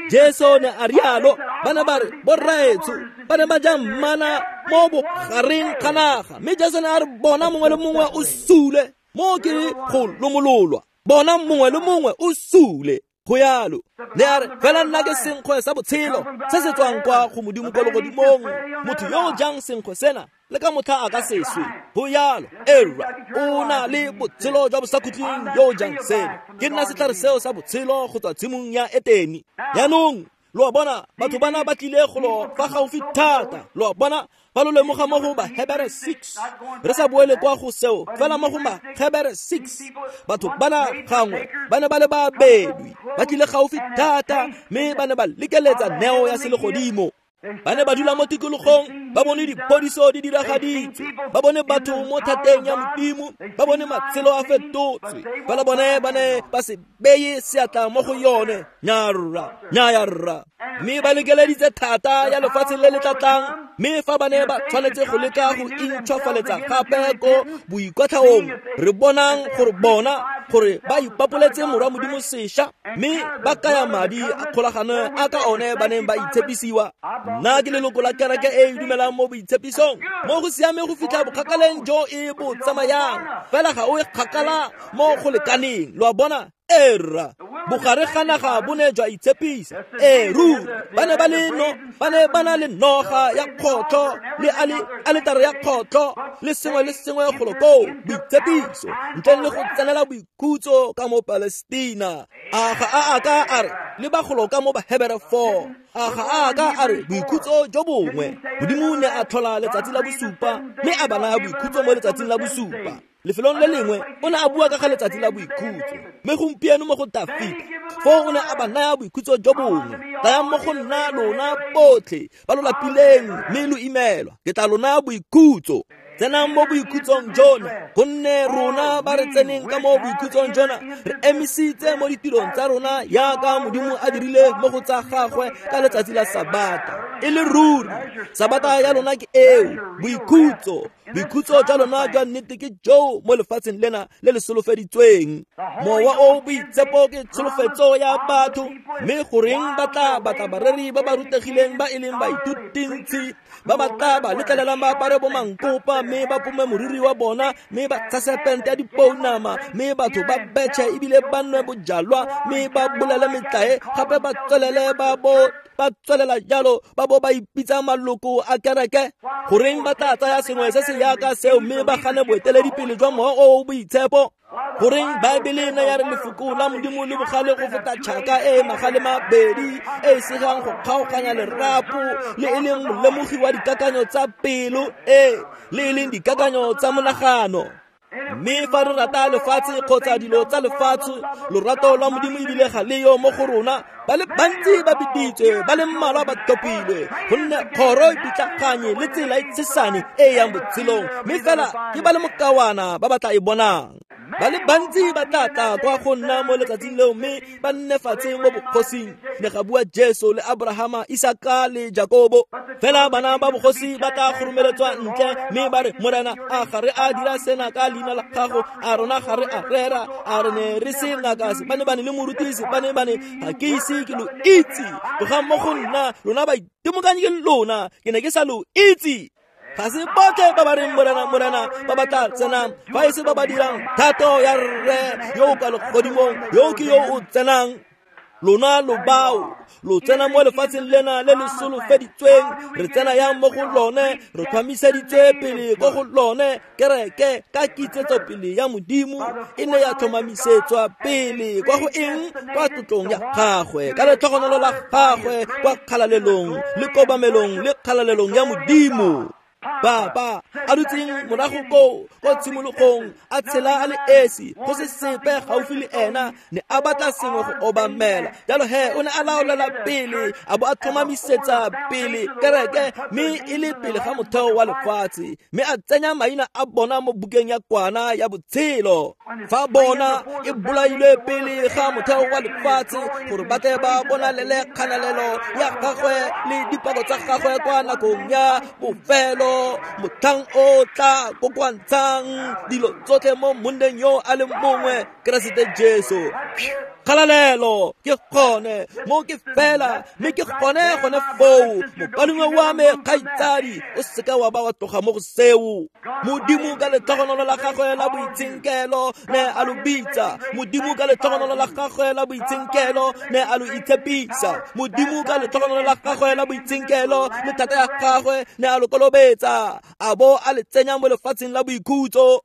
Jesu ne a rialo, ba ne ba re borraetsho ba ne ba ja mmana mo bogareng ga naga, mme Jesu ne a re bona mongwe le mongwe o sule, mo ke go lomololwa, bona mongwe le mongwe o sule. Go yalo ne a re fela nna ke senkgwe sa botshelo se se tswang kwa go Modimo kwa legodimong, motho yo o jang senkgwe sena le ka motlha a ka se swe. Go yalo, erra o na le botshelo jwa bosakhutleng yo o jang seno. Ke nna setlhare seo sa botshelo go tswa tshimong ya Eteni. Jaanong lo a bona batho bana ba tlile golo fa gaufi thata. Lo a bona fa lo lemoga mo go Bahebere 6, re sa boele kwa go seo, fela mo go Bahebere 6 batho bana gangwe ba ne ba le babedwi, ba tlile gaufi thata, mme ba ne ba lekeletsa neo ya selegodimo. Ba ne ba dula mo tikologong, ba bone diphodiso di diragaditswe, ba bone batho mo thateng ya Modimo, ba bone matshelo a fetotswe, fela bone ba ne ba se beye seatla mo go yone. Nyarra, nyayarra. Mme ba lekeleditse thata ya lefatshe le le tlatlang, mme fa ba ne ba tshwanetse go leka go intšhwafaletsa gape ko boikwatlhaong, re bonang gore bona gore ba ipapoletse morwa Modimo sešwa, mme ba kaya madi a kgolagano a ka one ba neng ba itshepisiwa. Nna ke leloko la kereke e e dumelang mo boitshepisong, mo go siame go fitlha bokgakaleng jo e bo tsamayang, fela ga o e kgakala mo go lekaneng. Lo a bona? Erra bogare ga naga bo ne jwa itshepisa. Ee ruri, ba ne ba le no, ba ne ba na le noga ya kgotlho le aletare ya kgotlho le sengwe le sengwe golo koo, boitshepiso ntle le go tsenela boikhutso ka mo Palestina. A ga a a ka a re le ba golo ka mo Bahebere 4, a ga a ka a re boikhutso jo bongwe. Modimo ne a tlhola letsatsi la bosupa, mme a ba naya boikhutso mo letsatsing la bosupa. Lefelong le lengwe o ne a bua ka ga letsatsi la boikhutso, mme gompieno mo go Dafita foo o ne a ba naya boikhutso jo bongwe. Tlayang mo go nna lona botlhe ba lo lapileng mme lo imelwa, ke tla lo naya boikhutso. Tsenang mo boikhutsong jona, gonne rona ba re tseneng ka mo boikhutsong jona re emisitse mo ditirong tsa rona yaka Modimo a dirile mo go tsa gagwe ka letsatsi la Sabata. E le ruri Sabata ya lona ke eo, boikhutso. Boikhutso jwa lona jwa nnete ke joo mo lefatsheng lena le le solofeditsweng. Mowa o boitshepo ke tsholofetso ya batho, mme goreng ba tla batla bareri ba ba rutegileng ba e leng baithutintshi ba ba tla ba letlelelang ba apare bo mankopa, mme ba pome moriri wa bona, mme ba tshase pente ya dipounama, mme batho ba betšhe ebile ba nwe bojalwa, mme ba bolele metlae gape ba tswelele ba bo ba tswelela jalo ba bo ba ipitsa maloko a kereke. Goreng ba tla tsaya sengwe se se yaka seo mme ba gane boeteledipele jwa mowa o o boitshepo? Goreng Baebele ne ya re lefoko la Modimo le bogale go feta tšhaka e e magale mabedi e e segang go kgaoganya lerapo, le e leng molemogi wa dikakanyo tsa pelo, e le e leng dikakanyo tsa monagano. Mme fa re rata lefatshe kgotsa dilo tsa lefatshe, lorato lwa Modimo ebile ga le yo mo go rona. Ba le bantsi ba biditswe, ba le mmalwa ba tlhophilwe, gonne kgoro e pitlaganye le tsela e tshesane e e yang botshelong, mme fela ke ba le mokawana ba ba tla e bonang. Ba le bantsi ba tla tla kwa go nna mo letsatsing leo mme ba nne fatshe mo bogosing, ne ga bua Jesu le Abrahama, Isaka le Jakobo. Fela bana ba bogosi ba tla kgoromeletswa ntle mme ba re, Morena, a ga re a dira sena ka leina la gago? A rona ga re a rera? A re ne re se ngaka se ba ne le morutisi ba ne ga ke ise ke lo itse. Tlogang mo go nna, lona baitemokanyi ke lona, ke ne ke sa lo itse. Ga se botlhe ba ba reng Morena, Morena ba ba tla tsenang, fa e se ba ba dirang thato ya Rre yo o kwa legodimong, yo ke yo o tsenang. Lona lo bao lo tsena mo lefatsheng lena le le solofeditsweng, re tsena yang mo go lone, re tlhomamiseditswe pele ko go lone. Kereke ka kitsetsopele ya Modimo e ne ya tlhomamisetswa pele kwa go eng? Kwa tlotlong ya gagwe, ka letlhogonolo la gagwe, kwa kgalalelong le kobamelong le kgalalelong ya Modimo. Baba a dutseng morago koo ko tshimologong, a tshela a le esi, go se sepe gaufi le ena, ne a batla sengwe go obamela. Jalo he o ne a laolela pele, a bo a tlhomamisetsa pele kereke, mme e le pele ga motheo wa lefatshe, mme a tsenya maina a bona mo bukeng ya kwana ya botshelo. Fa bona e bolailwe pele ga motheo wa lefatshe, gore ba tle ba bonalele kganalelo ya gagwe le dipako tsa gagwe kwa nakong ya bofelo, motlhang o tla kokoantshang dilo tsotlhe mo monneng yo a le mongwe, Keresete Jesu. Kgalalelo ke gone mo ke fela, mme ke gone foo. Mokalengwe wa me, kgaitsadi, o seka wa ba wa tloga mo go seo. Modimo ka letlhogonolo la gagwe la boitshenkelo ne a lo bitsa. Modimo ka letlhogonolo la gagwe la boitshenkelo ne a lo itshepisa. Modimo ka letlhogonolo la gagwe la boitshenkelo le thata ya gagwe ne a lo kolobetsa, a bo a le tsenya mo lefatsheng la boikhutso.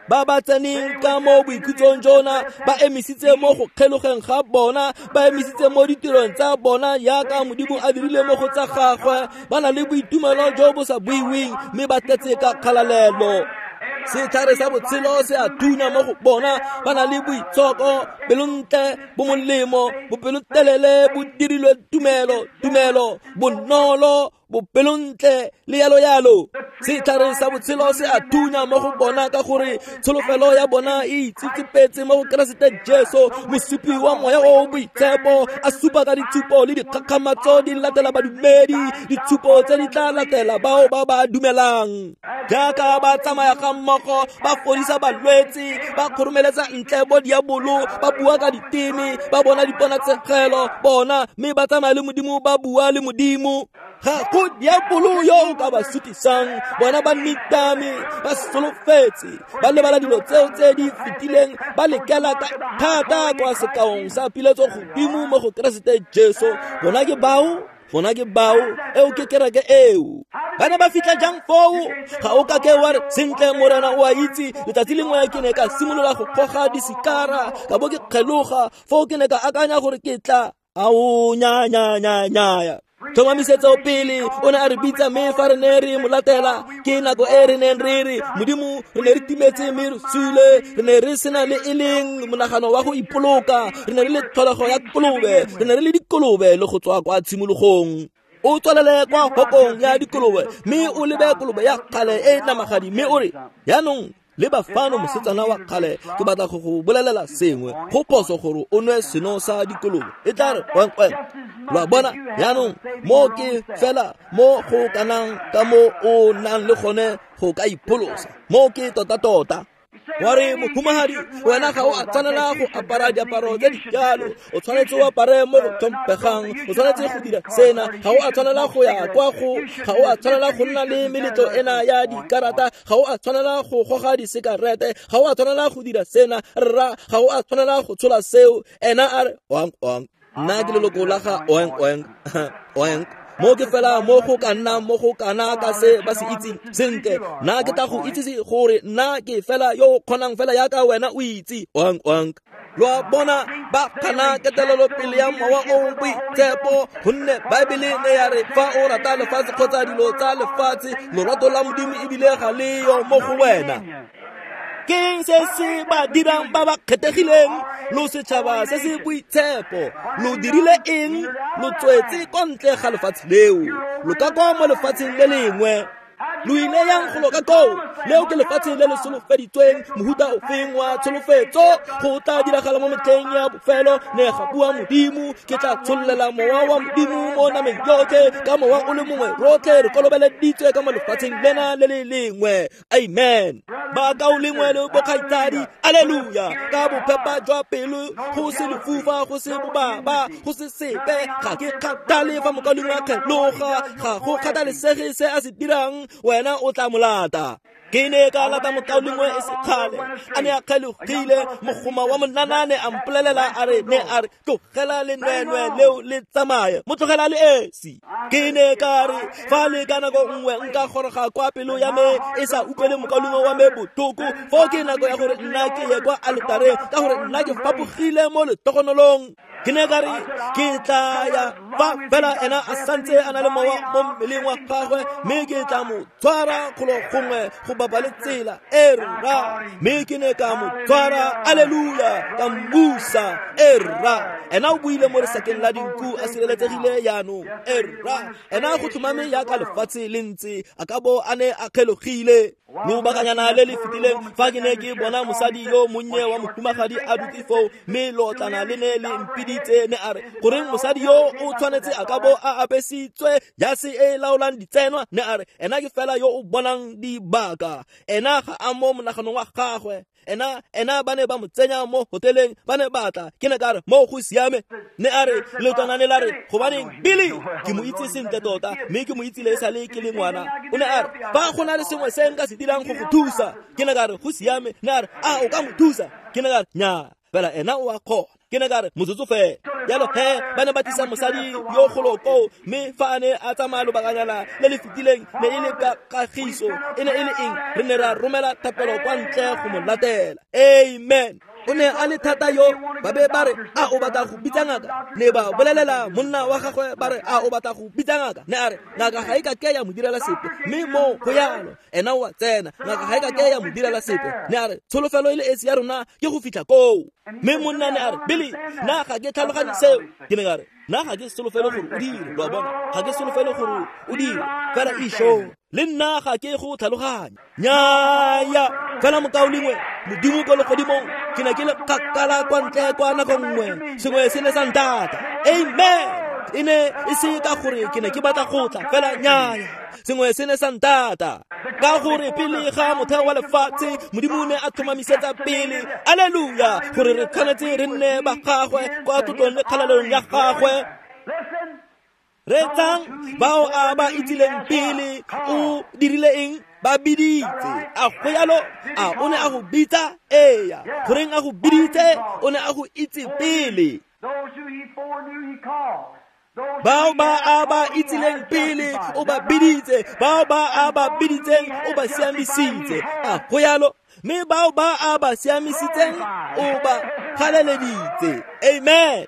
Ba ba tseneng ka mo boikhutsong jona ba emisitse mo go kgelogeng ga bona, ba emisitse mo ditirong tsa bona yaka Modimo a dirile mo go tsa gagwe. Ba na le boitumelo jo bo sa buiweng, mme ba tletse ka kgalalelo. Setlhare sa botshelo se a thunya mo go bona. Ba na le boitshoko, pelontle, bomolemo, bopelotelele, bo dirilwe tumelo, tumelo, bonolo, bopelontle le yalo yalo. Setlhare sa botshelo se a thunya mo go bona, ka gore tsholofelo ya bona e itsetsepetse mo go Keresete Jesu, mosupi wa moya o boitshepo, a supa ka ditshupo le dikgakgamatso di latela badumedi, ditshupo tse di tla latela bao ba ba dumelang. Jaaka ba tsamaya ga mmogo, ba fodisa balwetse, ba kgoromeletsa ntle bo diabolo, ba bua ka diteme, ba bona diponatsegelo bona, mme ba tsamaya le Modimo, ba bua le Modimo. Ga go diabolo yo o ka ba sutisang. Bona ba nitame, ba solofetse, ba lebala dilo tseo tse di fetileng, ba lekela ka thata kwa sekaong sa piletso godimo mo go Keresete Jesu. Bona ke bao, bona ke bao, eo ke kereke eo. Ba ne ba fitlha jang foo? Ga o ka ke wa re, sentle Morena o a itse, letsatsi lengwe ke ne ka simolola go goga disikara, ka bo ke kgeloga, foo ke ne ka akanya gore ke tla ao nya nya nya nya. Tlhomamisetso pele o ne a re bitsa, mme fa re ne re mo latela, ke nako e re neng re re, Modimo, re ne re timetse mme re sule, re ne re sena le e leng monagano wa go ipoloka, re ne re le tlholego ya kolobe, re ne re le dikolobe le go tswa kwa tshimologong. O tswalele kwa hokong ya dikolobe, mme o lebe kolobe ya kgale e namagadi, mme o re, yaanong le bafano mosetsana wa kgale, ke batla go go bolelela sengwe, go phoso gore o nwe seno sa dikolobe, e tla re oink oink. Lo a bona? Yaanong mo ke fela mo go kanang ka mo o nang le gone go ka ipholosa. Mo ke tota-tota. Wa re, mohumagadi, wena ga o a tshwanela go apara diaparo tse di jalo, o tshwanetse o apare mo go tlhomphegang, o tshwanetse go dira sena, ga o a tshwanela go ya kwa go, ga o a tshwanela go nna le meletlo ena ya dikarata, ga o a tshwanela go goga disekarete, ga o a tshwanela go dira sena, rra, ga o a tshwanela go tshola seo. Ena a re, oink oink, nna ke leloko la ga oink oink oink. Mo ke fela mo go ka nnang mo go kana ka se ba se itseng sentle, nna ke tla go itsise gore nna ke fela yo o kgonang fela yaka wena o itse, oink oink. Lo a bona, ba gana ketelelopele ya mowa o boitshepo, gonne Baebele ne ya re fa o rata lefatshe kgotsa dilo tsa lefatshe, lorato la Modimo ebile ga le yo mo go wena. Ke se se ba dirang ba ba kgethegileng, lo setšhaba se se boitshepo. Lo dirile eng? Lo tswetse kwa ntle ga lefatshe leo, lo ka kwa mo lefatsheng le lengwe. Lo ile yang go loka koo, leo ke lefatshe le le solofeditsweng, mohuta ofeng wa tsholofetso, go tla diragala mo metlheng ya bofelo, ne ga bua Modimo, ke tla tshollela mowa wa Modimo mo nameng yotlhe, ka mowa o le mongwe rotlhe re kolobeleditswe ka mo lefatsheng lena le le lengwe. Amen. Bakaulengwe le bokgaitsadi, alleluia, ka bophepa jwa pelo, go se lefufa, go se bobaba, go se sepe, ga ke kgathale fa mokaulengwe a kgeloga, ga go kgathalesege se a se dirang, wena o tla molata. Ke ne ka lata mokaulengwe e se kgale, a ne a kgelogile, mogoma wa monanane a mpolelela a re ne a re tlogela lenwenwe leo le tsamaye, mo tlogela le esi. Ke ne ka re fa le ka nako nngwe nka goroga kwa pelo ya me e sa utlwele mokaulengwe wa me botlhoko, foo ke nako ya gore nna ke ye kwa aletareng, ka gore nna ke fapogile mo letogonolong. Ke ne ka re ke tla ya fa fela ena a santse a na le mowa mo mmeleng wa gagwe, mme ke tla mo tshwara golo gongwe go bapa le tsela, e rra. Mme ke ne ka mo tshwara, alleluia, ka mmusa, e rra. Ena o buile mo lesakeng la dinku a sireletsegile jaanong, e rra. Ena go tlhomame jaaka lefatshe le ntse, a ka bo a ne a kgelogile. Lobakanyana le le fetileng fa ke ne ke bona mosadi yo monnye wa mohumagadi a dutse foo, mme lootlana le ne le mpiditse, ne a re goreng mosadi yo o tshwanetse a ka bo a apesitswe jase e e laolang ditsenwa, ne a re ena ke fela yo o bonang dibaka, ena ga a mo monaganong wa gagwe, ena ba ne ba mo tsenya mo hoteleng, ba ne ba tla. Ke ne ka re mo go siame, ne a re leotwana ne la re gobaneng Billy, ke mo itse sentle tota, mme ke mo itsile e sale ke le ngwana. O ne a re fa go na le sengwe se nka se dirang go go thusa, ke ne ka re go siame. Ne a re a o ka mo thusa, ke ne ka re nnyaa, fela ena o a kgona. Ke ne ka re motsotso fela. Jalo he ba ne ba tlisa mosadi yo golo koo, mme fa a ne a tsamaya lobakanyana le le fetileng, ne e le ka kagiso, e ne e le eng, re ne ra romela thapelo kwa ntle go mo latela. Amen. O ne a le thata yo, ba be ba re a o batla go bitsa ngaka, ne ba bolelela monna wa gagwe ba re a o batla go bitsa ngaka, ne a re ngaka ga e ka ke ya mo direla sepe, mme mo go yalo ena o a tsena, ngaka ga e ka ke ya mo direla sepe, ne a re tsholofelo e le esi ya rona ke go fitlha koo. Mme monna ne a re Billy, nna ga ke tlhaloganye seo. Ke ne ka re nna ga ke solofele gore o dire, lo a bona, ga ke solofele gore o dire, fela isho le nna ga ke go tlhaloganya. Nnyaya, fela mokaulengwe, Modimo ko legodimong, ke ne ke le kgakala kwa ntle kwa nako nngwe, sengwe se ne sa ntata. Amen. E ne e se ka gore ke ne ke batla go tla, fela nnyaya, sengwe se ne sa ntata. Ka gore pele ga motheo wa lefatshe, Modimo ne a tlhomamisetsa pele, alleluia, gore re tshwanetse re nne ba gagwe kwa tlotlong le kgalalelong ya gagwe. Reetsang bao a ba itsileng pele, o dirile eng? Ba biditse. A go yalo? A o ne a go bitsa? Eya. Goreng a go biditse? O ne a go itse pele. Bao ba a ba itsileng pele, o ba biditse. Bao ba a ba biditseng, o ba siamisitse. A go yalo? Mme bao ba a ba siamisitseng, o ba galeleditse. Amen.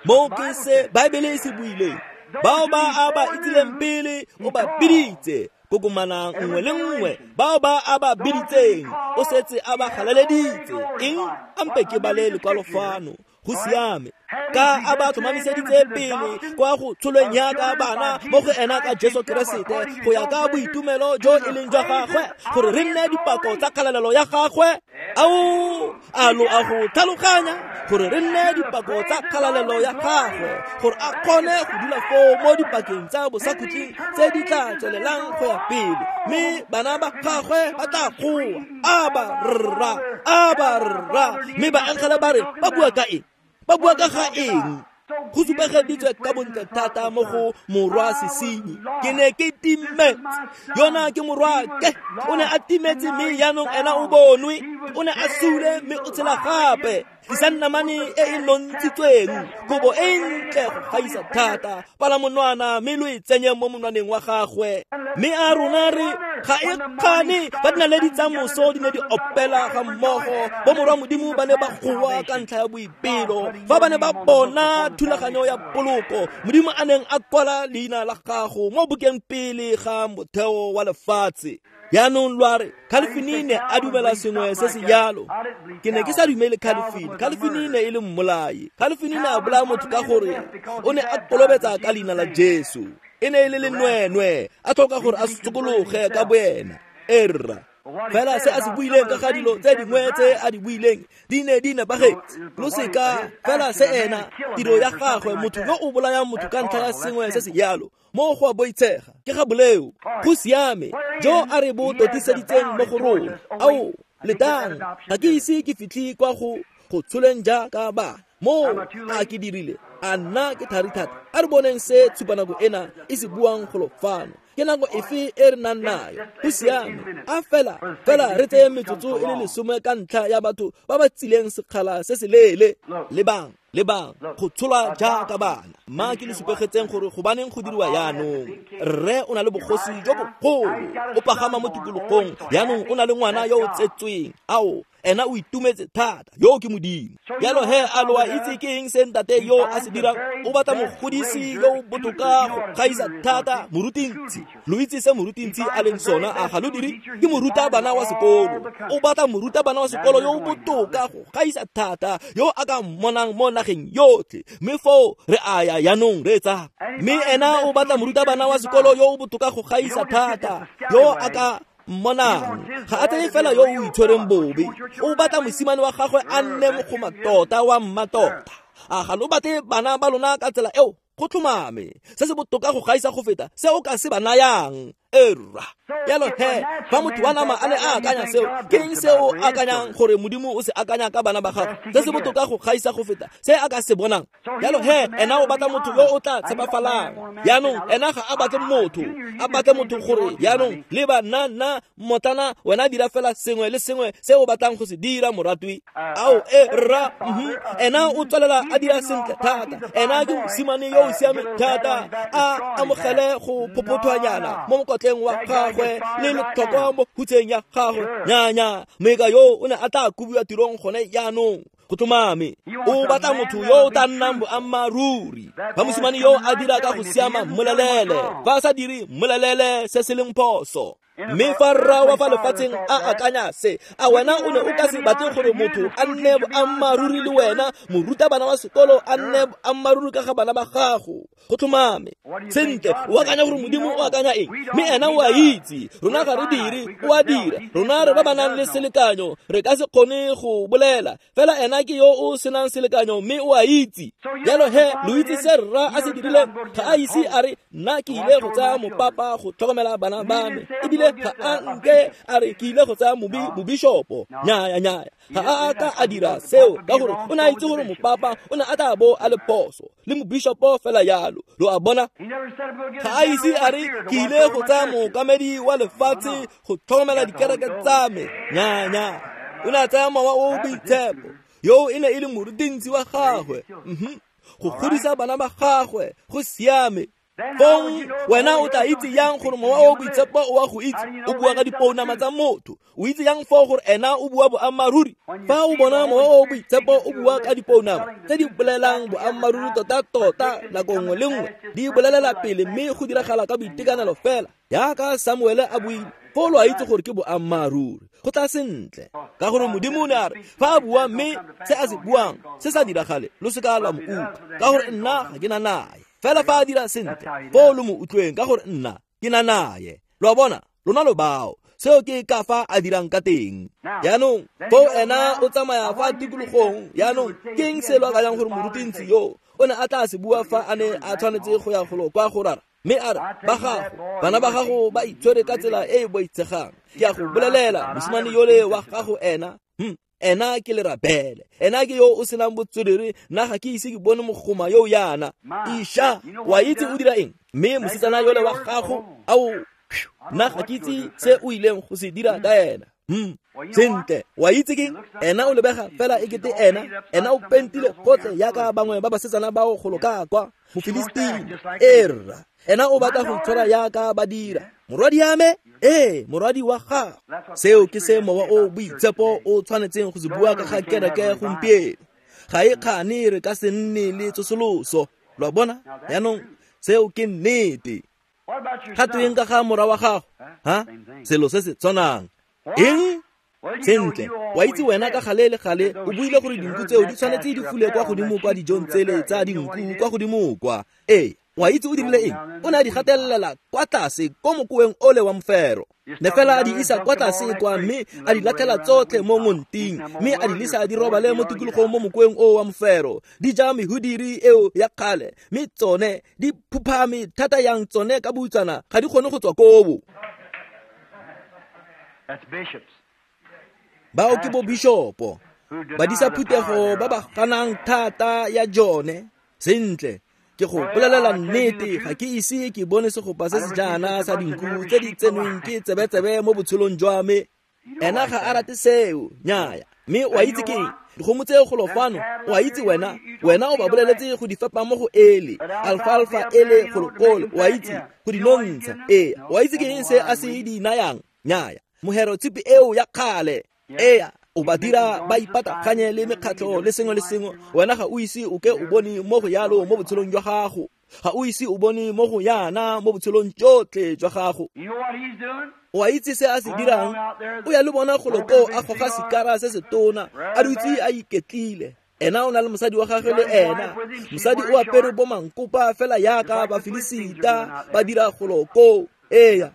Mo ke se Baebele e se buileng. Bao ba a ba itsileng pele, o ba biditse. Kokomana nngwe le nngwe, bao ba a ba biditseng, o setse a ba galaleditse. Eng? Ampe ke bale lekwalo fano. Go siame. Ka a ba tlhomamiseditse pele kwa go tsholweng yaka bana mo go ena ka Jesu Keresete, go ya ka boitumelo jo e leng jwa gagwe, gore re nne dipako tsa kgalalelo ya gagwe. Ao, a lo a go tlhaloganya, gore re nne dipako tsa kgalalelo ya gagwe, gore a kgone go dula foo mo dipakeng tsa bosakhutleng tse di tla tswelelang go ya pele, mme bana ba gagwe ba tla goa, Aba rra, aba rra. Mme baengele ba re ba bua ka eng? Ba bua ka ga eng? Go supegeditswe ka bontle thata mo go morwa sesenyi. Ke ne ke timetse, yona ke morwake, o ne a timetse mme jaanong ena o bonwe, o ne a sule mme o tshela gape. Tlisang namane e e nontshitsweng, kobo e ntle go gaisa thata, pala monwana mme lo e tsenye mo monwaneng wa gagwe. Mme a rona re ga e kgane ba dinaledi tsa moso di ne di opela ga mmogo, bo morwa Modimo ba ne ba goa ka ntlha ya boipelo fa ba ne ba bona thulaganyo ya poloko, Modimo a neng a kwala leina la gago mo bukeng pele ga motheo wa lefatshe. Jaanong lo a re Calvin ne a dumela sengwe se se jalo. Ke ne ke sa dumele Calvin. Calvin ne e le mmolai. Calvin ne a bolaya motho ka gore o ne a kolobetsa ka leina la Jesu. E ne e le lenwenwe, a tlhoka gore a sokologe ka boena. Erra. Fela se a se buileng ka ga dilo tse dingwe tse a di buileng di ne di nepagetse. Lo seka fela se ena tiro ya gagwe, motho yo o bolayang motho ka ntlha ya sengwe se se jalo mo go a boitshega ke ga boleo. Go siame jo a re bo totiseditseng mo go rona. Ao letang, ga ke ise ke fitlhe kwa go tsholeng jaaka bana. Mo a ke dirile a nna ke thari thata. A re boneng se tshupanako ena e se buang golo fano. Ke nako efe e re nang nayo? Go siame, a fela fela re tseye metsotso e le 10 ka ntlha ya batho ba ba tsileng sekgala se se leele. Lebang, lebang, go tsholwa jaaka bana. Mma ke le supegetseng gore gobaneng go diriwa jaanong. Rre o na le bogosi jo bogolo, o pagama mo tikologong. Jaanong o na le ngwana yo o tsetsweng. Ao, ena o itumetse thata, yo ke Modimo. Jalo he a lo a itse ke eng se ntate yo a se dirang? O batla mogodisi yo o botoka go gaisa thata, morutintsi. Lo itse se morutintsi a leng sona, a ga lo dire? Ke morutabana wa sekolo. O batla morutabana wa sekolo yo o botoka go gaisa thata, yo a ka mmonang mo nageng yotlhe. Mme foo re a ya jaanong re etsa. Mme ena o batla morutabana wa sekolo yo o botoka go gaisa thata, yo a ka mmonang. Ga a tseye fela yo o itshwereng bobe. O batla mosimane wa gagwe a nne mogoma tota wa mmatota. A ga lo batle bana ba lona ka tsela eo? Go tlhomame, se se botoka go gaisa go feta se o ka se ba nayang. Erra. Jalo he, fa motho wa nama a ne a akanya seo, ke eng se o akanyang gore Modimo o se akanya ka bana ba gagwe? Se se botoka go gaisa go feta se a ka se bonang. Jalo he, ena o batla motho yo o tla tshepafalang. Jaanong ena ga a batle motho, a batle motho gore jaanong leba nna nna mmotlana, wena dira fela sengwe le sengwe se o batlang go se dira, moratwi. Ao e rra, ena o tswelela a dira sentle thata. Ena ke mosimane yo o siameng thata, a amogele go phophothwanyana mo mokotleng wa gagwe le letlhokwa mo hutseng ya gagwe. Nyanya, meka yo o ne a tla kobiwa tirong gone jaanong. Go tlhomame, o batla motho yo o tla nnang boammaaruri. Fa mosimane yo a dira ka go siama, mmolelele. Fa a sa dire, mmolelele se se leng phoso. Mme fa rra wa fa lefatsheng a akanya se, a wena o ne o ka se batle gore motho a nne boammaaruri le wena, morutabana wa sekolo a nne boammaaruri ka ga bana ba gago? Go tlhomame. Sentle, o akanya gore Modimo o akanya eng? Mme ena o a itse. Rona ga re dire, o a dira. Rona re ba ba nang le selekanyo, re ka se kgone go bolela. Fela ena ke yo o senang selekanyo, mme o a itse. Jalo he, lo itse se rra a se dirileng? Ga a ise a re, nna ke ile go tsaya mopapa go tlhokomela bana ba me. Ebile ga a nke a re ke ile go tsaya mobishopo. Nyaya, nyaya. Ga a ka a dira seo ka gore o ne a itse gore mopapa o ne a tla bo a le phoso le mobishopo fela jalo. Lo a bona? Ga a ise a re ke ile go tsaya mookamedi wa lefatshe go tlhokomela dikereke tsa me. Nyaya, nyaya. O ne a tsaya mowa o o boitshepo, yo e ne e le morutintsi wa gagwe, go godisa bana ba gagwe. Go siame. Fong wena o tla itse yang gore mowa o boitshepo o a go itse? O bua ka dipounama tsa motho. O itse yang foo gore ena o bua boammaaruri? Fa o bona mowa o boitshepo o bua ka dipounama tse di bolelang boammaaruri tota-tota nako nngwe le nngwe, di bolelela pele mme go diragala ka boitekanelo fela jaaka Samuele a buile, foo lo a itse gore ke boammaaruri. Go tla sentle, ka gore Modimo o ne a re fa a bua mme se a se buang se sa diragale, lo seka lwa mo utlwa, ka gore nna ga ke na naye. Fela fa a dira sentle, foo lo mo utlweng, ka gore nna ke na naye. Lo a bona? Lona lo bao. Seo ke ka fa a dirang ka teng. Jaanong foo ena o tsamaya fa tikologong. Jaanong ke eng se lo akanyang gore morutintsi yo o ne a tla se bua fa a ne a tshwanetse go ya golo kwa go rara? Mme a re, ba gago, bana ba gago ba itshwere ka tsela e e boitshegang. Ke a go bolelela, mosimane yole wa gago ena, ena ke lerabele, ena ke yo o senang botswerere, nna ga ke ise ke bone mogoma yo yana. Isha, wa itse o dira eng? Mme mosetsana yole wa gago, ao, nna ga ke itse se o ileng go se dira ka ena. Sentle, wa itse ke ena o lebega fela e kete ena o pentile gotlhe jaaka bangwe ba basetsana bao golo ka kwa Mofilistini. Erra, ena o batla go itshwara jaaka ba dira. Morwadi ya me? Ee, morwadi wa gago. Seo ke se mowa o boitshepo o tshwanetseng go se bua ka ga kereke gompieno. Ga e kgane re ka se nne le tsosoloso. Lo a bona? Jaanong seo ke nnete. Ga tweng ka ga morwa wa gago? Ha? Selo se se tshwanang. Eng? Sentle, wa itse wena ka gale le gale o buile gore dinku tseo di tshwanetse di fule kwa godimo kwa dijong tsele tsa dinku kwa godimo kwa. Ee, wa itse o dirile eng? O ne a di gatelela kwa tlase ko mokoeng ole wa mofero. Ne fela a di isa kwa tlase kwa mme a di latlhela tsotlhe mo ngonting, mme a di lesa di robale mo tikologong mo mokoeng o wa mofero. Di ja mehudiri eo ya kgale, mme tsone di phuphame thata yang tsone ka boutsana ga di kgone go tswa kobo. Bao ke bobishopo, badisa phuthego ba ba ganang thata ya jone. Sentle, ke go bolelela nnete, ga ke ise ke bone segopa se se jaana sa dinku tse di tsenweng ke tsebetsebe mo botshelong jwa me. Ena ga a rate seo, nnyaya. Mme o a itse ke eng? Dikgomo tseo golo fano, o a itse wena, wena o ba boleletse go di fepa mo go ele, alfalfa ele golo kole, o a itse, go di nontsha. Ee, o a itse ke eng se a se di nayang? Nnyaya. Mohero tshipi eo ya kgale. Ee, o ba dira ba ipataganye le mekgatlho le sengwe le sengwe. Wena ga o ise o ke o bone mo go yalo mo botshelong jwa gago. Ga o ise o bone mo go yana mo botshelong jotlhe jwa gago. O a itse se a se dirang? O ya le bona golo koo a goga sikara se se tona, a dutse a iketlile. Ena o na le mosadi wa gagwe le ena. Mosadi o apere bo mankopa fela yaka Bafilisita ba dira golo koo. Ee.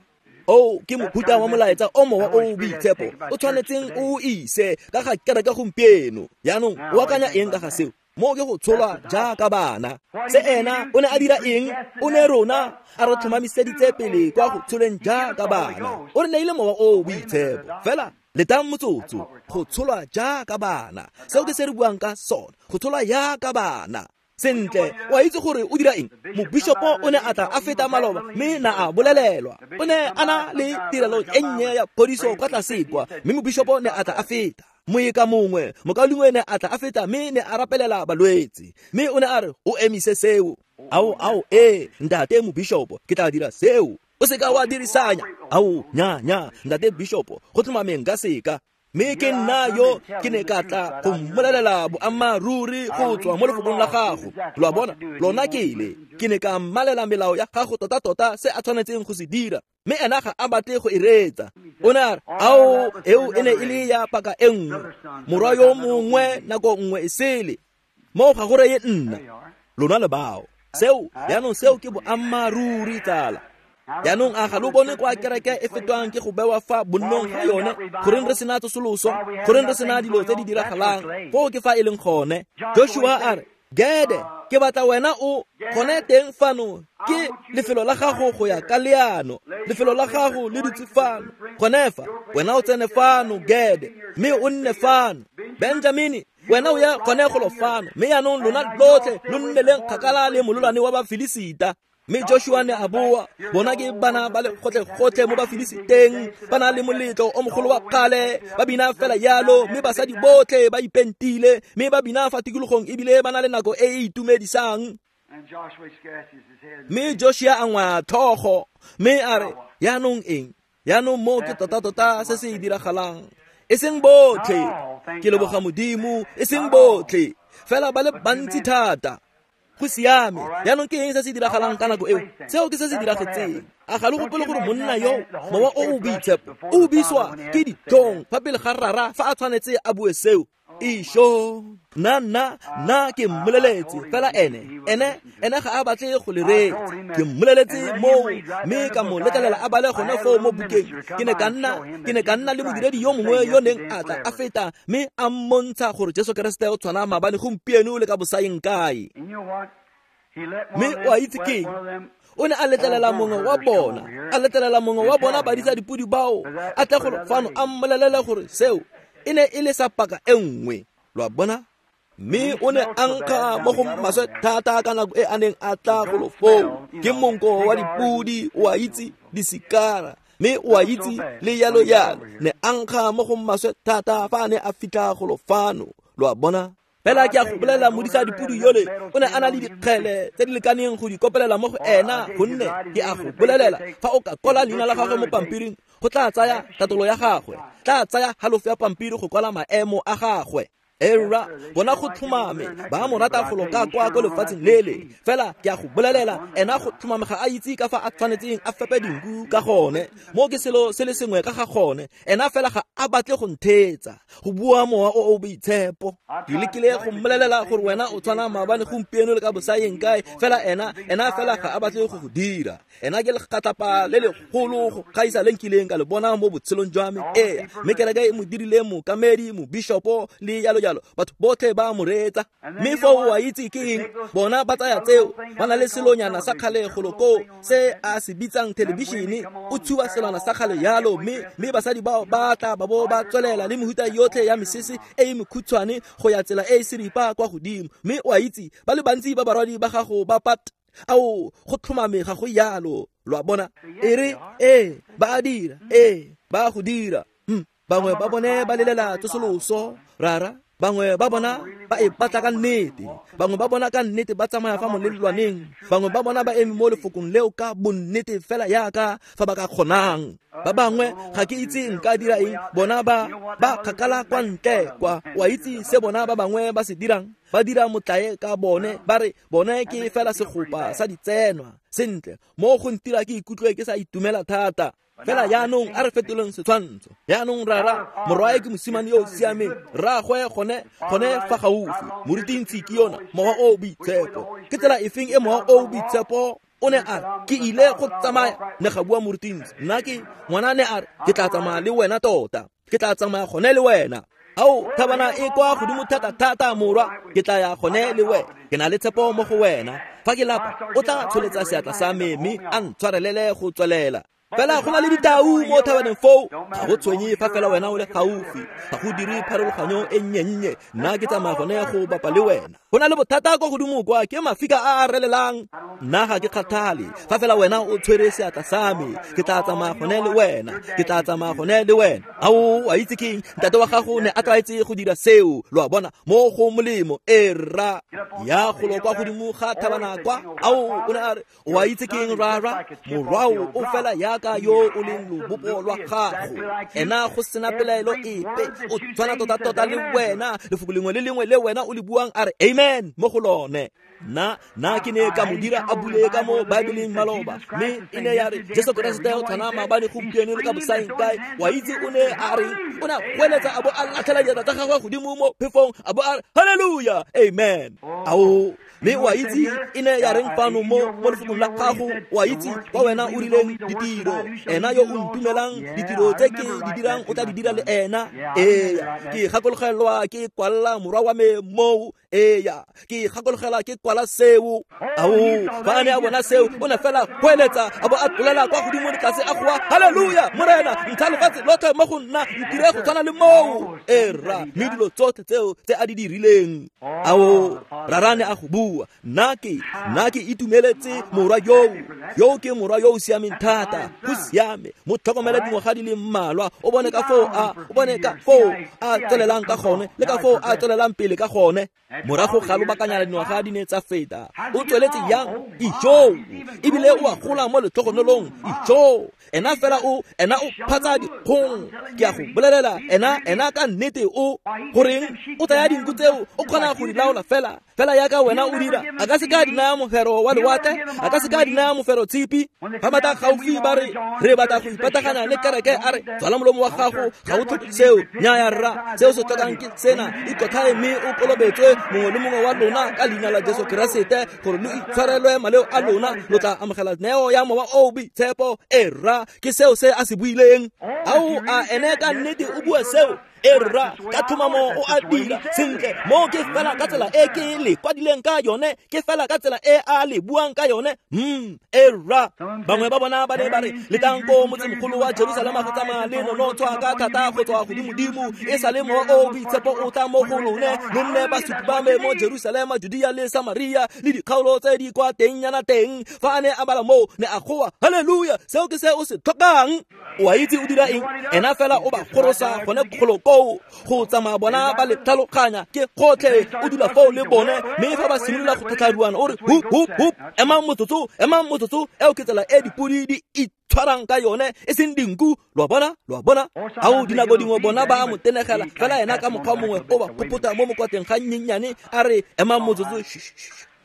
O ke mohuta wa molaetsa o mowa o boitshepo o tshwanetseng o ise ka ga kereke gompieno. Jaanong o akanya eng ka ga seo? Mo ke go tsholwa jaaka bana. Se ena o ne a dira eng? O ne rona a re tlhomamiseditse pele kwa go tsholeng jaaka bana. O re neile mowa o boitshepo. Fela letang motsotso, go tsholwa jaaka bana. Seo ke se re buang ka sone, go tsholwa jaaka bana. Sentle, o a itse gore o dira eng? Mobishopo o ne a tla a feta maloba mme na a bolelelwa. O ne a na le tirelo e nnye ya phodiso kwa tlase kwa, mme mobishopo ne a tla a feta. Moeka mongwe, mokaulengwe ne a tla a feta mme ne a rapelela balwetse. Mme o ne a re, o emise seo. Ao, ao, ee, ntate mobishopo, ke tla dira seo. O seka wa dirisanya. Ao, nya, nya, ntate bishopo, go tlhomameng ka seka. Mme ke nna yo ke ne ka tla go mmolelela boammaaruri go tswa mo lefokong la gago. Lo a bona, lona ke ile. Ke ne ka mmalela melao ya gago tota-tota se a tshwanetseng go se dira. Mme ena ga a batle go e reetsa. O ne a re, ao, eo e ne e le ya paka e nngwe. Morwa yo mongwe nako nngwe e sele. Moo ga go reye nna. Lona le bao. Seo, jaanong seo ke boammaaruri tsala. Jaanong a ga lo bone kwa kereke e fetwang ke go bewa fa bonnong ga yone? Goreng re sena tsosoloso? Goreng re sena dilo tse di diragalang? Foo ke fa e leng gone. Joshua a re, Gede, ke batla wena o gone teng fano. Ke lefelo la gago go ya ka leano. Lefelo la gago le dutse fano. Gone fa, wena o tsene fano, Gede, mme o nne fano. Benjamini, wena o ya gone golo fano. Mme jaanong lona lotlhe lo nneleng kgakala le mololwane wa Bafilisita. Mme Joshua ne a boa, bona ke bana ba le gotlhe-gotlhe mo Bafilisiteng, ba na le moletlo o mogolo wa kgale, ba bina fela yalo, mme basadi botlhe ba ipentile, mme ba bina fa tikologong ebile ba na le nako e e itumedisang. Mme Joshua a ngwaya tlhogo, mme a re, jaanong eng? Jaanong mo ke tota-tota se se diragalang. E seng botlhe, ke leboga Modimo, e seng botlhe, fela ba le bantsi thata. Go siame. Jaanong ke eng se se diragalang ka nako eo? Seo ke se se diragetseng. A ga lo gopole gore monna yo, mowa o o boitshepo, o biswa ke ditlhong fa pele ga rara fa a tshwanetse a bue seo? Isho, nna nna nna ke mmoleletse fela ene, ene ene ga a batle go le reetsa. Ke mmoleletse moo mme ka mo letlelela a bale gone foo mo bukeng. Ke ne ka nna le modiredi yo mongwe yo neng a tla a feta mme a mmontsha gore Jesu Keresete o tshwana maabane gompieno le ka bosaeng kae. Mme o a itse ke o ne a letlelela mongwe wa bona, a letlelela mongwe wa bona badisa dipodi bao a tle go fano a mmolelele gore seo e ne e le sa paka e nngwe. Lo a bona? Mme o ne a nkga mo go maswe thata ka nako e a neng a tla golo foo. Ke monko wa dipodi, o a itse, disikara, mme o a itse le yalo yalo. Ne a nkga mo go maswe thata fa a ne a fitlha golo fano. Lo a bona? Fela ke a go bolelela modisa dipodi yole o ne a na le dikgele tse di lekaneng go di kopelela mo go ena, gonne ke a go bolelela fa o ka kwala leina la gagwe mo pampiring, go tla tsaya tatolo ya gagwe, tla tsaya halofo ya pampiri go kwala maemo a gagwe. Era bona go tlhomame ba mo rata go loka kwa ko lefatsheng lele fela ke a go bolelela ena go tlhomame ga a itse ka fa a tshwanetseng a fepe dinku ka gone mo ke selo se le sengwe ka ga gone ena fela ga a batle go nthetsa go bua mowa o o boitshepo. Ke lekile go mmolelela gore wena o tshwana maabane gompieno le ka bosaeng kae fela ena fela ga a batle go go dira. Ena ke legatlapa le legolo go gaisa le nkileng ka le bona mo botshelong jwa me. Ee, mme kereke e mo dirile mookamedi, mobishopo le jalo jalo, batho botlhe ba mo reetsa. Mme foo o a itse ke eng, bona ba tsaya tseo ba na le selonyana sa kgale golo koo se a se bitsang thelebišene, o tshuba selwana sa kgale jalo, mme basadi bao ba tla ba bo ba tswelela le mehuta yotlhe ya mesese e e mekhutshwane go ya tsela e e seripa kwa godimo. Mme o a itse ba le bantsi ba barwadi ba gago ba pat ao go tlhomame ga go yalo, lo a bona. E re ee ba a dira, ee ba go dira. Bangwe ba bone ba lelela tsosoloso rara, bangwe ba bona ba e batla ka nnete, bangwe ba bona ka nnete ba tsamaya fa molelwaneng, bangwe ba bona ba eme mo lefokong leo ka bonnete fela yaka fa ba ka kgonang. Ba bangwe ga ke itse nka dira eng, bona ba kgakala kwa ntle kwa. Wa itse se bona ba bangwe ba se dirang, ba dira motlae ka bone, ba re bone ke fela segopa sa ditsenwa. Sentle, mo go ntira ke ikutlwe ke sa itumela thata. Fela jaanong a re fetoleng setshwantsho. Jaanong rara morwae ke mosimane yo o siameng, rraagwe gone fa gaufi, morutintshi ke yona mowa o o boitshepo. Ke tsela efeng e mowa o o boitshepo o ne a re ke ile go tsamaya, ne ga bua morutintshi. Nna ke ngwana ne a re ke tla tsamaya le wena tota, ke tla tsamaya gone le wena. Ao thabana e kwa godimo thata-thata morwa, ke tla ya gone le wena, ke na le tshepo mo go wena. Fa ke lapa o tla tsholetsa seatla sa me mme a ntshwarelele go tswelela. Fela go na le ditau mo thabaneng foo, ga go tshwenye fa fela wena o le gaufi, ga go dire pharologanyo e nnye-nnye, nna ke tsamaya gone go bapa le wena. Go na le bothata ko godimo kwa ke mafika a a relelang, nna ga ke kgathale fa fela wena o tshwere seatla sa me, ke tla tsamaya gone le wena, ke tla tsamaya gone le wena. Ao a itse keng, ntate wa gago ne a tlwaetse go dira seo, lo a bona, mo go molemo. E rra ya golo kwa godimo ga thabana kwa. Ao o ne a re o a itse keng rara, morwao o fela yaka yo o leng lobopo lwa gago, ena go sena pelaelo epe, o tshwana tota-tota le wena. Lefoko lengwe le lengwe le wena o le buang a re amen mo go lone. Nna ke ne ka mo dira a bule ka mo Baebeleng maloba, mme e ne ya re Jesu Keresete o tshwana maabane gompieno le ka bosaeng kae. Wa itse o ne a reng, o ne a goeletsa a bo a latlhela diatla tsa gagwe godimo mo phefong a bo a re halleluja amen. Ao mme wa itse e ne ya reng fano mo lefokong la gago, wa itse kwa wena o rileng ditiro, ena yo o ntumelang ditiro tse ke di dirang o tla di dira le ena. Ee, ke gakologelwa ke kwalla morwa wa me moo. Eya, ke gakologela ke kwala seo. Ao fa a ne a bona seo o ne fela goeletsa a bo a tlolela kwa godimo le tlase a goa halleluja morena ntsha lefatshe lotlhe mo go nna, ntire go tshwana le moo. E rra, mme dilo tsotlhe tseo tse a di dirileng. Ao rara ne a go bua, nna ke itumeletse morwa yoo ke morwa yo o siameng thata. Go siame, mo tlhokomele dingwaga di le mmalwa, o bone ka foo a tswelelang ka gone le ka foo a tswelelang pele ka gone. Morago ga lobakanyana dingwaga di ne tsa feta, o tsweletse yang? Ijoo, ebile o a gola mo letlhogonolong. Ijoo, ena fela o phatsa dikgong. Ke a go bolelela, ena ka nnete o goreng o tsaya dinku tseo, o kgona go di laola fela fela yaka wena o dira. A ka se ka di naya mofero wa lewatle, a ka se ka di naya mofero tshipi. Fa batla gaufi ba re re batla go ipatagana le kereke, a re tswala molomo wa gago, ga o tlhoke seo. Nnyaya rra, seo se tlhokang ke sena, ikotlhae mme o kolobetswe mongwe le mongwe wa lona ka leina la Jesu Keresete gore lo itshwarelwe maleo a lona, lo tla amogela neo ya mowa o boitshepo. E rra, ke seo se a se buileng. Ao a ene ka nnete o bua seo. E rra, ka tlhomamo o a dira sentle. Mo ke fela ka tsela e ke le kwadileng ka yone, ke fela ka tsela e a le buang ka yone. E rra, bangwe ba bona ba ne ba re letang ko motsemogolo wa Jerusalema go tsamaya le nonotshwa ka thata go tswa godimodimo, e sa le mowa o boitshepo o tla mo go lone, lo nne basupi ba me mo Jerusalema, Judea le Samaria le dikgaolo tse di kwa tengnyana teng. Fa a ne a bala moo ne a goa halleluja, seo ke se o se tlhokang. O a itse o dira eng? Ena fela o ba gorosa gone kgolo koo go tsamaya bona ba le tlhaloganya ke gotlhe o dula foo le bone mme fa ba simolola go tlhatlharuana o re hup hup hup emang motsotso eo ke tsela e dipodi di tshwarang ka yone e seng dinku lo a bona ao dinako dingwe bona ba mo tenegela fela ena ka mokgwa mongwe o ba phopota mo mokwateng ga nnyennyane a re emang motsotso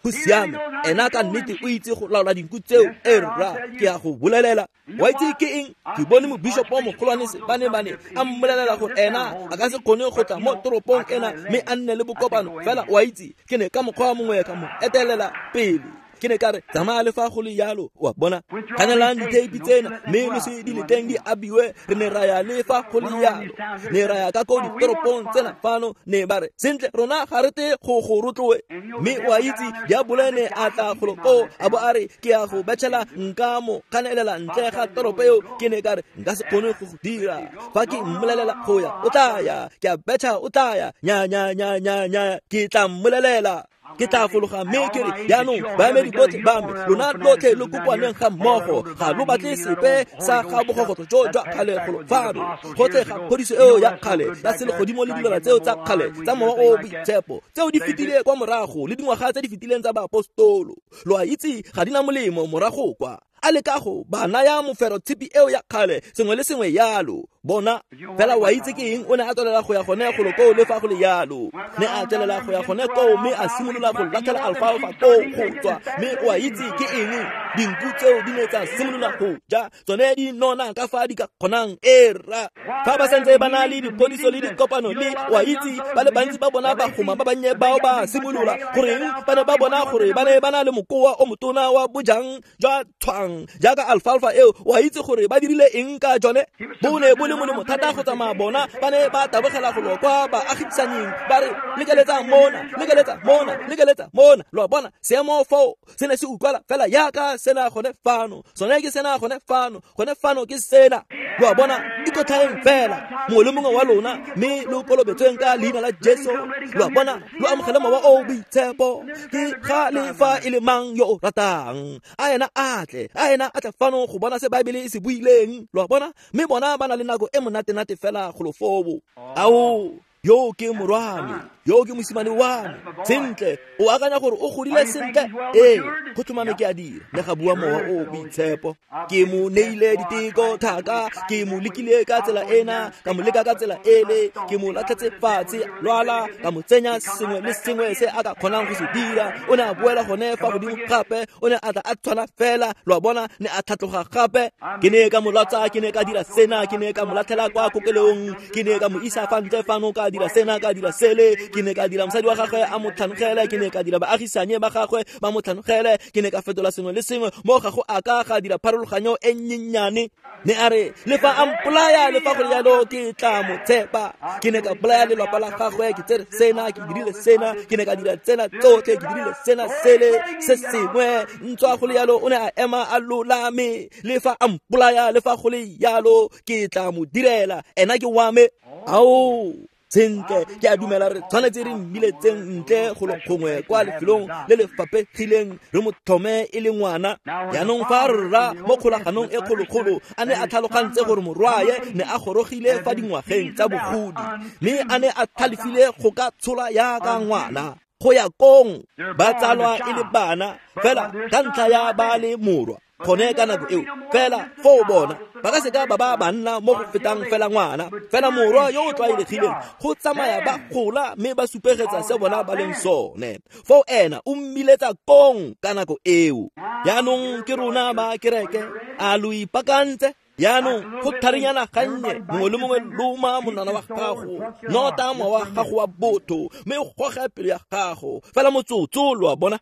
go siame ena ka nnete o itse go laola dinku tseo e rra ke a go bolelela wa itse ke eng ke bone mobishopo mogolwane Sebane-bane a mmolelela gore ena a ka se kgone go tla mo toropong ena mme a nne le bokopano fela wa itse ke ne ka mokgwa mongwe ka mo etelela pele ke ne ka re tsamaya le fa go le yalo wa bona kganelang ditheipi tsena mme lo se di leteng di abiwe re ne ra ya le fa go le yalo ne ra ya ka ko ditoropong tsena fano ne ba re sentle rona ga re te go go rotloe mme wa itse diabole ne a tla golo koo a bo a re ke ya go betšhela nka mo kganelela ntle ga toropo eo ke ne ka re nka se kgone go go dira fa ke mmolelela go ya o tla ya ke a betšha o tla ya nya nya nya nya nya ke tla mmolelela ke tla fologa mme ke re jaanong baemedi botlhe ba me lona lotlhe lo kokoaneng ga mmogo ga lo batle sepe sa ga bogogotlo jo jwa kgale golo fano gotlhe ga phodiso eo ya kgale ya selegodimo le dilwana tseo tsa kgale tsa mowa o boitshepo tseo di fetile kwa morago le dingwaga tse di fetileng tsa baapostolo lo a itse ga di na molemo morago kwa a leka go ba naya mofero tshipi eo ya kgale sengwe le sengwe yalo bona fela wa itse ke eng o ne a tswelela go ya gone golo koo le fa go le yalo ne a tswelela go ya gone koo mme a simolola go latlhela alfalfa koo go tswa mme wa itse ke eng dinku tseo di ne tsa simolola go ja tsone di nona ka fa di ka kgonang e rra fa ba santse ba na le diphodiso le dikopano le wa itse ba le bantsi ba bona bagoma ba bannye bao ba simolola goreng ba ne ba bona gore ba ne ba na le mokoa o motona wa bojang jwa tshwang jaaka alfalfa eo wa itse gore ba dirile eng ka jone bo ne bo le molemo thata go tsamaya bona ba ne ba tabogela golo kwa baagisanyeng ba re lekeletsa mona lekeletsa mona lekeletsa mona lo a bona seemo foo se ne se utlwala fela yaka sena gone fano sone ke sena gone fano gone fano ke sena lo a bona ikotlhaeng fela mongwe le mongwe wa lona mme lo kolobetsweng ka leina la Jesu lo a bona lo amogele mowa o boitshepo ke ga le fa e le mang yo o ratang a ena a tle a ena a tle fano go bona se Baebele e se buileng lo a bona mme bona ba na le nako e monatenate fela golo foo ao yo ke morwame yo ke mosimane wa me sentle o akanya gore o godile sentle ee go tlhomame ke a dira le ga bua mowa o boitshepo ke mo neile diteko thaka ke mo lekile ka tsela ena ka mo leka ka tsela ele ke mo latlhetse fatshe lwala ka mo tsenya sengwe le sengwe se a ka kgonang go se dira o ne a boela gone fa godimo gape o ne a tla a tshwana fela lo a bona ne a tlhatloga gape ke ne ka mo lwatsa ke ne ka dira sena ke ne ka mo latlhela kwa kokelong ke ne ka mo isa fa ntle fano ka dira sena ka dira sele ke ne ka dira mosadi wa gagwe a mo tlhanogele ke ne ka dira baagisanye ba gagwe ba mo tlhanogele ke ne ka fetola sengwe le sengwe mo ga go a ka ga dira pharologanyo e nnyennyane ne a re le fa a mpolaya le fa go le jalo ke tla mo tshepa ke ne ka bolaya lelapa la gagwe ke tsere sena ke dirile sena ke ne ka dira tsena tsotlhe ke dirile sena sele se sengwe ntswa go le jalo o ne a ema a lolame le fa a mpolaya le fa go le jalo ke tla mo direla ena ke wa me ao sentle ke a dumela re tshwanetse re mmiletseng ntle golo gongwe kwa lefelong le le fapegileng re mo tlhome e le ngwana jaanong fa rra mo kgolaganong e kgolokgolo a ne a tlhalogantse gore morwaye ne a gorogile fa dingwageng tsa bogodi mme a ne a tlhalefile go ka tshola yaka ngwana go ya kong ba tsalwa e le bana fela ka ntlha ya ba le morwa gone ka nako eo fela foo bona ba ka seka ba ba banna mo go fetang fela ngwana fela morwa yo o tlwaelegileng go tsamaya ba gola mme ba supegetsa se bona ba leng sone foo ena o mmiletsa kong ka nako eo jaanong ke rona ba kereke a lo ipaakantse jaanong go tharinyana gannye mongwe le mongwe loma monwana wa gago nota mowa wa gago wa botho mme o goge pelo ya gago fela motsotso lo a bona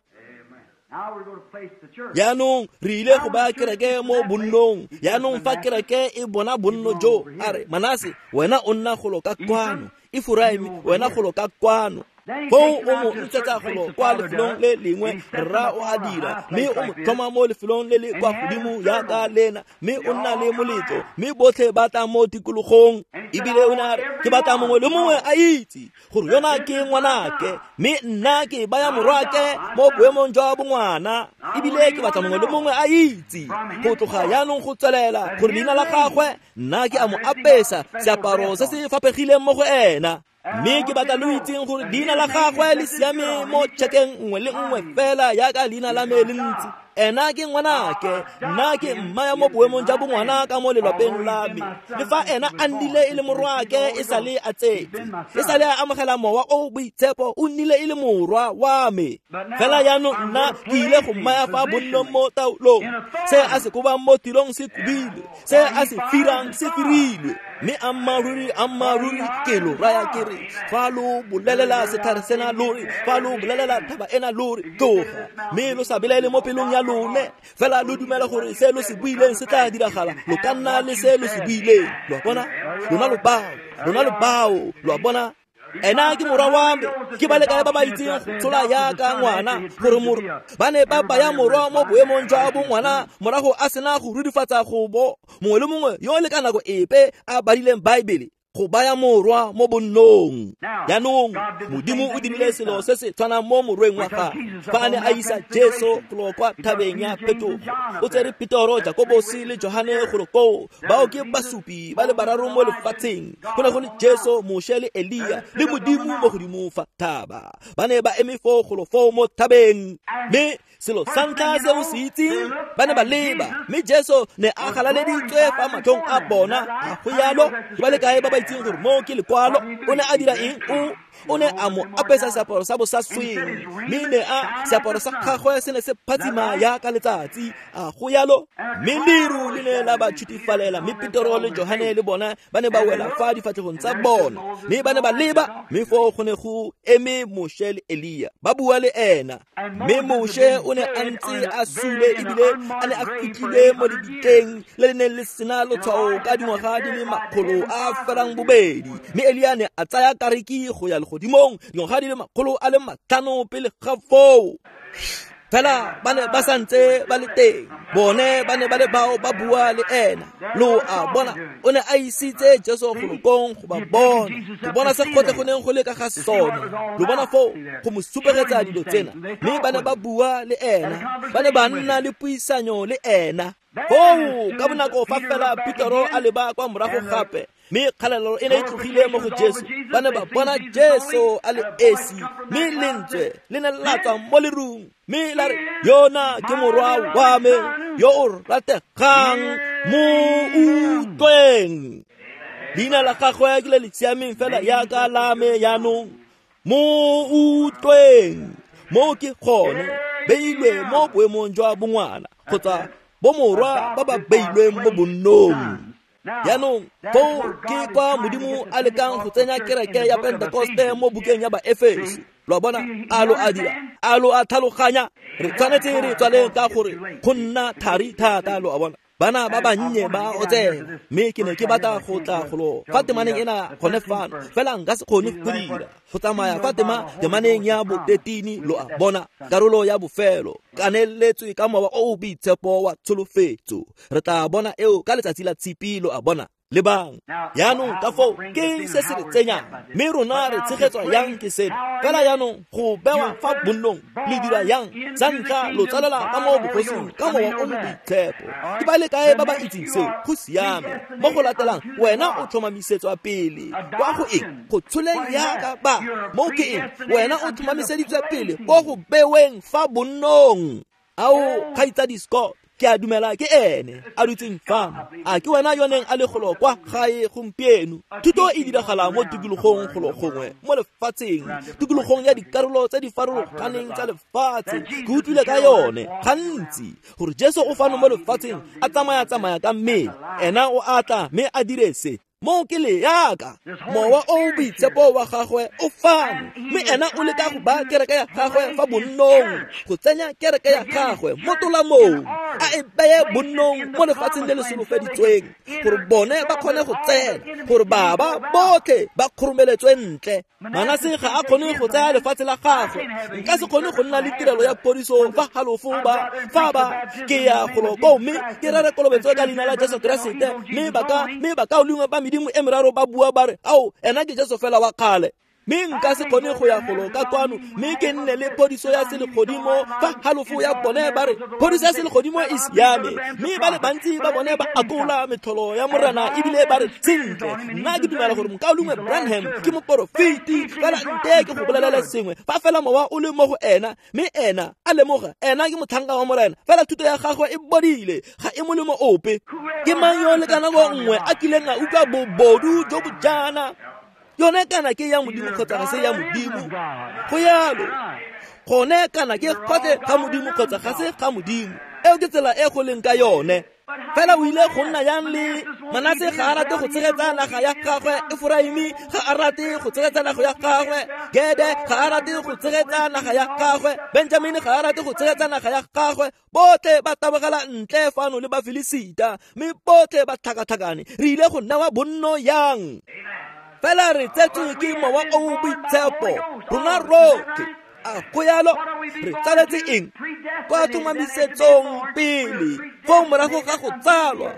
jaanong re ile go baya kereke mo bonnong jaanong fa kereke e bona bonno jo a re Manase wena o nna golo ka kwano Efraime wena golo ka kwano Foo o mo ntshetsa golo kwa lefelong le lengwe, rra o a dira, mme o mo tlhoma mo lefelong le le kwa godimo jaaka lena, mme o nna le moletlo, mme botlhe ba tla mo tikologong. Ebile o ne a re, ke batla mongwe le mongwe a itse gore yona ke ngwanake, mme nna ke baya morwake mo boemong jwa bongwana. Ebile ke batla mongwe le mongwe a itse go tloga jaanong go tswelela gore leina la gagwe nna ke a mo apesa seaparo se se faphegileng mo go ena. Mme ke batla lo itseng gore leina la gagwe le siame mo tšhekeng nngwe le nngwe fela jaaka leina la me le ntse. Ena ke ngwanake, nna ke mmaya mo boemong jwa bongwana ka mo lelapeng la me. Le fa ena a nnile e le morwake e sale a tsetse, e sale a amogela mowa o boitshepo, o nnile e le morwa wa me. Fela jaanong nna ke ile go mmaya fa bonnong mo taolong. Se a se kobang mo tirong se kobilwe, se a se firang se firilwe. Mme ammaaruri, ammaaruri ke lo raya ke re, fa lo bolelela setlhare sena lo re, fa lo bolelela thaba ena lo re, tloga, mme lo sa belaele mo pelong ya lone, fela lo dumela gore se lo se buileng se tla diragala, lo ka nna le se lo se buileng. Lo a bona? Lona lo bao, lona lo bao, lo a bona? Ena ke morwa wa me, ke ba le kae ba ba itseng go tshola jaaka ngwana, gore ba ne ba baya morwa mo boemong jwa bongwana morago a sena go rurifatsa go bo mongwe le mongwe yo le ka nako epe a badileng Baebele go baya morwa mo bonnong. Jaanong Modimo o dirile selo se se tshwanang mo morweng wa gagwe fa a ne a isa Jesu golo kwa thabeng ya Phetogo. O tsere Petoro, Jakobosi le Johane golo koo. Bao ke basupi ba le bararo mo lefatsheng. Go ne go le Jesu, Moshe le Elia le Modimo mo godimo fa thaba. Ba ne ba eme foo golo foo mo thabeng. Mme selo sa ntlha se o se itseng, ba ne ba leba, mme Jesu ne a galaleditswe fa matlhong a bona. A go jalo? Ke ba le kae ba ba itseng gore mo ke lekwalo? O ne a dira eng? O ne a mo apesa seaparo sa bosasweng, mme ne a seaparo sa gagwe se ne se phatsima jaaka letsatsi. A go jalo? Mme leru le ne la ba tshutifalela, mme Petoro le Johane le bona ba ne ba wela fa difatlhegong tsa bona, mme ba ne ba leba, mme foo go ne go eme Moshe le Elia ba bua le ena. Mme Moshe o ne a ntse a sule ebile a ne a fitlhilwe mo lebitleng le le neng le sena lotshwao ka dingwaga di le 280. Mme Elia ne a tsaya kariki go ya legodimong dingwaga di le 500 pele ga foo. Fela ba ne ba santse ba le teng, bone ba ne ba le bao ba bua le ena. Lo a bona, o ne a isitse Jesu golo kong go ba bona, go bona se gotlhe go neng go le ka ga sone. Lo bona foo go mo supegetsa dilo tsena. Mme ba ne ba bua le ena, ba ne ba nna le puisanyo le ena. Foo ka bonako fa fela Petoro a leba kwa morago gape, mme kgalalelo e ne e tlogile mo go Jesu. Ba ne ba bona Jesu a le esi, mme lentswe le ne la tswa mo lerung, mme la re, yona ke morwa wa me yo o rategang, mo utlweng. Leina la gagwe ke le le siameng fela jaaka la me jaanong, mo utlweng. Mo ke gone beilwe mo boemong jwa bongwana kgotsa bomorwa ba ba beilweng mo bonnong. Jaanong foo ke kwa Modimo a lekang go tsenya kereke ya Pentekoste mo bukeng ya Baefeso. Lo a bona? A lo a dira? A lo a tlhaloganya? Re tshwanetse re tswaleng ka gore go nna thari thata. Lo a bona? Bana ba bannye ba otsela, mme ke ne ke batla go tla golo fa temaneng ena gone fano, fela nka se kgone go dira go tsamaya fa temaneng ya bo-13. Lo a bona? Karolo ya bofelo kaneletswe ka mowa o o boitshepo wa tsholofetso. Re tla bona eo ka letsatsi la Tshipi. Lo a bona? Lebang jaanong ka foo ke se se re tsenyang, mme rona re tshegetswa yang ke seno. Fela jaanong go bewa fa bonnong le dira yang? Sa ntlha lo tsalela ka mo bogosing ka mowa o mo boitshepo. Ke ba le kae ba ba itseng seo? Go siame. Mo go latelang wena o tlhomamisetswa pele kwa go eng? Go tsholeng yaka ba. Mo ke eng? Wena o tlhomamiseditswe pele ko go beweng fa bonnong. Ao kgaitsadi Scott, ke a dumela ke ene a dutseng fano. A ke wena yo neng a le golo kwa gae gompieno? Thuto e diragala mo tikologong golo gongwe mo lefatsheng, tikologong ya dikarolo tse di farologaneng tsa lefatshe. Ke utlwile ka yone gantsi gore Jesu o fano mo lefatsheng a tsamaya-tsamaya ka mmele. Ena o a tla mme a dire se. Mo ke le yaka mowa o boitshepo wa gagwe o fano, mme ena o leka go ba kereke ya gagwe fa bonnong, go tsenya kereke ya gagwe mo tolamong, a e beye bonnong mo lefatsheng le le solofeditsweng, gore bone ba kgone go tsena, gore baba botlhe ba kgoromeletswe ntle. Manase ga a kgone go tsaya lefatshe la gagwe. Nka se kgone go nna le tirelo ya phodiso fa halofo ba fa ba ke ya golo koo mme ke rere kolobetso ka leina la Jesu Keresete, mme bakaulengwe ba medimo e meraro ba bua ba re, ao, ena ke Jesu fela wa kgale. Mme nka se kgone go ya golo ka kwano mme ke nne le phodiso ya selegodimo fa halofo ya bone ba re phodiso ya selegodimo e siame, mme ba le bantsi ba bone ba akola metlholo ya Morena ebile ba re sentle, nna ke dumela gore mokaulengwe Branham ke moporofeti, fela nte ke go bolelele sengwe, fa fela mowa o le mo go ena mme ena a lemoga ena ke motlhanka wa Morena, fela thuto ya gagwe e bodile, ga e molemo ope. Ke mang yo le ka nako nngwe a kileng a utlwa bobodu jo bo jaana? Yone kana ke ya Modimo kgotsa ga se ya Modimo. Go yalo. Gone kana ke gotlhe ga Modimo kgotsa ga se ga Modimo. Eo ke tsela e go leng ka yone. Fela o ile go nna yang le Manase ga a rate go tshegetsa naga ya gagwe, Efraimi ga a rate go tshegetsa naga ya gagwe, Gede ga a rate go tshegetsa naga ya gagwe, Benjamine ga a rate go tshegetsa naga ya gagwe. Botlhe ba tabogela ntle fano le Bafilisita, mme botlhe ba tlhakatlhakane. Re ile go newa bonno yang? Fela re tsetswe ke mowa o o boitshepo, rona rotlhe. A go yalo? Re tsaletse eng? Kwa tlhomamisetsong pele, foo morago ga go tsalwa,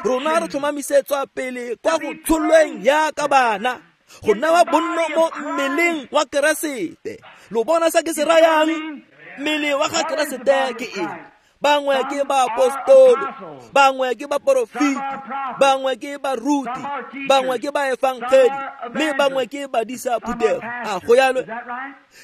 rona re tlhomamisetswa pele kwa go tsholweng yaka bana, go newa bonno mo mmeleng wa Keresete. Lo bona se ke se rayang? Mmele wa ga Keresete ke eng? Bangwe ke baapostolo, bangwe ke baporofeti, bangwe ke baruti, bangwe ke baefangedi, mme bangwe ke badisa phuthego. A go yalo?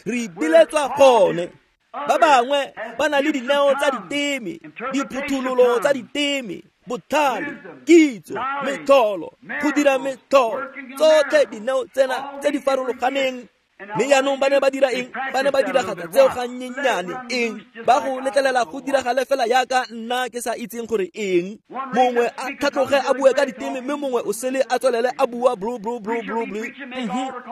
Re ipiletsa gone. Ba bangwe ba na le dineo tsa diteme, diphuthololo tsa diteme, botlhale, kitso, metlholo, go dira metlholo, tsotlhe dineo tsena tse di farologaneng. Mme jaanong ba ne ba dira eng? Ba ne ba diragatsa tseo gannyenyane. Eng? Ba go letlelela go diragale fela yaka nna ke sa itseng gore eng. Mongwe a tlhatloge a bue ka diteme, mme mongwe o sele a tswelele a bua blu blu blu blu blu.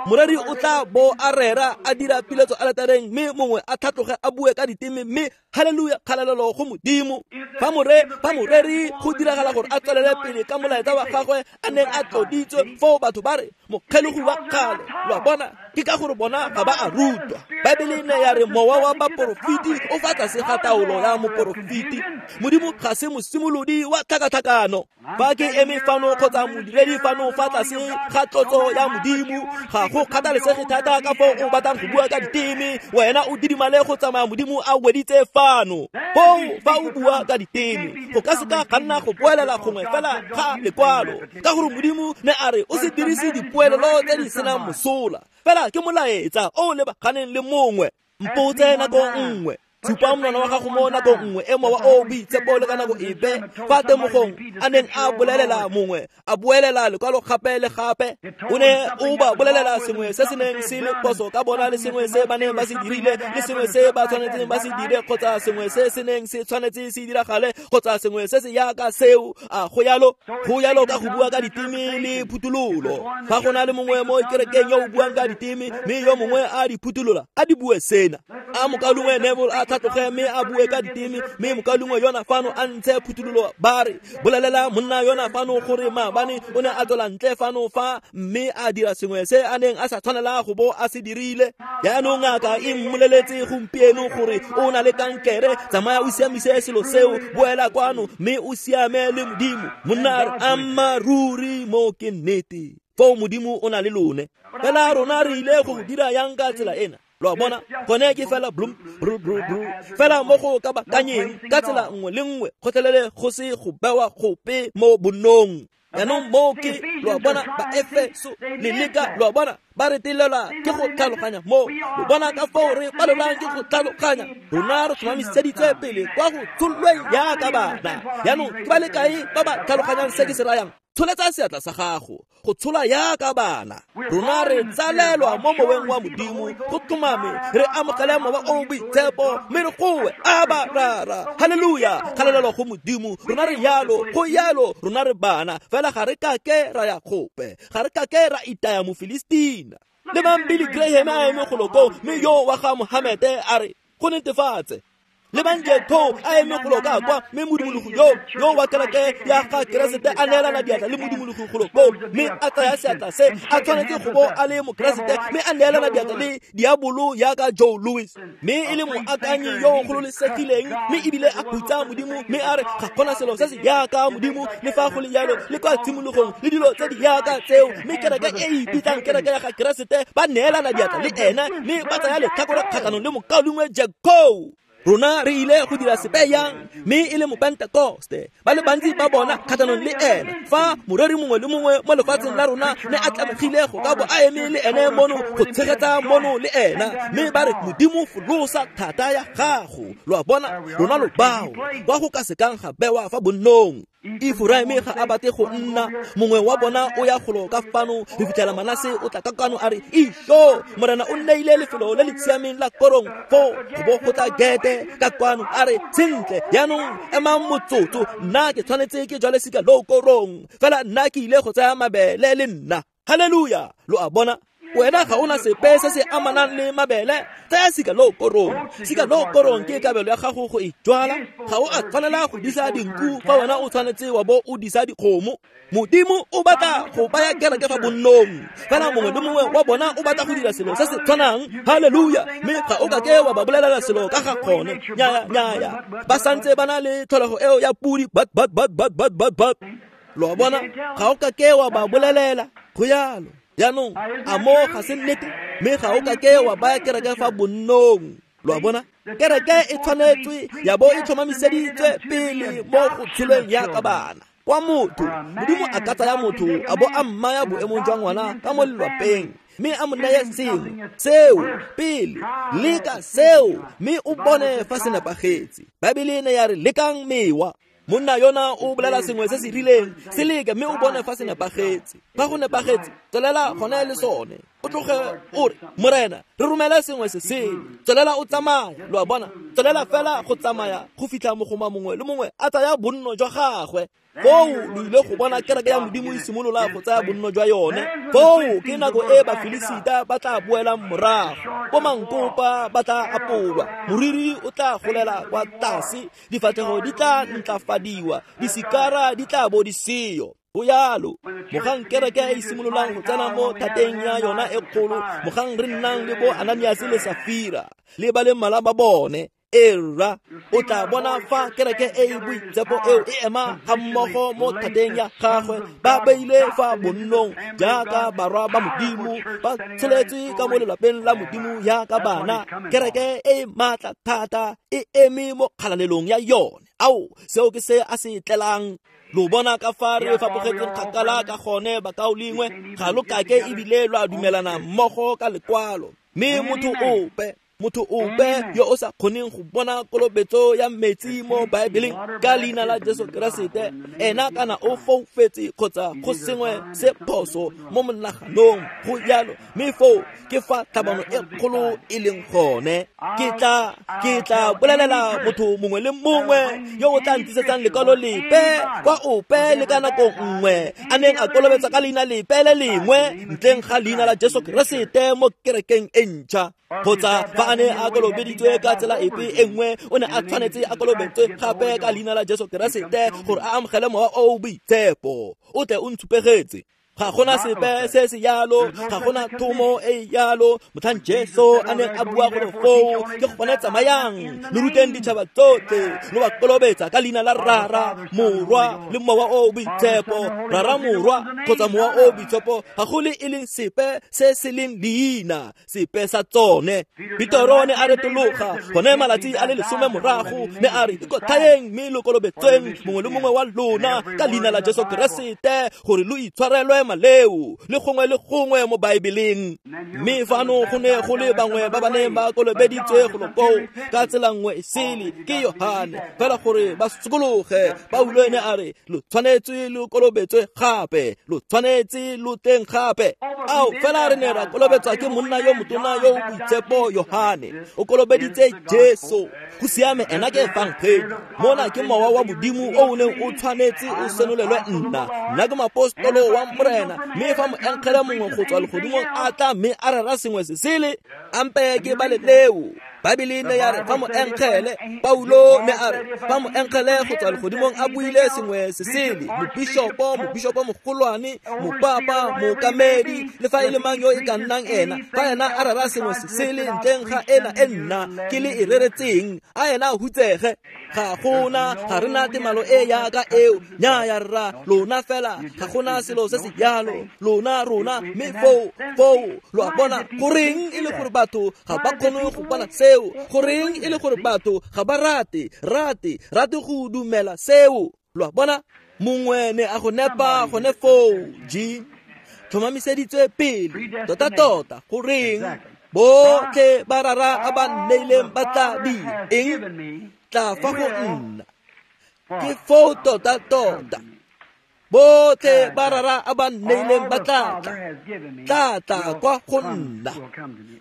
Moreri o tla bo a rera a dira piletso aletareng, mme mongwe a tlhatloge a bue ka diteme, mme haleluya, kgalalelo go Modimo. Fa moreri go diragala gore a tswelele pele ka molaetsa wa gagwe a neng a tloditswe, foo batho ba re mokgelogi wa kgale. Lo a bona? Ke ka gore bona ga ba a rutwa. Baebele ne ya re mowa wa baporofeti o fa tlase ga taolo ya moporofeti. Modimo ga se mosimolodi wa tlhakatlhakano. Fa ke eme fano kgotsa modiredi fano fa tlase ga tlotso ya Modimo, ga go kgathalesege thata ka foo o batlang go bua ka diteme, wena o didimale go tsamaya Modimo a weditse fano. Foo fa o bua ka diteme, go ka seka ga nna go boelela gongwe fela ga lekwalo, ka gore Modimo ne a re o se dirise dipoelelo tse di senang mosola. Fela ke molaetsa o lebaganeng le mongwe. Mpotse nako nngwe, tshupa monwana wa gago mo nako nngwe e mowa o boitshepo le ka nako epe fa temogong a neng a bolelela mongwe, a boelela lekwalo gape le gape. O ne o ba bolelela sengwe se se neng se le phoso ka bona, le sengwe se ba neng ba se dirile, le sengwe se ba tshwanetseng ba se dire, kgotsa sengwe se se neng se tshwanetse se diragale, kgotsa sengwe se se yaka seo. A go yalo? Go yalo ka go bua ka diteme le phuthololo. Fa go na le mongwe mo kerekeng yo o buang ka diteme, mme yo mongwe a di phuthulola, a di bue sena. A mokaulengwe Neville a tlhatloge mme a bue ka diteme, mme mokaulengwe yona fano a ntshe phuthololo, ba re bolelela monna yona fano gore maabane o ne a tswela ntle fano fa mme a dira sengwe se a neng a sa tshwanela go bo a se dirile. Jaanong ngaka e mmoleletse gompieno gore o na le kankere, tsamaya o siamise selo seo, boela kwano mme o siame le Modimo. Monna a re ammaruri mo ke nnete, foo Modimo o na le lone. Fela rona re ile go dira yang ka tsela ena? Lo a bona? Gone ke fela blum bru bru bru, fela mo go kabakanyeng ka tsela nngwe le nngwe, gotlhelele go se go bewa gope mo bonnong. Jaanong mo ke, lo a bona, Baefeso le leka, lo a bona, ba retelelwa ke go tlhaloganya mo. Lo bona ka foo re palelwang ke go tlhaloganya. Rona re tlhomamiseditswe pele kwa go tshololweng yaka bana. Jaanong ke ba le kae ba ba tlhaloganyang se ke se rayang? Tsholetsa seatla sa gago, go tshola yaka bana. Rona re tsalelwa mo moweng wa Modimo, go tlhomame re amogele mowa o boitshepo, mme re goe aba rara, haleluya, kgalalelo go Modimo. Rona re yalo, go yalo, rona re bana, fela ga re kake ra ya gope, ga re kake ra itaya Mofilistina. Le mang Billy Graham a eme golo koo, mme yo wa ga Mohamete a re go netefatse. Le bang Jack Coe a eme golo ka kwa, mme modumologo yo wa kereke ya ga Keresete a neelana diatla le modumologo golo koo, mme a tsaya seatla se a tshwanetse go bo a le Mokeresete, mme a neelana diatla le diabolo yaka Joe Louis, mme e le moakanyi yo o gololesegileng, mme ebile a khutsa Modimo, mme a re ga gona selo se se yaka Modimo le fa go le jalo le kwa tshimologong le dilo tse di yaka tseo. Mme kereke e e ipitsang kereke ya ga Keresete ba neelana diatla le ene, mme ba tsaya letlhakore kgatlhanong le mokaulengwe Jack Coe. Rona re ile go dira sepe yang, mme e le Mopentekoste ba le bantsi ba bona kgatlhanong le ene, fa moreri mongwe le mongwe mo lefatsheng la rona ne a tlamegile go ka bo a eme le ene mono go tshegetsa mono le ena, mme ba re Modimo folosa thata ya gago. Lo a bona, rona lo bao kwa go ka sekang ga bewa fa bonnong. Efraime ga a batle go nna mongwe wa bona, o ya golo ka fano re fitlhela Manase o tla ka kwano a re isho Morena o nneile lefelo le le siameng la korong foo go bo go tla Gete ka kwano a re sentle jaanong emang motsotso, nna ke tshwanetse ke jwale sika lo korong fela nna ke ile go tsaya mabele le nna. Haleluya! Lo a bona, wena ga ona sepe se se amanang le mabele, tsaya sika lo korong. Sika lo korong ke kabelo ya gago go e jwala. Ga o a tshwanela go disa dinku fa wena o tshwanetse wa bo o disa dikgomo. Modimo o batla go baya kereke fa bonnong, fela mongwe le mongwe wa bona o batla go dira selo se se tshwanang. Haleluya! Mme ga o ka ke wa ba bolelela selo ka ga kgone. Nyaya, nyaya, ba santse ba na le tlholego eo ya pudi, bat bat bat bat bat bat bat. Lo a bona, ga o ka ke wa ba bolelela go yalo. Jaanong a mo ga se nnete, mme ga o ka ke wa baya kereke fa bonnong. Lo a bona, kereke e tshwanetswe ya bo e tlhomamiseditswe pele mo go tsholweng yaka bana. Kwa motho, Modimo a ka tsaya motho a bo a mmaya boemong jwa ngwana ka mo lelwapeng, mme a mo neye sengwe seo pele, leka seo mme o bone fa se nepagetse. Baebele e ne ya re lekang mewa. Monna yona o bolela sengwe se se rileng, se leke mme o bone fa se nepagetse. Fa go nepagetse, tswelela gone le sone. O tloge o re Morena re romele sengwe se sele, tswelela o tsamaya. Lo a bona, tswelela fela go tsamaya go fitlha mogoma mongwe le mongwe a tsaya bonno jwa gagwe. Foo lo ile go bona kereke ya Modimo e simolola go tsaya bonno jwa yone. Foo ke nako e Bafilisita ba tla boelang morago, bo mankopa ba tla apolwa, moriri o tla golela kwa tlase, difatlhego di tla ntlafadiwa, disikara di tla bo di seyo. Go yalo mogang kereke e simololang go tsena mo thateng ya yona e kgolo, mogang re nnang le bo Ananias le Safira le ba le mmalwa ba bone. Era o tla bona fa kereke e e boitshepo eo e ema ga mmogo mo thateng ya gagwe, ba beile fa bonnong jaaka barwa ba Modimo, ba tsholetswe ka mo lelapeng la Modimo yaka bana. Kereke e maatla thata e eme mo kgalalelong ya yone. Ao, seo ke se a se tlelang. Lo bona ka fa re fapogetseng kgakala ka gone, bakaulengwe. Ga lo kake ebile lo a dumelana mmogo ka lekwalo. Mme motho ope yo o sa kgoneng go bona kolobetso ya metsi mo Baebeleng ka leina la Jesu Keresete, ena kana o foufetse kgotsa go sengwe se phoso mo monaganong. Go jalo, mme foo ke fa tlhabano e kgolo e leng gone. Ke tla bolelela motho mongwe le mongwe yo o tla ntisetsang lekwalo lepe kwa ope le ka nako nngwe a neng a kolobetsa ka leina lepe le lengwe ntleng ga leina la Jesu Keresete mo kerekeng e ntšha, kgotsa fa a ne a kolobeditswe ka tsela epe e nngwe, o ne a tshwanetse a kolobetswe gape ka leina la Jesu Keresete gore a amogele mowa o o boitshepo. O tle o ntshupegetse. Ga gona sepe se se yalo, ga gona thomo e yalo. Motlhang Jesu a neng a bua gore foo ke gone tsamayang lo ruteng ditšhaba tsotlhe, lo ba kolobetsa ka leina la Rara, Morwa le Mowa o o Boitshepo. Rara, Morwa kgotsa Mowa o o Boitshepo ga go le e leng sepe se se leng leina sepe sa tsone. Petero ne a retologa gone malatsi a le 10 morago, ne a re ikotlhaeng mme lo kolobetsweng mongwe le mongwe wa lona ka leina la Jesu Keresete gore lo itshwarelwe maleo, le gongwe le gongwe mo Baebeleng. Mme fano go ne go le bangwe ba ba neng ba kolobeditswe golo koo ka tsela nngwe e sele ke Yohane, fela gore ba sokologe. Paulo ene a re lo tshwanetse lo kolobetswe gape, lo tshwanetse lo teng gape. Ao, fela re ne ra kolobetswa ke monna yo motona yo o boitshepo Yohane, o kolobeditse Jesu. Go siame, ena ke efangedi. Mona ke mowa wa Modimo o o neng o tshwanetse o senolelwe nna. Nna ke moapostolo wa Morena, mme fa moengele mongwe go tswa legodimong a tla mme a rera sengwe se sele, ampe ke bale leo. Baebele ne ya re fa moengele Paulo ne a re fa moengele go tswa legodimong a buile sengwe se sele, mobishopo, mobishopo mogolwane, mopapa, mookamedi, le fa e le mang yo e ka nnang ena, fa ena a rera sengwe se sele ntleng ga ena e nna ke le e reretseng, a ena a hutsege. Ga gona, ga rena temalo e yaka eo, nnyaya rra, lona fela ga gona selo se se jalo, lona rona, mme foo foo lo a bona. Goreng e le gore batho ga ba kgone go bona seo? Goreng e le gore batho ga ba rate go dumela seo? Lo a bona, mongwe ne a go nepa gone foo, G tlhomamiseditswe pele tota-tota. Goreng botlhe ba rara a ba nneileng ba tla dira eng? Tla fa go nna. Ke foo tota-tota. Botlhe ba rara a ba nneileng ba tla tla kwa go nna.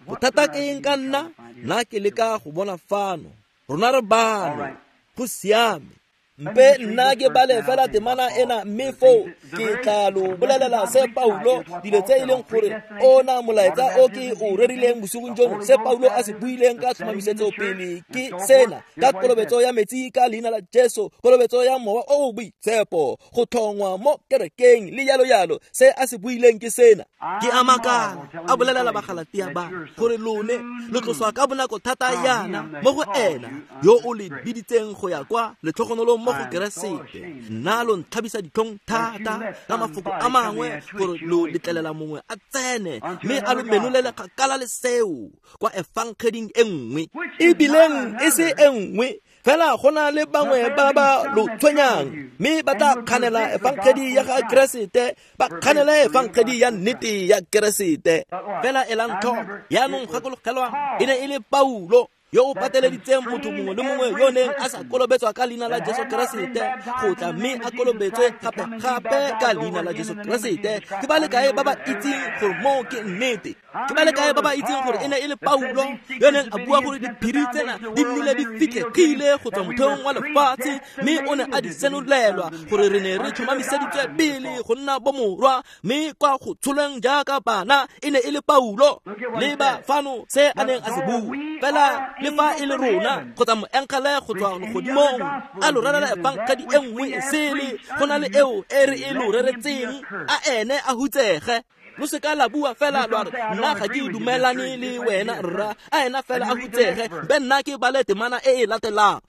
Bothata ke eng ka nna? Nna ke leka go bona fano. Rona re bano. Go siame. Mpe nna ke bale fela temana ena, mme foo ke tla lo bolelela se Paulo, dilo tse e leng gore ona molaetsa o ke o rerileng bosigong jono, se Paulo a se buileng ka tlhomamisetso pele ke sena, ka kolobetso ya metsi ka leina la Jesu, kolobetso ya mowa o o boitshepo, go tlhongwa mo kerekeng le jalo jalo. Se a se buileng ke sena. Ke a makala a bolelela Bagalatia ba gore lone lo tloswa ka bonako thata yana mo go ena yo o le biditseng go ya kwa letlhogonolong mo go Keresete. Nna lo ntlhabisa ditlhong thata ka mafoko a mangwe gore lo letlelela mongwe a tsene mme a lo menolele kgakala le seo kwa efangeding e nngwe, ebileng e se e nngwe fela. Go na le bangwe ba ba lo tshwenyang mme ba tla kganela efangedi ya ga Keresete, ba kganela efangedi ya nnete ya Keresete. Fela elang tlhoko yaanong, gakologelwang, e ne e le Paulo yo o pateleditseng motho mongwe le mongwe yo neng a sa kolobetswa ka leina la Jesu Keresete go tla mme a kolobetswe gape-gape ka leina la Jesu Keresete. Ke ba le kae ba ba itseng gore moo ke nnete? Ke ba le kae ba ba itseng gore e ne e le Paulo yo neng a bua gore diphiri tsena di nnile di fitlhegile go tswa motheong wa lefatshe, mme o ne a di senolelwa gore re ne re tlhomamiseditswe pele go nna bomorwa, mme kwa go tsholweng jaaka bana e ne e le Paulo. Leba fano se a neng a se bua. Fela le fa e le rona kgotsa moengele go tswa legodimong a lo rerela efangedi e nngwe e sele go na le eo e re e lo reretseng, a ene a hutsege. Lo seka la bua fela lwa re nna ga ke dumelane le wena rra, a ena fela a hutsege. Be nna ke bale temana e e latelang.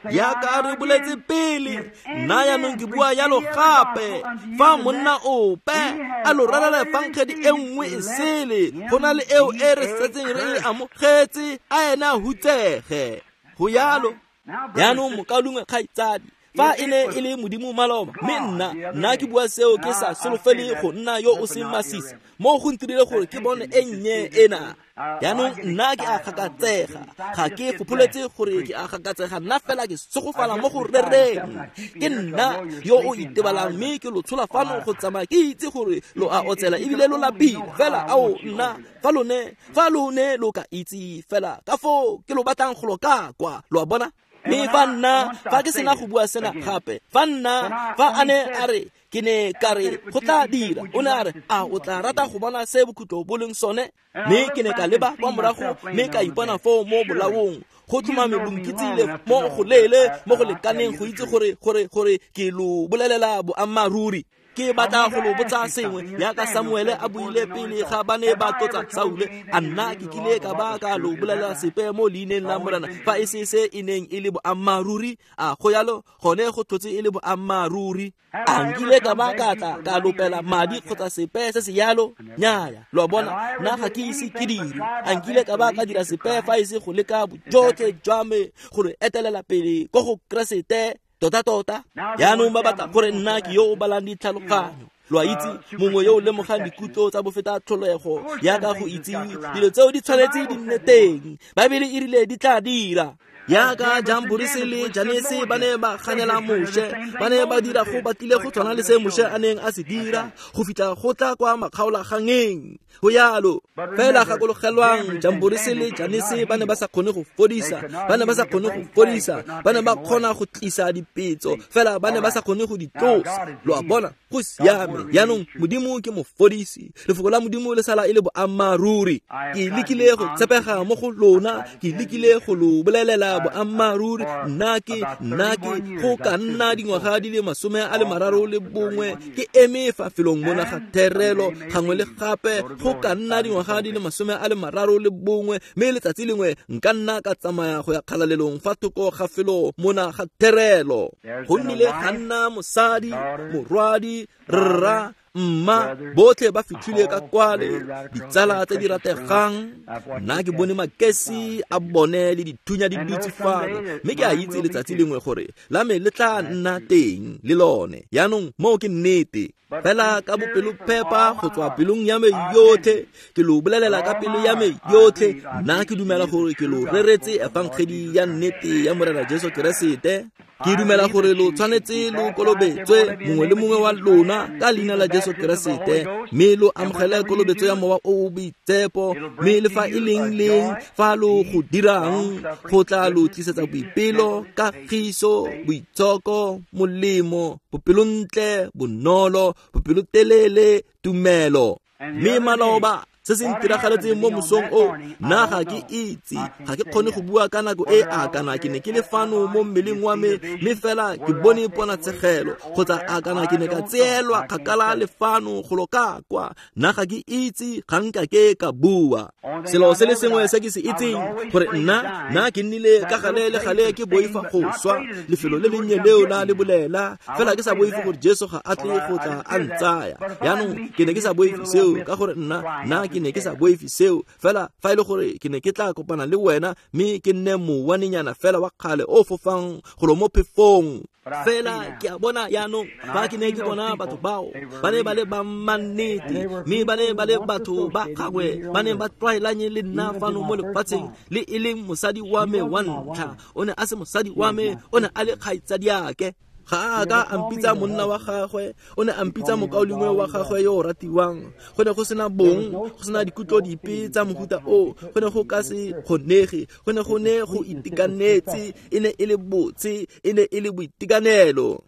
Yaka re boletse pele, nna yaanong ke bua yalo gape, fa monna ope a lo rerela efangedi e nngwe e sele go na le eo e re setseng re e amogetse, a ena a hutsege. Go yalo. Yaanong mokaulengwe kgaitsadi, fa e ne e le Modimo maloba, mme nna ke bua seo ke sa solofele go nna yo o seng masisi, mo go ntirile gore ke bone e nnye ena. Yaanong nna ke a gakatsega, ga ke fopholetse gore ke a gakatsega, nna fela ke segofala mo go rereng. Ke nna yo o itebalang mme ke lo tshola fano go tsamaya ke itse gore lo a otsela ebile lo lapile. Fela ao nna fa lone lo ka itse fela ka foo ke lo batlang go lo ka kwa, lo a bona. Mme fa nna fa ke sena go bua sena gape, fa nna fa a ne a re ke ne ka re go tla dira, o ne a re a o tla rata go bona se bokhutlo bo leng sone? Mme ke ne ka leba kwa morago mme ka ipona foo mo bolaong. Go tlhomame lo nkitsile mo go leele mo go lekaneng go itse gore ke lo bolelela boammaaruri. Ke batla go lo botsa sengwe yaka Samuele a buile pele ga ba ne ba tlotsa Saule, a nna ke kile ka ba ka lo bolelela sepe mo leineng la Morena fa e se se e neng e le boammaaruri? A go yalo gone go tlhotse e le boammaaruri. A nkile ka ba ka tla ka lopela madi kgotsa sepe se se yalo? Nnyaya. Lo a bona, nna ga ke ise ke dire. A nkile ka ba ka dira sepe fa e se go leka bojotlhe jwa me gore etelela pele ko go Keresete tota-tota? Yaanong ba batla gore nna ke yo o balang ditlhaloganyo. Lo a itse, mongwe yo o lemogang dikutlo tsa bofeta tlholego yaka go itse dilo tseo di tshwanetse di nne teng. Baebele e rile di tla dira. Yaka Jamborisi le Janese ba ne ba ganela Moshe, ba ne ba dira go batlile go tshwana le se Moshe a neng a se dira go fitlha go tla kwa makgaolagangeng. Go yalo fela gakologelwang, Jamborisi le Janese ba ne ba sa kgone go fodisa, ba ne ba sa kgone go fodisa, ba ne ba kgona go tlisa dipetso fela ba ne ba sa kgone go di tlosa. Lo a bona, go siame. Yaanong Modimo ke mofodisi, lefoko la Modimo le sala e le boammaaruri. Ke lekile go tshepega mo go lona, ke lekile go lo bolelela boammaaruri. Nna ke go ka nna dingwaga di le 31 ke eme fa felong mona ga therelo gangwe le gape, go ka nna dingwaga di le 31, mme letsatsi lengwe nka nna ka tsamaya go ya kgalalelong fa thoko ga felo mona ga therelo. Go nnile ga nna mosadi, morwadi, rra, mma, botlhe ba fitlhile ka kwale, ditsala tse di rategang. Nna ke bone makesi a bone le dithunya di dutse fano, mme ke a itse letsatsi lengwe gore la me le tla nna teng le lone. Yaanong moo ke nnete. Fela ka bopelophepa go tswa pelong ya me yotlhe, ke lo bolelela ka pelo ya me yotlhe, nna ke dumela gore ke lo reretse efangedi ya nnete ya Morena Jesu Keresete. Ke dumela gore lo tshwanetse lo kolobetswe mongwe le mongwe wa lona ka leina la Jesu Keresete, mme lo amogele kolobetso ya Mowa o o Boitshepo, mme le fa e leng leng fa lo go dirang, go tla lo tlisetsa boipelo, kagiso, boitshoko, molemo, bopelontle, bonolo, bopelotelele, tumelo. Mme maloba se se ntiragaletseng mo mosong o, nna ga ke itse, ga ke kgone go bua ka nako e a kana ke ne ke le fano mo mmeleng wa me, mme fela ke bone ponatshegelo, kgotsa a kana ke ne ka tseelwa kgakala le fano golo ka kwa. Nna ga ke itse, ga nka ke ka bua. Selo se le sengwe se ke se itseng, gore nna ke nnile ka gale le gale ke boifa go swa, lefelo le lennye leo la le bolela, fela ke sa boife gore Jesu ga a tle go tla a ntsaya. Yaanong ke ne ke sa boife seo, ka gore nna ke ne ke sa boife seo, fela fa e le gore ke ne ke tla kopana le wena mme ke nne mowanenyana fela wa kgale o fofang golo mo phefong. Fela ke a bona yaanong, fa ke ne ke bona batho bao, ba ne ba le ba mannete, mme ba ne ba le batho ba gagwe, ba ne ba tlwaelanye le nna fano mo lefatsheng, le e leng mosadi wa me wa ntlha. O ne a se mosadi wa me, o ne a le kgaitsadiake. Ga a ka a mpitsa monna wa gagwe, o ne a mpitsa mokaulengwe wa gagwe yo o ratiwang. Go ne go sena bong, go sena dikutlo dipe tsa mohuta o, go ne go ka se kgonege, go ne go ne go itekanetse, e ne e le botse, e ne e le boitekanelo.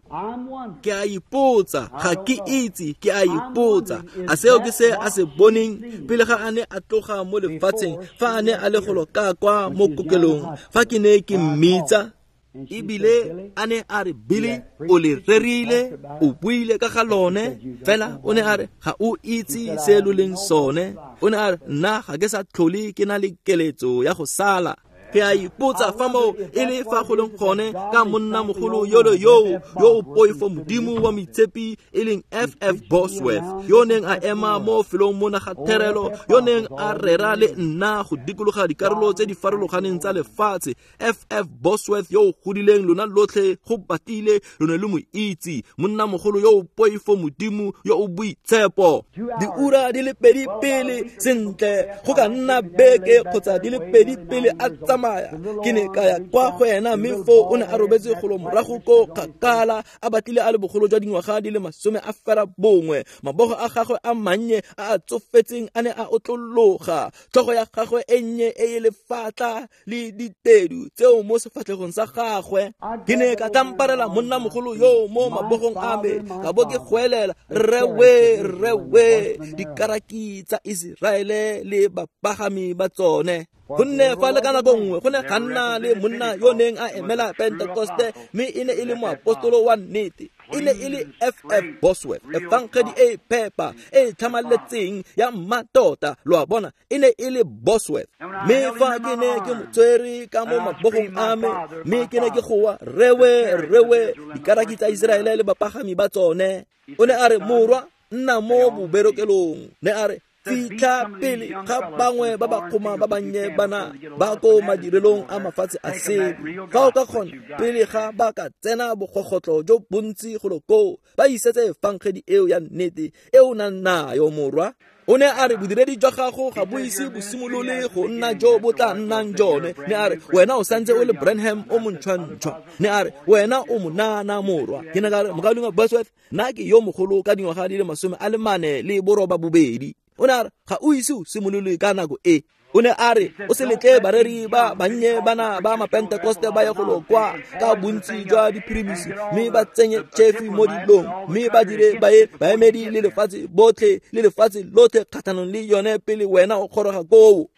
Ke a ipotsa, ga ke itse, ke a ipotsa, a seo ke se a se boneng pele ga a ne a tloga mo lefatsheng, fa a ne a le golo ka kwa mo kokelong, fa ke ne ke mmitsa. Ebile a ne a re, Billy, o le rerile, o buile ka ga lone, fela o ne a re ga o itse se lo leng sone. O ne a re nna ga ke sa tlhole ke na le keletso ya go sala. Ke a ipotsa fa moo e le fa go leng gone ka monnamogolo yolo yoo yo o poifo Modimo wa moitshepi, e leng F.F. Bosworth, yo neng a ema mo felong mona ga therelo, yo neng a rera le nna go dikologa dikarolo tse di farologaneng tsa lefatshe. F.F. Bosworth yo o godileng lona lotlhe go batile lo ne lo mo itse, monnamogolo yo o poifo Modimo yo o boitshepo. Diura di le pedi pele, sentle go ka nna beke kgotsa di le pedi pele a tsamaya, ke ne ka ya kwa go ena, mme foo o ne a robetse golo morago ko kgakala, a batlile a le bogolo jwa dingwaga di le 91. Mabogo a gagwe a mannye a a tsofetseng a ne a otlologa, tlhogo ya gagwe e nnye e e lefatla le ditedu tseo mo sefatlhegong sa gagwe. Ke ne ka tlamparela monnamogolo yo mo mabogong a me, ka bo ke goelela, rre we, rre we, dikaraki tsa Iseraele le bapagami ba tsone. Gonne fa le ka nako nngwe go ne ga nna le monna yo neng a emela Pentekoste, mme e ne e le moapostolo wa nnete, e ne e le F.F. Bosworth, efangedi e phepa e tlhamaletseng ya mmatota. Lo a bona, e ne e le Bosworth. Mme fa ke ne ke mo tshwere ka mo mabogong a me, mme ke ne ke goa, rre we, rre we, dikaraki tsa Iseraele le bapagami ba tsone. O ne a re, morwa, nna mo boberekelong. Ne a re, fitlha pele ga bangwe ba ba kgoma ba bannye bana ba ko madirelong a mafatshe a sele, fa o ka kgona pele ga ba ka tsena bogogotlo jo bontsi golo koo, ba isetse efangedi eo ya nnete e o nang nayo, morwa. O ne a re bodiredi jwa gago ga bo ise bo simolole go nna jo bo tla nnang jone. Ne a re wena o santse o le Branham o montšhwantšhwa. Ne a re wena o monana morwa. Ke ne ka re mokaulengwe Bosworth, nna ke yo mogolo ka dingwaga di le 48. O ne a re ga o ise o simolole ka nako e. O ne a re o se letle bareri ba bannye bana ba mapentekoste ba ye go kwa ka bontsi jwa diphirimisi mme ba tsenye chefi mo dilong mme ba dire baemedi le lefatshe botlhe le lefatshe lotlhe kgatlhanong le yone pele wena o kgoroga koo.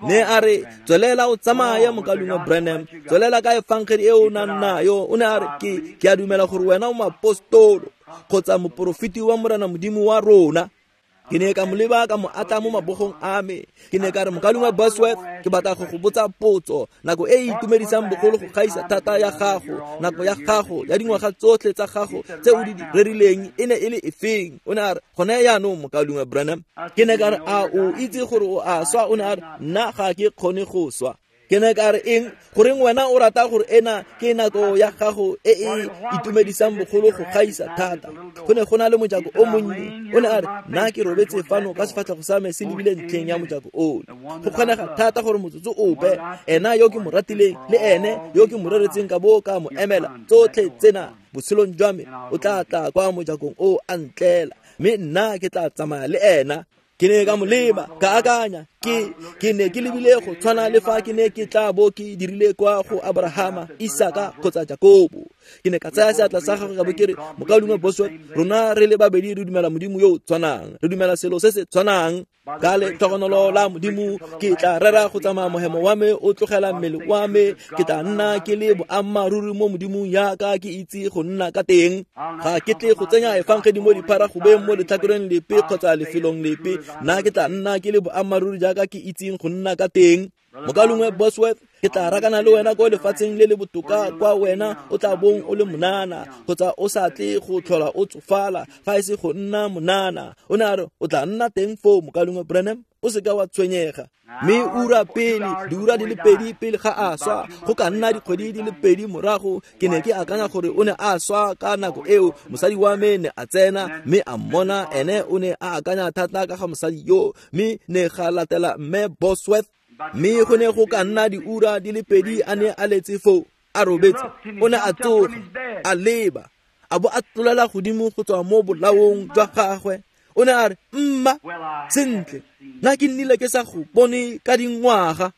Ne a re tswelela o tsamaye mokaulengwe Branham, tswelela ka efangedi e o nang nayo. O ne a re ke a dumela gore wena o moapostolo kgotsa moporofeti wa Morena Modimo wa rona. Ke ne ka mo leba ka mo atla mo mabogong a me. Ke ne ka re mokaulengwe Bosworth, ke batla go go botsa potso. Nako e e itumedisang bogolo go gaisa thata ya gago, nako ya gago ya dingwaga tsotlhe tsa gago tse o di rerileng e ne e le efeng? O ne a re gone jaanong mokaulengwe Branham. Ke ne ka re a o itse gore o a swa? O ne a re nna ga ke kgone go swa. Ke ne ka re eng? Goreng wena o rata gore ena ke nako ya gago e e itumedisang bogolo go gaisa thata? Go ne go na le mojako o monnye. O ne a re nna ke robetse fano ka sefatlhego sa me se lebile ntlheng ya mojako ono. Go kgonega thata gore motsotso ope ena yo ke mo ratileng le ene yo ke mo reretseng ka bo ka mo emela tsotlhe tsena botshelong jwa me o tla tla kwa mojakong o a ntlela, mme nna ke tla tsamaya le ena. Ke ne ka mo leba ka akanya ke ne ke lebile go tshwana le fa ke ne ke tla bo ke dirile kwa go Abrahama, Isaka kgotsa Jakobo. Ke ne ka tsaya seatla sa gagwe ka bo ke re mokaulengwe Bosworth, rona re le babedi re dumela Modimo yo o tshwanang, re dumela selo se se tshwanang. Ka letlhogonolo la Modimo ke tla rera go tsamaya mohemo wa me o tlogela mmele wa me, ke tla nna ke le boammaaruri mo Modimong yaka ke itse go nna ka teng. Ga ke tle go tsenya efangedi mo dipharagobeng mo letlhakoreng lepe kgotsa lefelong lepe. Nna ke tla nna ke le boammaaruri jaaka ke itseng go nna ka teng. Mokaulengwe Bosworth, ke tla rakana le wena ko lefatsheng le le botoka kwa wena o tla bong o le monana kgotsa o sa tle go tlhola o tsofala fa e se go nna monana. O ne a re o tla nna teng foo mokaulengwe Branham, o seka wa tshwenyega. Mme ura pele, diura di le pedi pele ga a swa, go ka nna dikgwedi di le pedi morago, ke ne ke akanya gore o ne a swa ka nako eo. Mosadi wa me ne a tsena mme a mmona, ene o ne a akanya thata ka ga mosadi yo, mme ne ga latela mme Bosworth. Mme go ne go ka nna diura di le pedi a ne a letse foo a robetse. O ne a tsoga a leba a bo a tlolela godimo go tswa mo bolaong jwa gagwe. O ne a re mma sentle, nna ke nnile ke sa go bone ka dingwaga.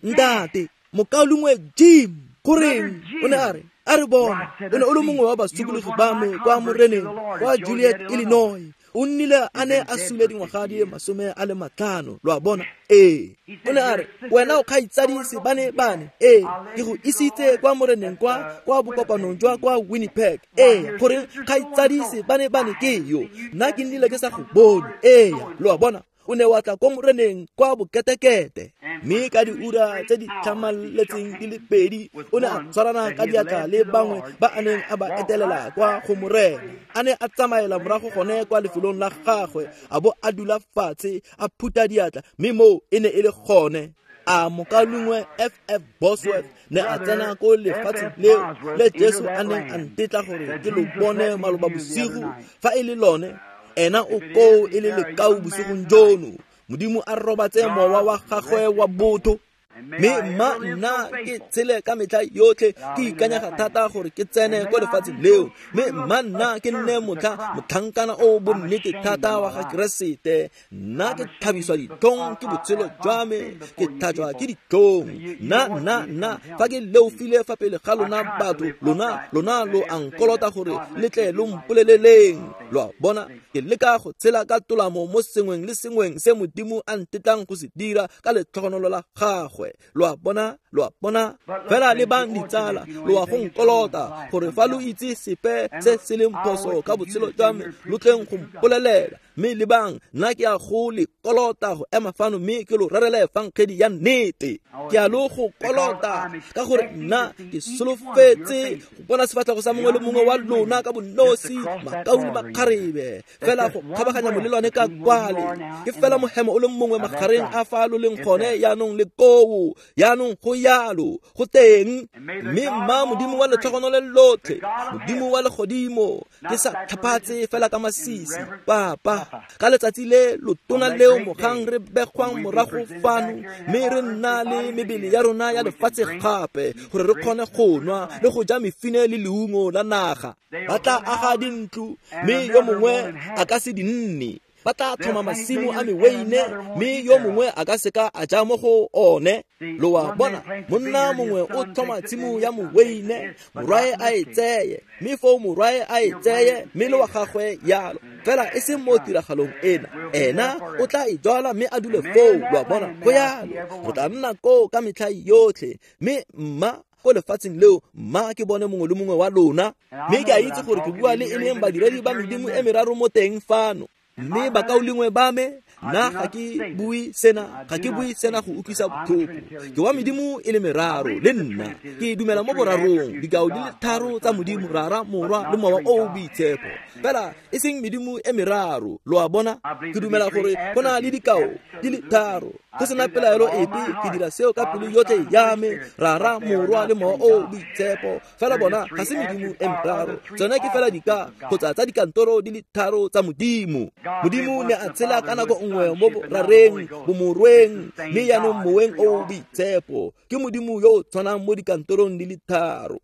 Ntate mokaulengwe Jim, goreng? O ne a re a re bona o ne o le mongwe wa basokologi ba me kwa Moreneng kwa Juliet, Illinois. O nnile a ne a sule dingwaga di le 50, lo a bona. Ee. O ne a re wena o kgaitsadise bane bane. Ee, ke go isitse kwa Moreneng kwa bokopanong jwa kwa Winnipeg. Ee, gore kgaitsadise bane bane ke yo, nna ke nnile ke sa go bone. Ee, lo a bona. O ne wa tla ko Moreneng kwa boketekete, mme ka diura tse di tlhamaletseng di le pedi o ne a tshwarana ka diatla le bangwe ba a neng a ba etelela kwa go Morena. A ne a tsamaela morago gone kwa lefelong la gagwe, a bo a dula fatshe a phutha diatla, mme moo e ne e le gone. A mokaulengwe F.F. Bosworth ne a tsena ko lefatsheng leo le Jesu a neng a ntetla gore ke lo bone maloba bosigo, fa e le lone ena o koo e le lekau bosigong jono. Modimo a robatse mowa wa gagwe wa botho. Mme mma nna ke tshele ka metlha yotlhe ke ikanyega thata gore ke tsene ko lefatsheng leo. Mme mma nna ke nne motlhankana o bonnete thata wa ga Keresete. Nna ke thabiswa ditlhong ke botshelo jwa me, ke tlhajwa ke ditlhong. Nna fa ke leofile fa pele ga lona batho, lona lo a nkolota gore le tle lo mpoleleleng. Lo a bona, ke leka go tshela ka tolamo mo sengweng le sengweng se Modimo a ntetlang go se dira ka letlhogonolo la gagwe. Lo a bona, lo a bona. Fela le bang ditsala, lo a go nkolota gore fa lo itse sepe se se leng phoso ka botshelo jwa me, lo tleng go mpolelela. Mme le bang nna ke a go le kolota go ema fano mme ke lo rerele efangedi ya nnete. Ke a lo go kolota ka gore nna ke solofetse go bona sefatlhego sa mongwe le mongwe wa lona ka bonosi, makau le makgarebe, fela go kgabaganya molelwane ka kwale. Ke fela mohemo o le mongwe magareng a fa lo leng gone yaanong le koo, yaanong go yalo go teng. Mme mma Modimo wa letlhogonolo lotlhe, Modimo wa legodimo, ke sa tlhaphatse fela ka masisi, Papa, Ka letsatsi le lotona leo mogang re begwang morago fano, mme re nna le mebele ya rona ya lefatshe gape, gore re kgone go nwa le go ja mefine le leungo la naga. Ba tla aga dintlo, mme yo mongwe a ka se di nne. Ba tla tlhoma masimo a meweine, mme yo mongwe a ka seka a ja mo go one. Lo a bona, monna mongwe o tlhoma tshimo ya moweine, morwae a e tseye, mme foo morwae a e tseye, mme le wa gagwe yalo. Fela e seng mo tiragalong ena, ena o tla e jwala mme a dule foo. Lo a bona, go yalo. Re tla nna koo ka metlha yotlhe, mme mma ko lefatsheng leo, mma ke bone mongwe le mongwe wa lona. Mme ke a itse gore ke bua le e leng badiredi ba medimo e meraro mo teng fano. Mme bakaulengwe ba me, nna ga ke bue sena, ga ke bue sena go utlwisa botlhoko. Ke wa medimo e le meraro le nna. Ke dumela mo borarong, dikao di le tharo tsa Modimo, Rara, Morwa le Mowa o o Boitshepo. Fela e seng medimo e meraro, lo a bona. Ke dumela gore go na le dikao di le tharo. Go sena pelaelo epe, ke dira seo ka pelo yotlhe ya me, Rara, Morwa le Mowa o o Boitshepo. Fela bona ga se medimo e meraro, tsone ke fela dika kgotsa tsa dikantoro di le tharo tsa Modimo. Modimo ne a tshela ka nako nngwe mo borareng, bomorweng, mme jaanong moweng o o boitshepo. Ke Modimo yo o tshwanang mo dikantorong di le tharo.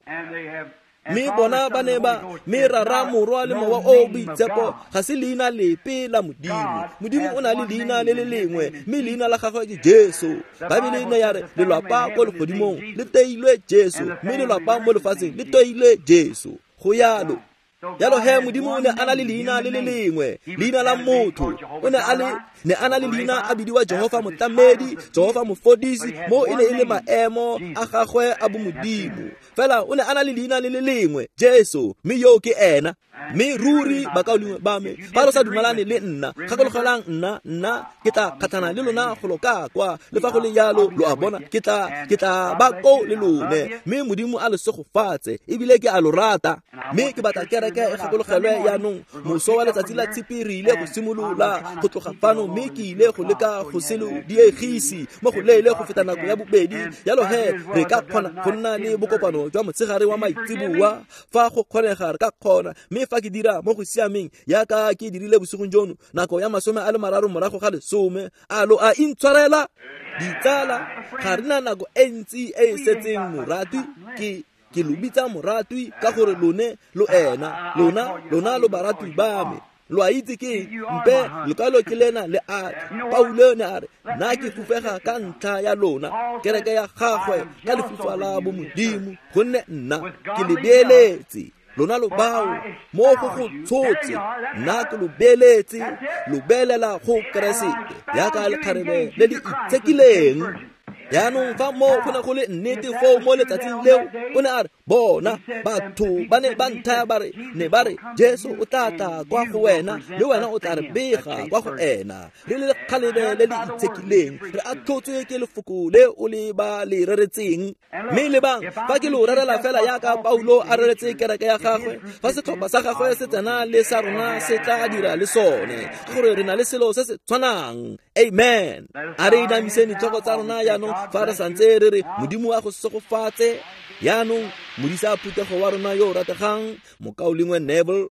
Mme bona ba ne ba, mme Rara, Morwa le Mowa o o Boitshepo ga se leina lepe la Modimo. Modimo o na le leina le le lengwe, mme leina la gagwe ke Jesu. Baebele ne ya re lelwapa ko legodimong le teilwe Jesu, mme lelwapa mo lefatsheng le teilwe Jesu. Go yalo. Jalo he Modimo o ne a na le leina le le lengwe, leina la motho. O ne a le ne a na le leina a bidiwa Jehova Motlamedi, Jehova Mofodisi, mo e ne e le maemo a gagwe a bomodimo. Fela o ne a na le leina le le lengwe, Jesu, mme yo ke ena. Mme ruri bakaulengwe ba me, fa lo sa dumalane le nna, gakologelang nna ke tla kgatlhana le lona golo ka kwa. Le fa go le jalo, lo a bona, ke tla ba ko le lone. Mme Modimo a le segofatse, ebile ke a lo rata. Mme ke batla kereke e gakologelwe jaanong, moso wa letsatsi la Tshipi re ile go simolola go tloga fano, mme ke ile go leka go se lo diegise mo go leele go feta nako ya bobedi. Jalo he re ka kgona go nna le bokopano jwa motshegare wa maitseboa fa go kgonega, re ka kgona. Mme fa ke dira mo go siameng yaka ke dirile bosigong jono, nako ya 30:30, a lo a intshwarela? Ditsala, ga re na nako e ntsi e e setseng moratwi. Ke lo bitsa moratwi ka gore lone lo ena, lona lo baratwi ba me. Lo a itse ke mpe lekwalo ke lena le a Paulo ne a re, nna ke fufega ka ntlha ya lona, kereke ya gagwe ka lefufa la bomodimo, gonne nna ke le beeletse. Lona lo bao mo go go tshotse, nna ke lo beeletse, lo beelela go Keresete yaka lekgarebe le le itshekileng. Jaanong fa mo go ne go le nnete foo mo letsatsing leo, o ne a re, bona batho ba ne ba nthaya ba re, ne ba re Jesu o tla tla kwa go wena, le wena o tla re bega kwa go ena. Re le lekgalebe le le itshekileng, re atlhotswe ke lefoko le o le ba le reretseng. Mme lebang, fa ke lo rerela fela yaka Paulo a reretse kereke ya gagwe, fa setlhopha sa gagwe se tsena le sa rona se tla dira le sone, ke gore re na le selo se se tshwanang. Amen. A re inamiseng ditlhogo tsa rona jaanong fa re santse re re Modimo a go segofatse. Jaanong modisa phuthego wa rona yo o rategang, mokaulengwe Neville.